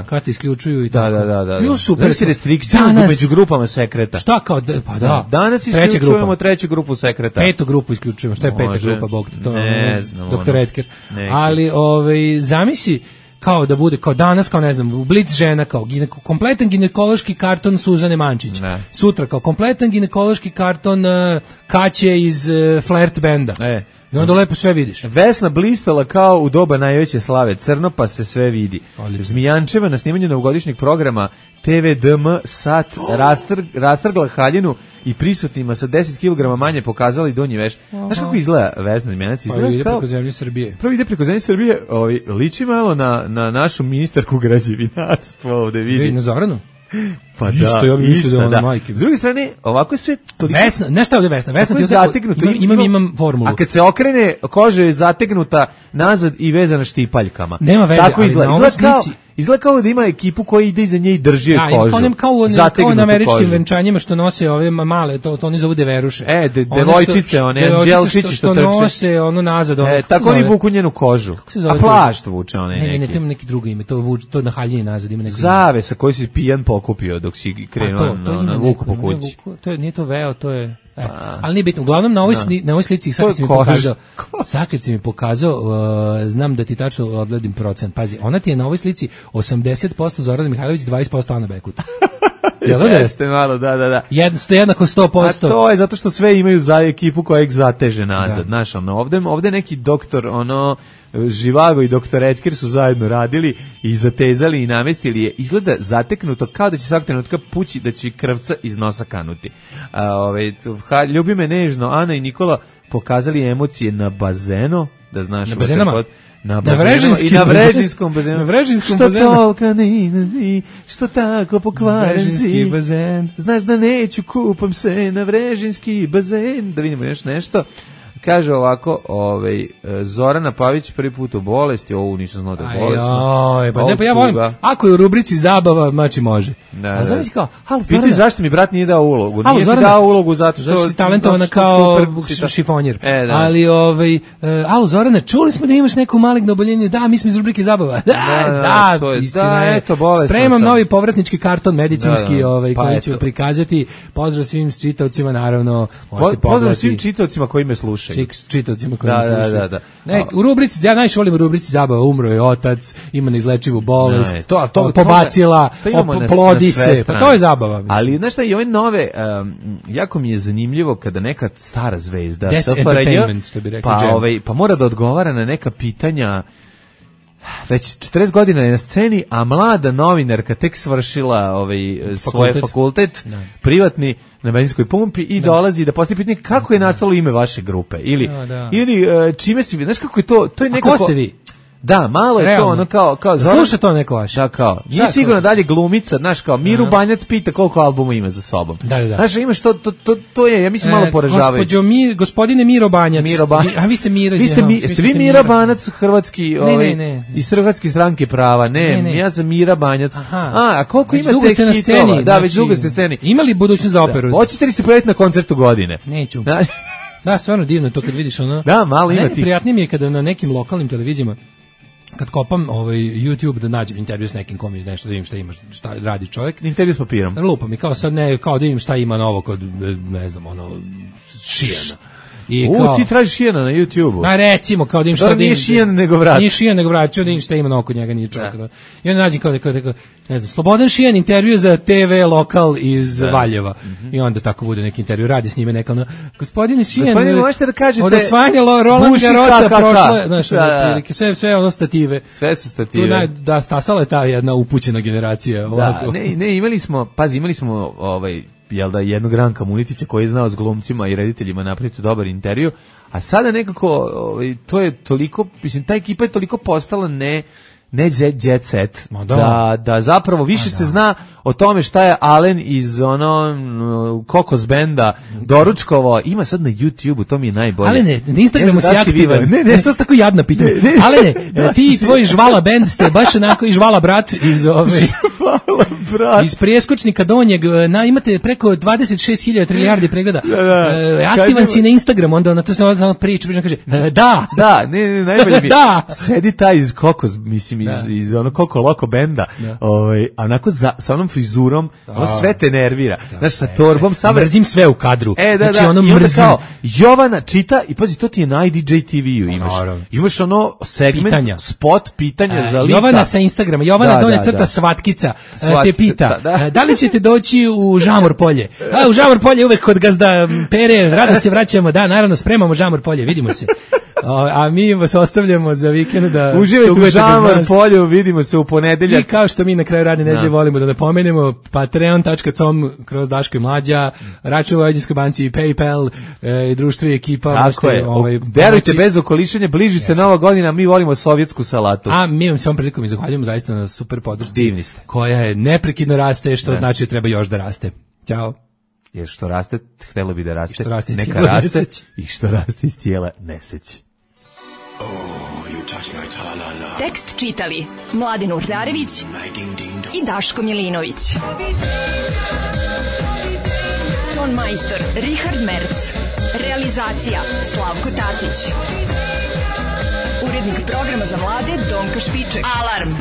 kad te isključuju i tako. Da. Bilo super. Da si restrikcija među grupama sekreta. Šta kao, pa da. Danas isključujemo treću grupu sekreta. Petu grupu isključujemo. Šta je peta grupa, Bog to? Ne znam. Doktor Edker. Ali zamisli kao da bude, kao danas, kao ne znam, Blic žena, kao kompletan ginekološki karton Suzane Mančić. Sutra kao kompletan ginekološki karton Kaće iz Flirt benda. I onda lepo sve vidiš. Vesna blistala kao u doba najveće slave, crno pa se sve vidi. Zmijančeva na snimanju novogodišnjeg programa TVDM Sat rastrgla haljinu i prisutnima sa 10 kg manje pokazala i donji veš. Znaš kako izgleda Vesna Zmijanac? Prvo ide preko zemlje Srbije. Liči malo na našu ministarku građevinarstva ovde vidi. Na Zoranu? Pa isto, ja bih mislio da majke. S druge strane, ovako je sve toliko... Vesna, nešto ovdje Vesna. Vesna ti zategnuto. Imam formulu. A kad se okrene, koža je zategnuta nazad i vezana štipaljkama. Nema veze, tako izgleda. Izgleda kao da ima ekipu koja ide iza nje i drži je kožu. Kao na američkim venčanjima što nose ove male, to oni zovu deveruše. Devojčice, one dželčići što trče. nose ono nazad. Tako oni vuku njenu kožu. A plašt vuče one neki. Ne, to ima neki drugo ime, to na haljini nazad ima neki. Zavesa koji si pijan pokupio dok si krenuo na vuku po kući. Nije to veo, to je... ali nije bitno. Uglavnom na ovoj slici sad kad si mi pokazao znam da ti tačno odgledim procent. Pazi, ona ti je na ovoj slici 80% Zorana Mihajlović, 20% Ana Bekut. Jeste malo, da. Ste jednako 100%. A to je zato što sve imaju za ekipu koja ih zateže nazad. Znaš, ovde neki doktor, Živago i doktor Edker su zajedno radili i zatezali i namestili je. Izgleda zateknuto kao da će svak trenutka pući, da će krvca iz nosa kanuti. Ljubi me nežno, Ana i Nikola pokazali emocije na bazenu, da znaš. Na bazenama? Na Vrežinskom bazenu. Na Vrežinskom bazenu. Što tolika ni, što tako pokvaren si. Bazen. Znaš da neću, kupam se na Vrežinski bazen. Da vidimo još nešto. Kaže ovako, Zorana Pavić prvi put u bolesti, nisam znao da je bolesno. Pa ja volim, ako je u rubrici zabava, mači može. A znam si kao, halo Zorana. Piti zašto mi brat nije dao ulogu. Nije ti dao ulogu zato što si talentovana kao šifonjer. Ali, halo Zorana, čuli smo da imaš neko maligno oboljenje, da, mi smo iz rubrike zabava. Da, istina je. Spremam novi povratnički karton medicinski koji ću prikazati. Pozdrav svim čitaocima, naravno. Pozdrav svim čitaocima koji me slušaju. Čitaocima koji mi slušaju. U rubrici, ja najviše volim u rubrici zabava, umro je otac, ima neizlečivu bolest, pobacila, plodi se, pa to je zabava. Mislim. Ali, znaš šta, i ove nove, jako mi je zanimljivo kada neka stara zvezda, pa mora da odgovara na neka pitanja, već 40 godina je na sceni, a mlada novinarka tek svršila svoj fakultet privatni na benzinskoj pumpi i dolazi da postavi pitanje kako je nastalo ime vaše grupe ili čime si, znaš kako je to je nekako. A ko ste vi? Da, malo je realno. to ono kao sluša to neko vaš. Da, kao. Nije sigurno dalje glumica, znaš, kao Miru Banjac pita koliko albuma ima za sobom. Da. Znaš, imaš to je, ja mislim, malo poražavajuće. Gospodine Miro Banjac. A vi ste Mira. Jeste vi Mira Banjac, hrvatski, iz Hrvatske stranke prava? Ne, ja sam Mira Banjac. A koliko imate hitova? Da, već dugo ste sceni. Imali budućnost za operu? Hoćete li se pojaviti na koncertu godine? Neću. Da, stvarno divno to kad vidiš ono. Da, malo ima ti. Prijatnije mi je kada na nekim lokalnim televizijama kad kopam YouTube da nađem intervju s nekim kom je nešto, da vidim šta ima, šta radi čovjek. Intervju s papirom. Lupa mi kao sad ne, kao da vidim šta ima novo kod, ne znam, Šijana. Ti tražiš Šijana na YouTube-u. Recimo, kao da im šta da im... Nije Šijan nego vrat. Nije Šijan nego vrat, da im šta ima novo kod njega, nije čovjek. I onda nađem kao ne znam, Slobodan Šijan intervju za TV lokal iz Valjeva. I onda tako bude neki intervju, radi s njime neka gospodine Šijan, možete da kažete od osvajanja Roland Garrosa prošlo je, znaš, prilike, sve ono stative. Sve su stative. Da, stasala je ta jedna upućena generacija. Ne, imali smo jel da, jednog Ranka Munitića koji je znao s glumcima i rediteljima napraviti dobar intervju, a sada nekako to je toliko, mislim, ta ekipa je toliko postala ne jet set, da zapravo više se zna o tome šta je Alen iz Kokos benda doručkovo, ima sad na YouTube-u, to mi je najbolje. Alene, na Instagramu si aktivan. Ne, što tako jadna pitanja. Alene, ti i tvoj Žvala bend ste baš onako i Žvala brat iz iz Prijeskočnika Donjeg, imate preko 26.000 trilijardi pregleda. Aktivan si na Instagramu, onda na to se priča, kaže, da. Da, ne, najbolje mi je. Sedi taj iz Kokos, mislim, iz Koko Loko benda, a onako sa onom frizurom, ono sve te nervira. Znaš, sa torbom, mrzim sve u kadru. Znači, ono mrzim. Jovana čita, i pazi, to ti je na IDJ TV-u imaš. Imaš ono segment, spot, pitanja za lika. Jovana sa Instagrama, Jovana dolje crta Svatkica, te pita, da li ćete doći u Žamor polje? U Žamor polje uvek kod gazda Pere, rado se vraćamo, da, naravno, spremamo Žamor polje, vidimo se. A mi vas ostavljamo za vikend da uživajte u Žamor polju, vidimo se u ponedeljak. I kao što mi na kraju radne nedelje volimo da napomenemo, patreon.com kroz Daško i Mlađa, račun u Vojvođanskoj banci, PayPal, društvo i ekipa. Tako je, verujte, bez okolišanja, bliži se Nova godina, mi volimo sovjetsku salatu. A mi vam se ovom prilikom i zahvaljujemo zaista na super podršci. Divni ste. Koja je neprekidno raste, što znači treba još da raste. Ćao. Jer što raste, htjelo bi da raste, neka raste, i što raste iz tijela, neseći. Tekst čitali Mladin Urdarević i Daško Milinović. Ton majstor Richard Merc. Realizacija Slavko Tatić. Urednik programa za mlade Donka Špiček. Alarm!